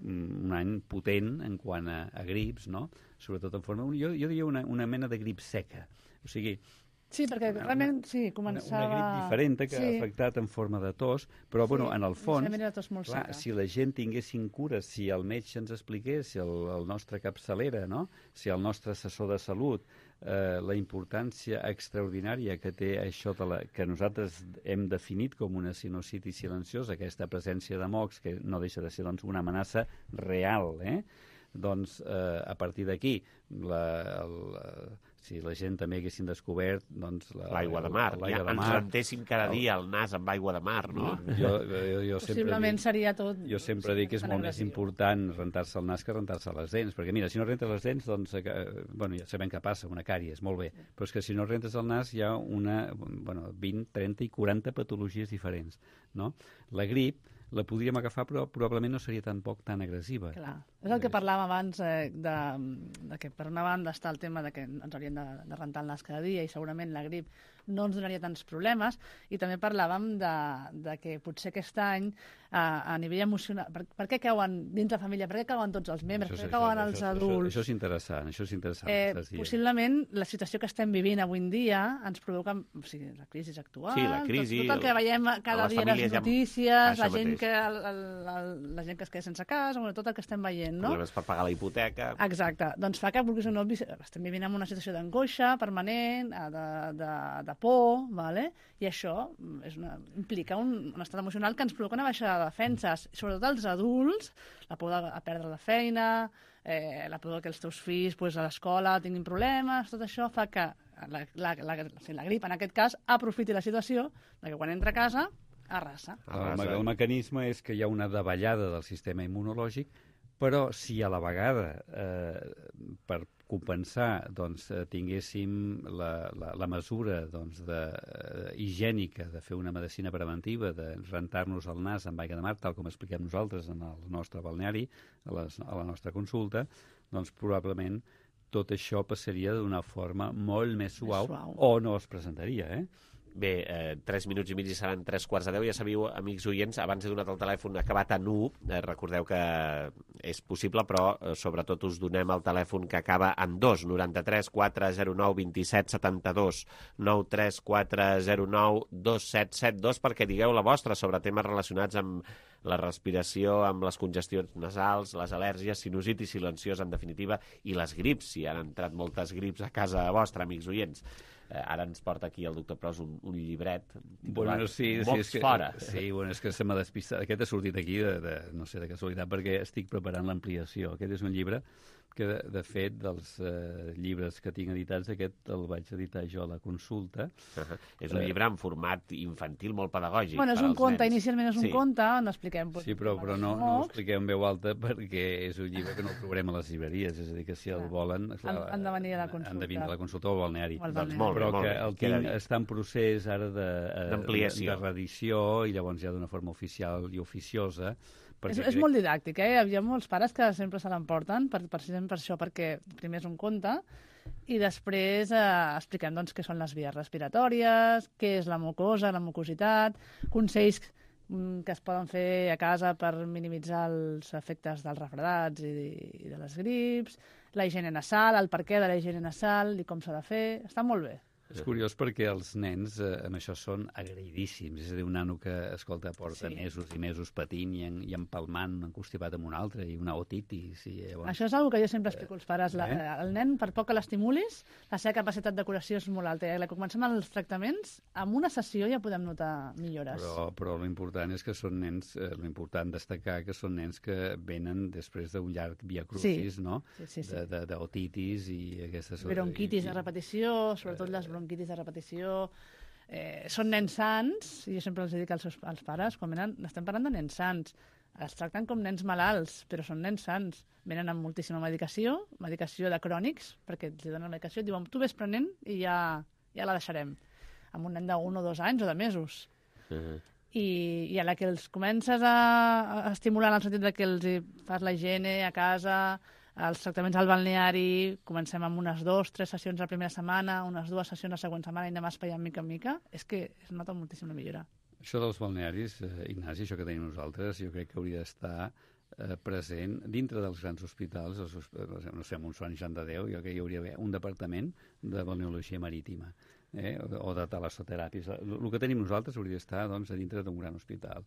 D: un any potent en quant a, a grips, no? Sobretot en forma... Jo, jo diria una, una mena de grip seca. O sigui...
V: Sí, perquè una, realment, sí, començava...
D: Una, una grip diferent que sí. ha afectat en forma de tos, però, sí, bueno, en el fons, clar, si la gent tinguessin cures, si el metge ens expliqués, si el, el nostre capçalera, no?, si el nostre assessor de salut, eh, la importància extraordinària que té això de la, que nosaltres hem definit com una sinusitis silenciosa, aquesta presència de mocs, que no deixa de ser doncs, una amenaça real, eh? Doncs eh, a partir d'aquí, la, la, si la gent també haguessin descobert doncs,
B: l'aigua de mar, ja ens rentéssim cada dia el nas amb aigua de mar, no?
D: Jo, jo, jo
V: Possiblement
D: dic,
V: seria tot...
D: Jo sempre dic que és molt més important rentar-se el nas que rentar-se les dents, perquè mira, si no rentes les dents, doncs, eh, bueno, ja sabem què passa, una càries, molt bé, però és que si no rentes el nas hi ha una, bueno, vint, trenta i quaranta patologies diferents, no? La grip la podríem agafar, però probablement no seria tan poc tan agressiva.
V: Clar. És el que parlàvem abans, eh, de, de que per una banda està el tema de que ens hauríem de, de rentar el nas cada dia i segurament la grip no ens donaria tants problemes, i també parlàvem de, de que potser aquest any a, a nivell emocional, per, per què cauen dins la família, per què cauen tots els membres, això, per què cauen això, els això, adults...
D: Això, això és interessant, això és interessant.
V: Eh, possiblement la situació que estem vivint avui en dia ens provoca, o sigui, la crisi actual,
B: sí, la crisi,
V: tot, tot el que veiem cada dia a les notícies, la gent, que, el, el, el, la gent que es queda sense casa, bueno, tot el que estem veient, no?
B: Problemes per pagar la hipoteca...
V: Exacte, doncs fa que, vulguis o no, estem vivint en una situació d'angoixa permanent, de, de, de por, vale? I això és una, implica un, un estat emocional que ens provoca una baixada de defenses, sobretot els adults, la por de a perdre la feina, eh, la por que els teus fills pues, a l'escola tinguin problemes, tot això fa que la, la, la, la, la grip, en aquest cas, aprofiti la situació de que quan entra a casa, arrasa.
D: El, el mecanisme és que hi ha una davallada del sistema immunològic, però si a la vegada, eh, per compensar, doncs, tinguéssim la, la, la mesura doncs, de, uh, higiènica de fer una medicina preventiva, de rentar-nos el nas amb aigua de mar, tal com expliquem nosaltres en el nostre balneari, a, les, a la nostra consulta, doncs probablement tot això passaria d'una forma molt més suau, més suau. O no es presentaria, eh?
B: Bé, eh, tres minuts i mig i seran tres quarts de deu. Ja sabeu, amics oients, abans he donat el telèfon acabat en u. Eh, recordeu que és possible, però eh, sobretot us donem el telèfon que acaba en dos, noranta-tres quatre zero nou vint set setanta-dos, nou tres quatre zero nou dos set set dos, perquè digueu la vostra sobre temes relacionats amb la respiració, amb les congestions nasals, les al·lèrgies, sinusitis silenciosa, en definitiva, i les grips, si han entrat moltes grips a casa vostra, amics oients. Eh, ara ens porta aquí el doctor Pros un, un llibret titulat
D: bueno, sí, sí,
B: Mocs
D: és que,
B: fora.
D: Sí, bueno, és que se m'ha despistat. Aquest ha sortit aquí, de, de, no sé, de casualitat, perquè estic preparant l'ampliació. Aquest és un llibre que, de, de fet, dels eh, llibres que tinc editats, aquest el vaig editar jo a la consulta.
B: Uh -huh. És un eh, llibre en format infantil molt pedagògic.
V: Bueno, és un conte,
B: nens.
V: Inicialment és un
B: sí.
V: conte, on expliquem...
D: Sí, però, però no, no ho expliquem en veu alta perquè és un llibre que no el trobarem a les llibreries, és a dir, que si el clar. volen... Clar,
V: han, han de venir a la consulta.
D: Han de venir a la consulta o al balneari.
V: Al balneari.
B: Doncs molt bé,
D: però
B: molt
D: que
B: bé.
D: el tinc, està en procés ara d'ampliació, de, de, de reedició, i llavors ja d'una forma oficial i oficiosa.
V: És, és molt didàctic, eh? Hi ha molts pares que sempre se l'emporten, per, precisament per això, perquè primer és un conte, i després eh, expliquem doncs, què són les vies respiratòries, què és la mucosa, la mucositat, consells mm, que es poden fer a casa per minimitzar els efectes dels refredats i, i de les grips, la higiene nasal, el perquè de la higiene nasal i com s'ha de fer. Està molt bé.
D: És curiós perquè els nens eh, amb això són agraïdíssims. És a dir, un nano que, escolta, porta sí. mesos i mesos patint i, en, i empalmant, encostipat amb un altre, i una otitis. I, llavors...
V: Això és una cosa que jo sempre explico als pares. La, eh? El nen, per poc que l'estimulis, la seva capacitat de curació és molt alta. I quan comencem els tractaments, amb una sessió ja podem notar millores.
D: Però, però l'important és que són nens, eh, l'important destacar que són nens que venen després d'un llarg via crucis, sí. no?
V: Sí, sí, sí.
D: D'otitis i aquestes...
V: Bronquitis de repetició, sobretot les bronquitis de repetició, eh, són nens sants, i jo sempre els dic als, seus, als pares, quan venen, estem parlant de nens sants, els tracten com nens malalts, però són nens sants, venen amb moltíssima medicació, medicació de crònics, perquè els donen medicació, et diuen, tu ves prenent i ja, ja la deixarem, amb un nen d'un o dos anys o de mesos. Uh-huh. I, i a la que els comences a, a estimular en el sentit de que els fas la higiene a casa, els tractaments al balneari, comencem amb unes dues, tres sessions la primera setmana, unes dues sessions la següent setmana i anem espaiant mica en mica, és que es nota moltíssim la millora.
D: Això dels balnearis, eh, Ignasi, això que tenim nosaltres, jo crec que hauria d'estar eh, present dintre dels grans hospitals, els, no sé, amb un Sant Joan de Déu, jo crec que hi hauria un departament de balneologia marítima. Eh, o de talassoteràpies. El, el que tenim nosaltres hauria d'estar doncs, a dintre d'un gran hospital.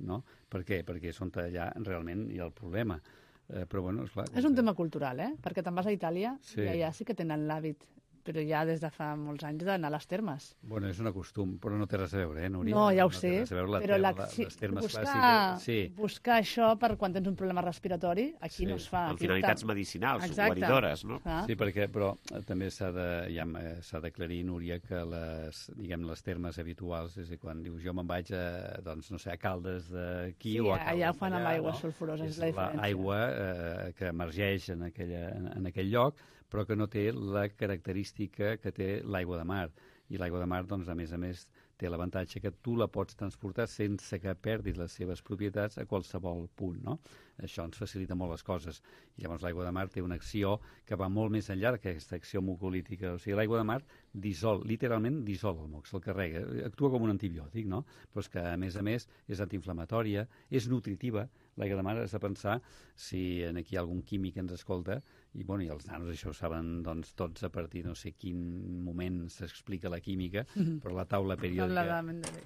D: No? Per què? Perquè és on allà realment hi ha el problema. Eh, però bueno, esclar,
V: és un tema cultural, eh? Perquè te'n vas a Itàlia
D: sí.
V: i allà sí que tenen l'hàbit, però ja des de fa molts anys d'anar a les termes.
D: Bueno, és un costum, però no té res a veure, eh, Núria?
V: No, ja ho
D: no
V: sé,
D: la
V: però la,
D: la,
V: sí,
D: les termes
V: buscar,
D: clàssiques... Sí.
V: buscar això per quan tens un problema respiratori, aquí
B: sí.
V: no es fa.
B: Amb finalitats medicinals,
V: exacte.
B: guaridores, no?
V: Ah.
D: Sí, perquè, però també s'ha de, ja, s'ha d'aclarir, Núria, que les, diguem, les termes habituals, és a dir, quan dius jo me'n vaig a, doncs, no sé, a Caldes d'aquí
V: sí,
D: o a Caldes
V: allà ho fan amb aigua
D: no?
V: sulfurosa, és
D: és
V: la diferència.
D: l'aigua eh, que emergeix en, aquella, en, en aquell lloc, però que no té la característica que té l'aigua de mar. I l'aigua de mar, doncs, a més a més, té l'avantatge que tu la pots transportar sense que perdis les seves propietats a qualsevol punt, no? Això ens facilita molt les coses. I llavors l'aigua de mar té una acció que va molt més enllà d'aquesta acció mucolítica. O sigui, l'aigua de mar dissol, literalment dissol el moc, se'l carrega. Actua com un antibiòtic, no? Però és que, a més a més, és antiinflamatòria, és nutritiva. L'aigua de mar has de pensar si aquí hi ha algun químic que ens escolta, i, bueno, i els nanos això ho saben doncs, tots a partir de no sé quin moment s'explica la química, mm-hmm. però la taula periòdica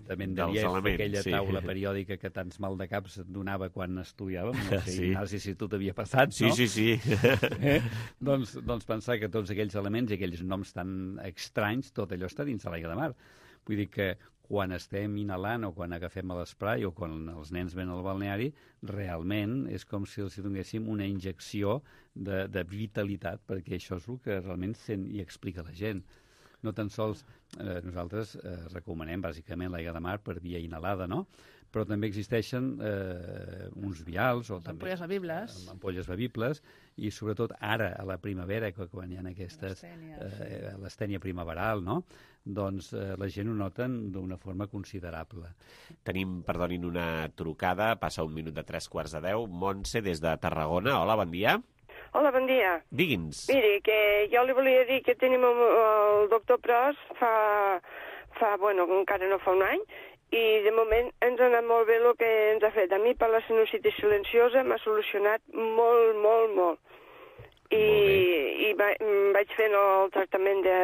D: de Mendeleev, aquella sí. taula periòdica que tants mal de caps et donava quan estudiàvem, no sé, sí. Ignasi, si tu t'havia passat,
B: sí,
D: no?
B: Sí, sí, sí.
D: Eh? doncs, doncs pensar que tots aquells elements i aquells noms tan estranys, tot allò està dins de l'aigua de mar. Vull dir que quan estem inhalant o quan agafem l'esprai o quan els nens venen al balneari, realment és com si els donéssim una injecció de, de vitalitat, perquè això és el que realment sent i explica la gent. No tan sols eh, nosaltres eh, recomanem bàsicament l'aigua de mar per via inhalada, no? Però també existeixen eh, uns vials o
V: les
D: també
V: ampolles bebibles.
D: ampolles bebibles i sobretot ara a la primavera, quan hi ha aquestes
V: l'estènia
D: eh, l'estènia primaveral, no? Doncs eh, la gent ho noten d'una forma considerable.
B: Tenim, perdonin, una trucada, passa un minut de tres quarts de deu. Montse, des de Tarragona. Hola, bon dia.
E: Hola, bon dia.
B: Digui'ns.
E: Miri, que jo li volia dir que tenim el, el doctor Pros fa, fa, bueno, encara no fa un any, i de moment ens ha anat molt bé el que ens ha fet. A mi per la sinusitis silenciosa m'ha solucionat molt, molt, molt. I, i va, vaig fent el tractament de,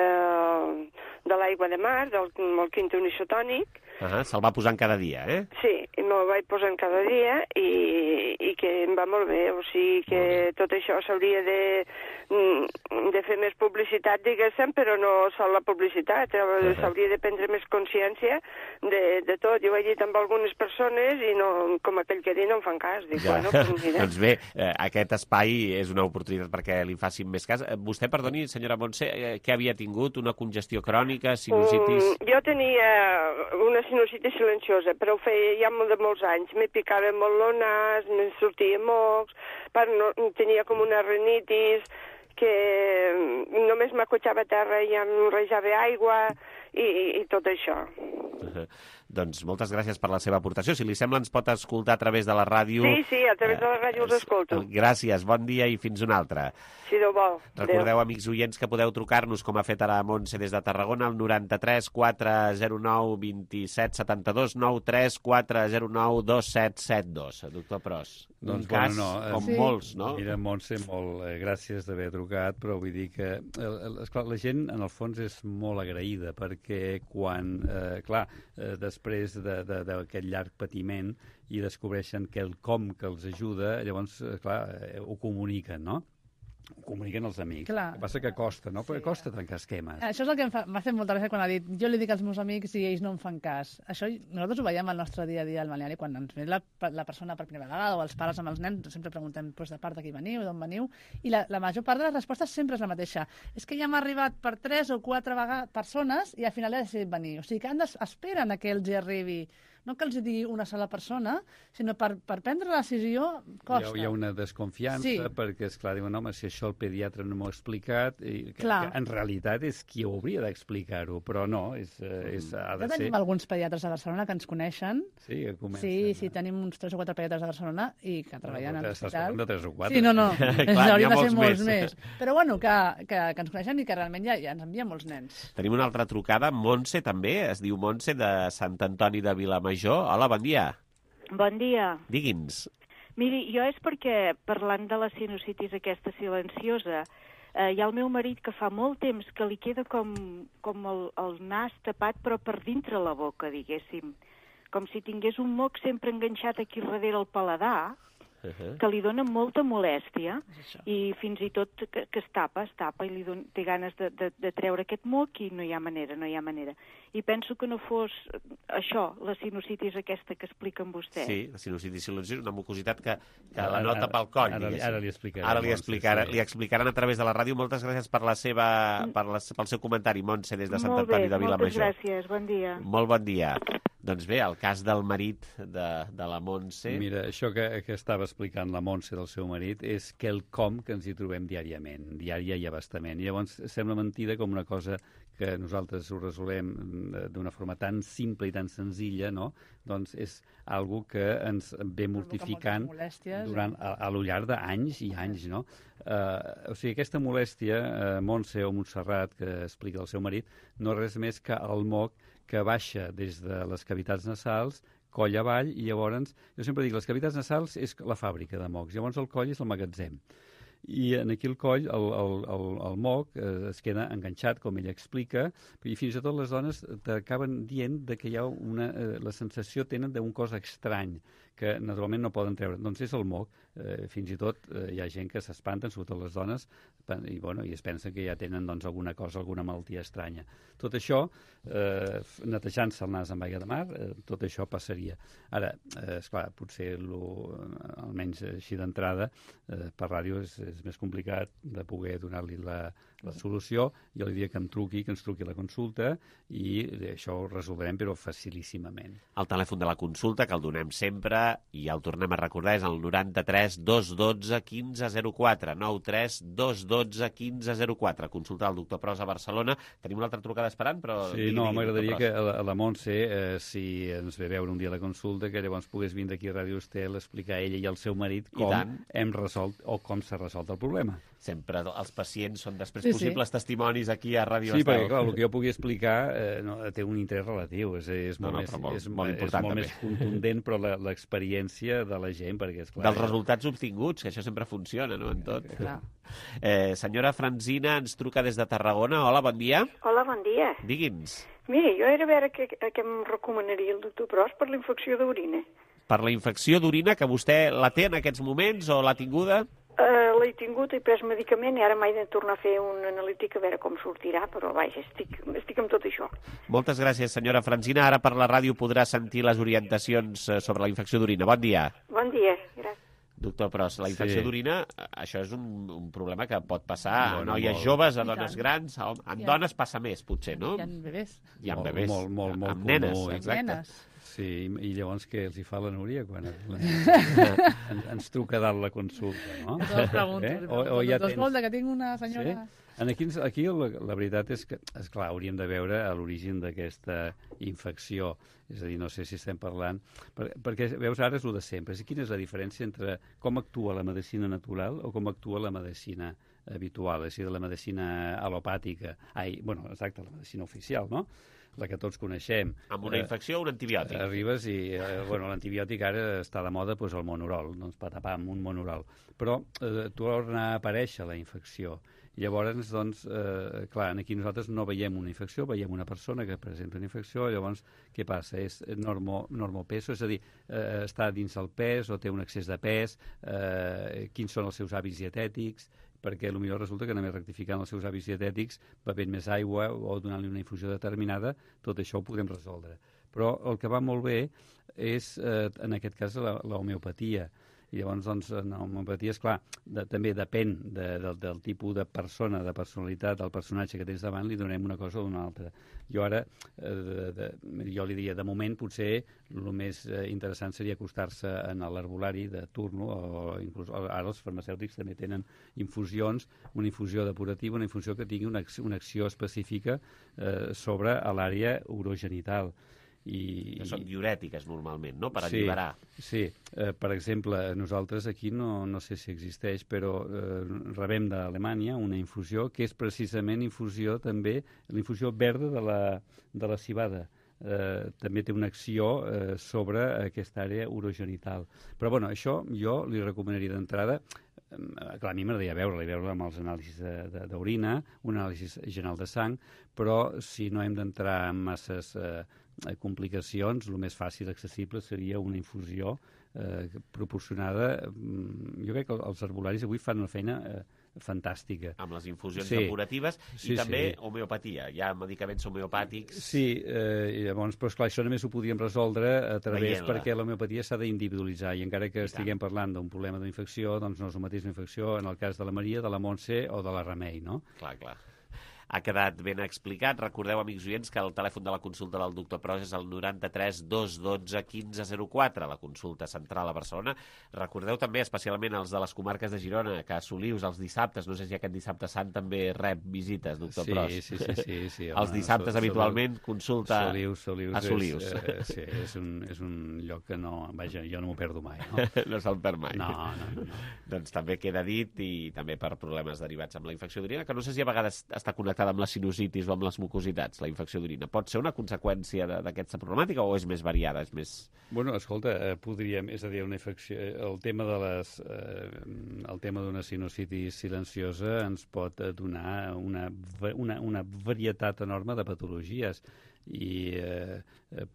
E: de l'aigua de mar, del, del quinto unisotònic.
B: Uh-huh, se'l va posant cada dia, eh?
E: Sí, i me'l vaig posant cada dia i, i que em va molt bé. O sigui que tot això s'hauria de, de fer més publicitat, diguéssim, però no sol la publicitat. Uh-huh. S'hauria de prendre més consciència de, de tot. Jo ho he dit amb algunes persones i no, com aquell que diu no em fan cas. Dic,
B: ja.
E: bueno, pues mira.
B: Doncs bé, eh, aquest espai és una oportunitat perquè li facin més cas. Vostè, perdoni, senyora Montse, eh, què havia tingut? Una congestió crònica, sinusitis?
E: Um, jo tenia una sinusitis silenciosa, però ho feia ja molt de molts anys. Me picava molt el nas, me sortia mocs, per no, tenia com una rinitis que només m'acotxava a terra i em rejava aigua i, i tot això.
B: Uh-huh. Doncs moltes gràcies per la seva aportació. Si li sembla, ens pot escoltar a través de la ràdio.
E: Sí, sí, a través de la ràdio els escolto.
B: Gràcies, bon dia i fins una altra.
E: Si Déu vol.
B: Recordeu, amics oients, que podeu trucar-nos, com ha fet ara Montse des de Tarragona, al noranta-tres quatre zero nou vint-i-set setanta-dos, nou tres quatre zero nou dos set set dos. Doctor Pros,
D: doncs,
B: un cas
D: bueno, no,
B: com
D: sí.
B: molts, no?
D: Mira, Montse, molt eh, gràcies d'haver trucat, però vull dir que el, el, esclar, la gent, en el fons, és molt agraïda, perquè quan, eh, clar, eh, després d'aquest llarg patiment i descobreixen que el com que els ajuda, llavors, eh, clar, eh, ho comuniquen, no? Ho comuniquen els amics.
V: Clar.
D: El que passa que costa, no? Perquè costa trencar esquemes.
V: Això és el que m'ha fet molta gràcia quan ha dit jo li dic als meus amics i ells no em fan cas. Això nosaltres ho veiem al nostre dia a dia al balneari, quan ens ve la, la persona per primera vegada o els pares amb els nens, sempre preguntem pues, de part de qui veniu, d'on veniu, i la, la major part de les respostes sempre és la mateixa. És que ja m'ha arribat per tres o quatre vegades persones i al final he decidit venir. O sigui que han esperen a que els hi arribi. No que els digui una sola persona, sinó per, per prendre la decisió costa.
D: Hi ha, hi ha una desconfiança, sí. perquè, esclar, diuen, home, si això el pediatre no m'ho ha explicat, i que, que en realitat és qui hauria d'explicar-ho, però no, és, és, ha de
V: ja tenim
D: ser...
V: alguns pediatres de Barcelona que ens coneixen.
D: Sí, que comencen.
V: Sí, sí, tenim uns tres o quatre pediatres de Barcelona i que treballen
D: no,
V: a l'hospital.
D: De tres o quatre.
V: Sí, no, no,
B: Clar,
V: haurien de ser molts
B: més.
V: més. Però bueno, que, que, que ens coneixen i que realment ja, ja ens envien molts nens.
B: Tenim una altra trucada, Montse també, es diu Montse, de Sant Antoni de Vilamajor. Hola, bon dia.
G: Bon dia.
B: Digui'ns.
G: Miri, jo és perquè, parlant de la sinusitis aquesta silenciosa, eh, hi ha el meu marit que fa molt temps que li queda com, com el, el nas tapat, però per dintre la boca, diguéssim. Com si tingués un moc sempre enganxat aquí darrere el paladar, uh-huh. que li dona molta molèstia, i fins i tot que, que es tapa, es tapa, i li don, té ganes de, de, de treure aquest moc, i no hi ha manera, no hi ha manera. I penso que no fos això, la sinusitis aquesta que expliquen vostès.
B: Sí, la sinusitis silenciosa, una mucositat que, que ara, la nota pel coll.
D: Ara, ara li explicarem.
B: Ara li, explicar, li explicaran a través de la ràdio. Moltes gràcies per la seva, per la, pel seu comentari, Montse, des de Sant Antoni de Vilamajor.
G: Moltes gràcies, bon dia.
B: Molt bon dia. Doncs bé, el cas del marit de, de la Montse...
D: Mira, això que, que estava explicant la Montse del seu marit és quelcom que ens hi trobem diàriament, diària i abastament. I llavors sembla mentida com una cosa que nosaltres ho resolem d'una forma tan simple i tan senzilla, no? Doncs és algo que ens ve mortificant durant, a, a lo llarg d'anys i anys, no? Uh, o sigui, aquesta molèstia, uh, Montse o Montserrat, que explica el seu marit, no és res més que el moc que baixa des de les cavitats nasals, coll avall, i llavors, jo sempre dic, les cavitats nasals és la fàbrica de mocs, llavors el coll és el magatzem. I en aquí el coll, el, el, el, el moc, eh, es queda enganxat, com ella explica, i fins i tot les dones t'acaben dient de que hi ha una... Eh, la sensació tenen d'un cos estrany, que naturalment no poden treure. Doncs és el moc. Eh, fins i tot eh, hi ha gent que s'espanten, sobretot les dones, i, bueno, i es pensa que ja tenen doncs, alguna cosa, alguna malaltia estranya. Tot això, eh, netejant-se el nas amb aigua de mar, eh, tot això passaria. Ara, eh, esclar, potser, lo, almenys així d'entrada, eh, per ràdio és, és més complicat de poder donar-li la, la solució. Jo li diria que em truqui, que ens truqui la consulta, i això ho resoldrem, però facilíssimament.
B: El telèfon de la consulta, que el donem sempre, i el tornem a recordar, és el noranta-tres dos dotze quinze zero quatre, nou tres dos dotze quinze zero quatre. Consulta el doctor Pros a Barcelona. Tenim una altra trucada esperant, però...
D: Sí, no, m'agradaria que la, la Montse, eh, si ens ve veure un dia a la consulta, que llavors pogués vindre aquí a Ràdio Estel a explicar a ella i al seu marit com hem resolt o com s'ha resolt el problema.
B: Sempre els pacients són després
D: sí,
B: possibles sí. testimonis aquí a Ràdio
D: Sí,
B: Estel.
D: perquè, clar, el que jo pugui explicar eh, no, té un interès relatiu, és, és
B: no,
D: molt,
B: no,
D: més,
B: molt,
D: és,
B: molt,
D: és molt més contundent, però l'experiència de la gent, perquè, esclar...
B: Dels resultats obtinguts, que això sempre funciona, no?, en tot. Clar. Eh, senyora Franzina ens truca des de Tarragona. Hola, bon dia.
H: Hola, bon dia.
B: Digui'ns.
H: Mira, jo era a veure què, què em recomanaria el doctor Pros per la infecció d'orina.
B: Per la infecció d'orina, que vostè la té en aquests moments o l'ha tinguda?
H: Uh, l'he tingut, he pres medicament i ara m'he de tornar a fer una analítica a veure com sortirà, però vaja, estic, estic amb tot això.
B: Moltes gràcies, senyora Franzina. Ara per la ràdio podrà sentir les orientacions sobre la infecció d'orina. Bon dia.
H: Bon dia, gràcies.
B: Doctor Pros, la infecció sí. d'orina, això és un, un problema que pot passar bueno, a noies molt. joves, a dones grans, a, en ja. dones passa més, potser, no?
V: Hi ha bebès.
B: Hi ha bebès.
D: Molt, molt, molt,
B: amb nenes,
D: molt,
B: exacte.
V: Nenes.
D: Sí, i llavors què els hi fa la Núria quan ens, ens truca dalt la consulta, no?
V: Jo els pregunto.
D: Eh? O, o ja
V: doncs
D: tens...
V: vol que tinc una senyora...
D: Sí? Aquí, aquí la, la veritat és que, esclar, hauríem de veure l'origen d'aquesta infecció. És a dir, no sé si estem parlant... Per, perquè, veus, ara és el de sempre. Quina és la diferència entre com actua la medicina natural o com actua la medicina habitual, és a dir, la medicina alopàtica? Ai, bueno, exacte, la medicina oficial, no? La que tots coneixem.
B: Amb una infecció o un antibiòtic?
D: Eh, arribes i, eh, bueno, l'antibiòtic ara està de moda, doncs el monorol, doncs patapam, un monorol. Però eh, torna a aparèixer la infecció. Llavors, doncs, eh, clar, aquí nosaltres no veiem una infecció, veiem una persona que presenta una infecció, llavors, què passa? És normo, normopeso, és a dir, eh, està dins el pes o té un excés de pes, eh, quins són els seus hàbits dietètics, perquè potser resulta que només rectificant els seus hàbits dietètics, bevent més aigua o donant-li una infusió determinada, tot això ho podem resoldre. Però el que va molt bé és, eh, en aquest cas, la, la homeopatia. I llavors, doncs, en homeopatia, esclar, de, també depèn de, de, del tipus de persona, de personalitat, del personatge que tens davant, li donem una cosa o una altra. Jo ara, eh, de, de, jo li diria, de moment, potser el més eh, interessant seria acostar-se en l'herbolari de turno, o inclús ara els farmacèutics també tenen infusions, una infusió depurativa, una infusió que tingui una, una acció específica eh, sobre l'àrea urogenital. I,
B: que són diurètiques normalment, no? Per
D: sí,
B: alliberar.
D: Sí, eh, per exemple, nosaltres aquí no, no sé si existeix, però eh, rebem d'Alemanya una infusió que és precisament infusió també, la infusió verda de la, de la civada. Eh, també té una acció eh, sobre aquesta àrea urogenital. Però bueno, això jo li recomanaria d'entrada, eh, clar, a mi m'agradaria veure-la, i veure-la amb els anàlisis d'orina, un anàlisi general de sang, però si no hem d'entrar en masses eh, complicacions, el més fàcil accessible seria una infusió eh, proporcionada. Jo crec que els herbolaris avui fan una feina eh, fantàstica.
B: Amb les infusions
D: sí.
B: depuratives
D: sí,
B: i també
D: sí.
B: homeopatia. Hi ha medicaments homeopàtics...
D: Sí, eh, llavors, però esclar, això només ho podíem resoldre a través,
B: Veient-la.
D: perquè l'homeopatia s'ha d'individualitzar, i encara que I estiguem tant. parlant d'un problema d'infecció, doncs no és el mateix infecció en el cas de la Maria, de la Montse o de la Remei, no?
B: Clar, clar. Ha quedat ben explicat. Recordeu, amics oients, que el telèfon de la consulta del doctor Pros és el noranta-tres dos dotze quinze zero quatre, la consulta central a Barcelona. Recordeu també, especialment els de les comarques de Girona, que a Solius els dissabtes, no sé si aquest dissabte sant també rep visites, doctor
D: sí,
B: Pros.
D: Sí, sí, sí. sí home,
B: els dissabtes, so, habitualment, consulta
D: Solius, Solius
B: a Solius.
D: És, eh, sí, és un, és un lloc que no... Vaja, jo no m'ho perdo mai, no?
B: No se'l perd mai.
D: No, no, no, no.
B: Doncs també queda dit, i també per problemes derivats amb la infecció d'orina, que no sé si a vegades està connectada amb la sinusitis o amb les mucositats, la infecció d'orina. Pot ser una conseqüència d'aquesta problemàtica o és més variada? És més...
D: Bueno, escolta, eh, podríem, és a dir, una infecció... El tema de les... Eh, el tema d'una sinusitis silenciosa ens pot donar una, una, una varietat enorme de patologies i eh,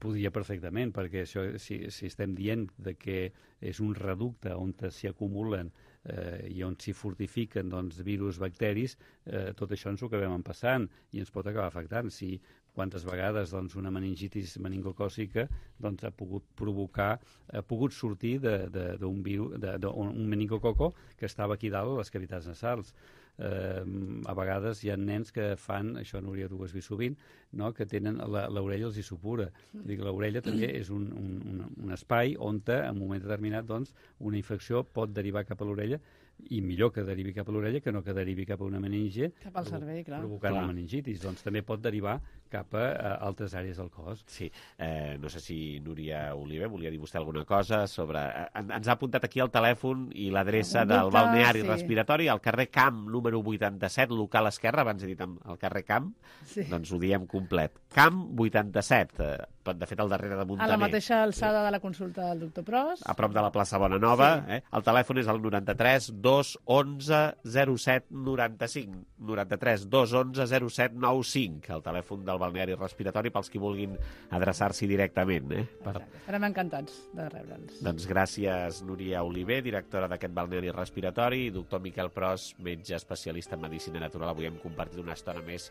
D: podria perfectament, perquè això, si, si estem dient de que és un reducte on s'hi acumulen eh, i on s'hi fortifiquen doncs, virus, bacteris, eh, tot això ens ho acabem empassant i ens pot acabar afectant. Si quantes vegades doncs, una meningitis meningocòcica doncs, ha pogut provocar, ha pogut sortir d'un virus, d'un meningococo que estava aquí dalt a les cavitats nasals. Eh, a vegades hi ha nens que fan, això Núria, tu ho has vist sovint, no? Que tenen l'orella els hi supura. L'orella també és un, un, un espai on en un moment determinat doncs, una infecció pot derivar cap a l'orella, i millor que derivi cap a l'orella que no que derivi cap a una meninge,
V: cap al cervell, clar.
D: provocant clar. una meningitis. Doncs també pot derivar cap a, a altres àrees del cos.
B: Sí. Eh, no sé si Núria Oliver volia dir vostè alguna cosa sobre... En, ens ha apuntat aquí el telèfon i l'adreça del balneari sí. respiratori, al carrer Camp, número vuitanta-set, local esquerra, abans he dit el carrer Camp, sí. doncs ho diem complet. Camp vuitanta-set, eh, de fet al darrere de Montaner.
V: A la mateixa alçada de la consulta del doctor Pros.
B: A prop de la plaça Bonanova. Sí. Eh? El telèfon és el noranta-tres dos onze zero set noranta-cinc. noranta-tres dos onze zero set nou cinc, el telèfon del balneari respiratori pels que vulguin adreçar-s'hi directament. Eh? Per...
V: Estarem encantats de rebre'ls.
B: Doncs gràcies, Núria Oliver, directora d'aquest balneari respiratori, i doctor Miquel Pros, metge especialista en medicina natural. Avui hem compartit una estona més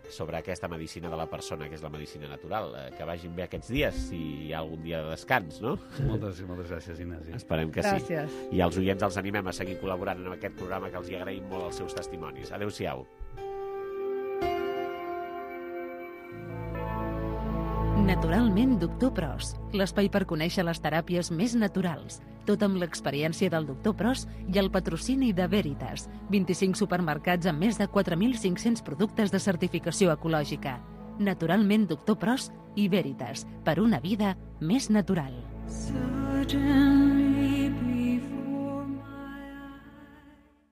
B: sobre aquesta medicina de la persona, que és la medicina natural. Eh, que vagin bé aquests dies, si hi ha algun dia de descans, no?
D: Moltes, moltes gràcies, Ignasi.
B: Esperem que
V: gràcies.
B: sí. I als oients els animem a seguir col·laborant en aquest programa, que els hi agraïm molt els seus testimonis. Adéu-siau.
A: Naturalment doctor Pros, l'espai per conèixer les teràpies més naturals. Tot amb l'experiència del doctor Pros i el patrocini de Veritas, vint-i-cinc supermercats amb més de quatre mil cinc-cents productes de certificació ecològica. Naturalment doctor Pros i Veritas, per una vida més natural.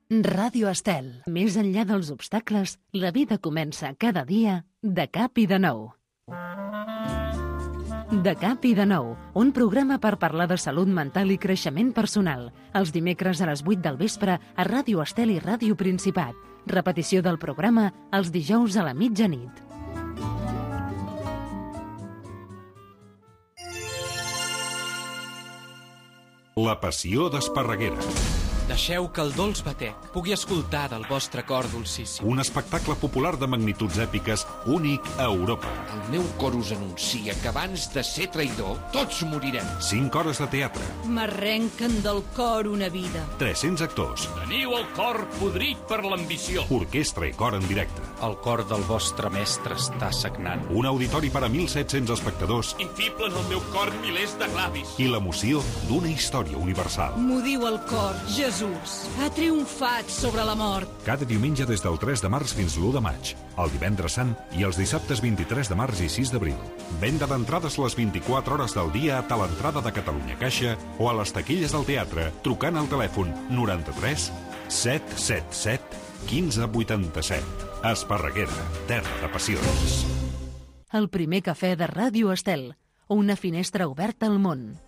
A: Ràdio Estel. Més enllà dels obstacles, la vida comença cada dia de cap i de nou. De cap i de nou, un programa per parlar de salut mental i creixement personal. Els dimecres a les vuit del vespre a Ràdio Estel i Ràdio Principat. Repetició del programa els dijous a la mitjanit.
I: La passió d'Esparreguera.
J: Deixeu que el dolç batec pugui escoltar del vostre cor dolcíssim.
I: Un espectacle popular de magnituds èpiques únic a Europa.
W: El meu cor us anuncia que abans de ser traïdor, tots morirem.
I: Cinc hores de teatre.
X: M'arrenquen del cor una vida.
I: tres-cents actors.
Y: Teniu el cor podrit per l'ambició.
I: Orquestra i cor en directe.
J: El cor del vostre mestre està sagnant.
I: Un auditori per a mil set-cents espectadors.
Y: I fiblen el meu cor milers de clavis.
I: I l'emoció d'una història universal.
X: M'ho diu el cor, Jesús. Ha triomfat sobre la mort.
I: Cada diumenge des del tres de març fins l'u de maig, el divendres sant i els dissabtes vint-i-tres de març i sis d'abril. Venda d'entrades les vint-i-quatre hores del dia a l'entrada de Catalunya Caixa o a les taquilles del teatre trucant al telèfon noranta-tres set set set quinze vuitanta-set. Esparreguera, terra de passions.
A: El primer cafè de Ràdio Estel, una finestra oberta al món.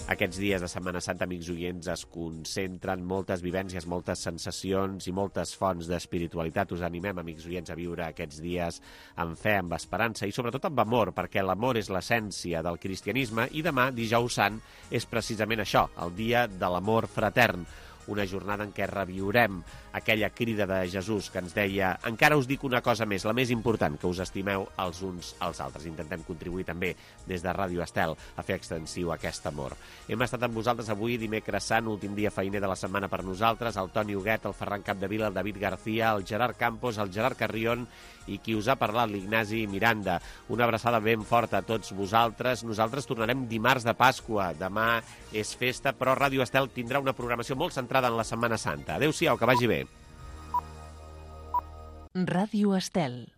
B: Aquests dies de Setmana Santa, amics oients, es concentren moltes vivències, moltes sensacions i moltes fonts d'espiritualitat. Us animem, amics oients, a viure aquests dies amb fe, amb esperança i sobretot amb amor, perquè l'amor és l'essència del cristianisme i demà, dijous sant, és precisament això, el dia de l'amor fratern. Una jornada en què reviurem aquella crida de Jesús que ens deia encara us dic una cosa més, la més important, que us estimeu els uns als altres. Intentem contribuir també des de Ràdio Estel a fer extensiu aquest amor. Hem estat amb vosaltres avui, dimecres sant, últim dia feiner de la setmana per nosaltres, el Toni Huguet, el Ferran Capdevila, el David García, el Gerard Campos, el Gerard Carrion i qui us ha parlat, l'Ignasi Miranda. Una abraçada ben forta a tots vosaltres. Nosaltres tornarem dimarts de Pasqua. Demà és festa, però Ràdio Estel tindrà una programació molt centrada en la Setmana Santa. Adéu-siau, que vagi bé.
A: Ràdio Estel.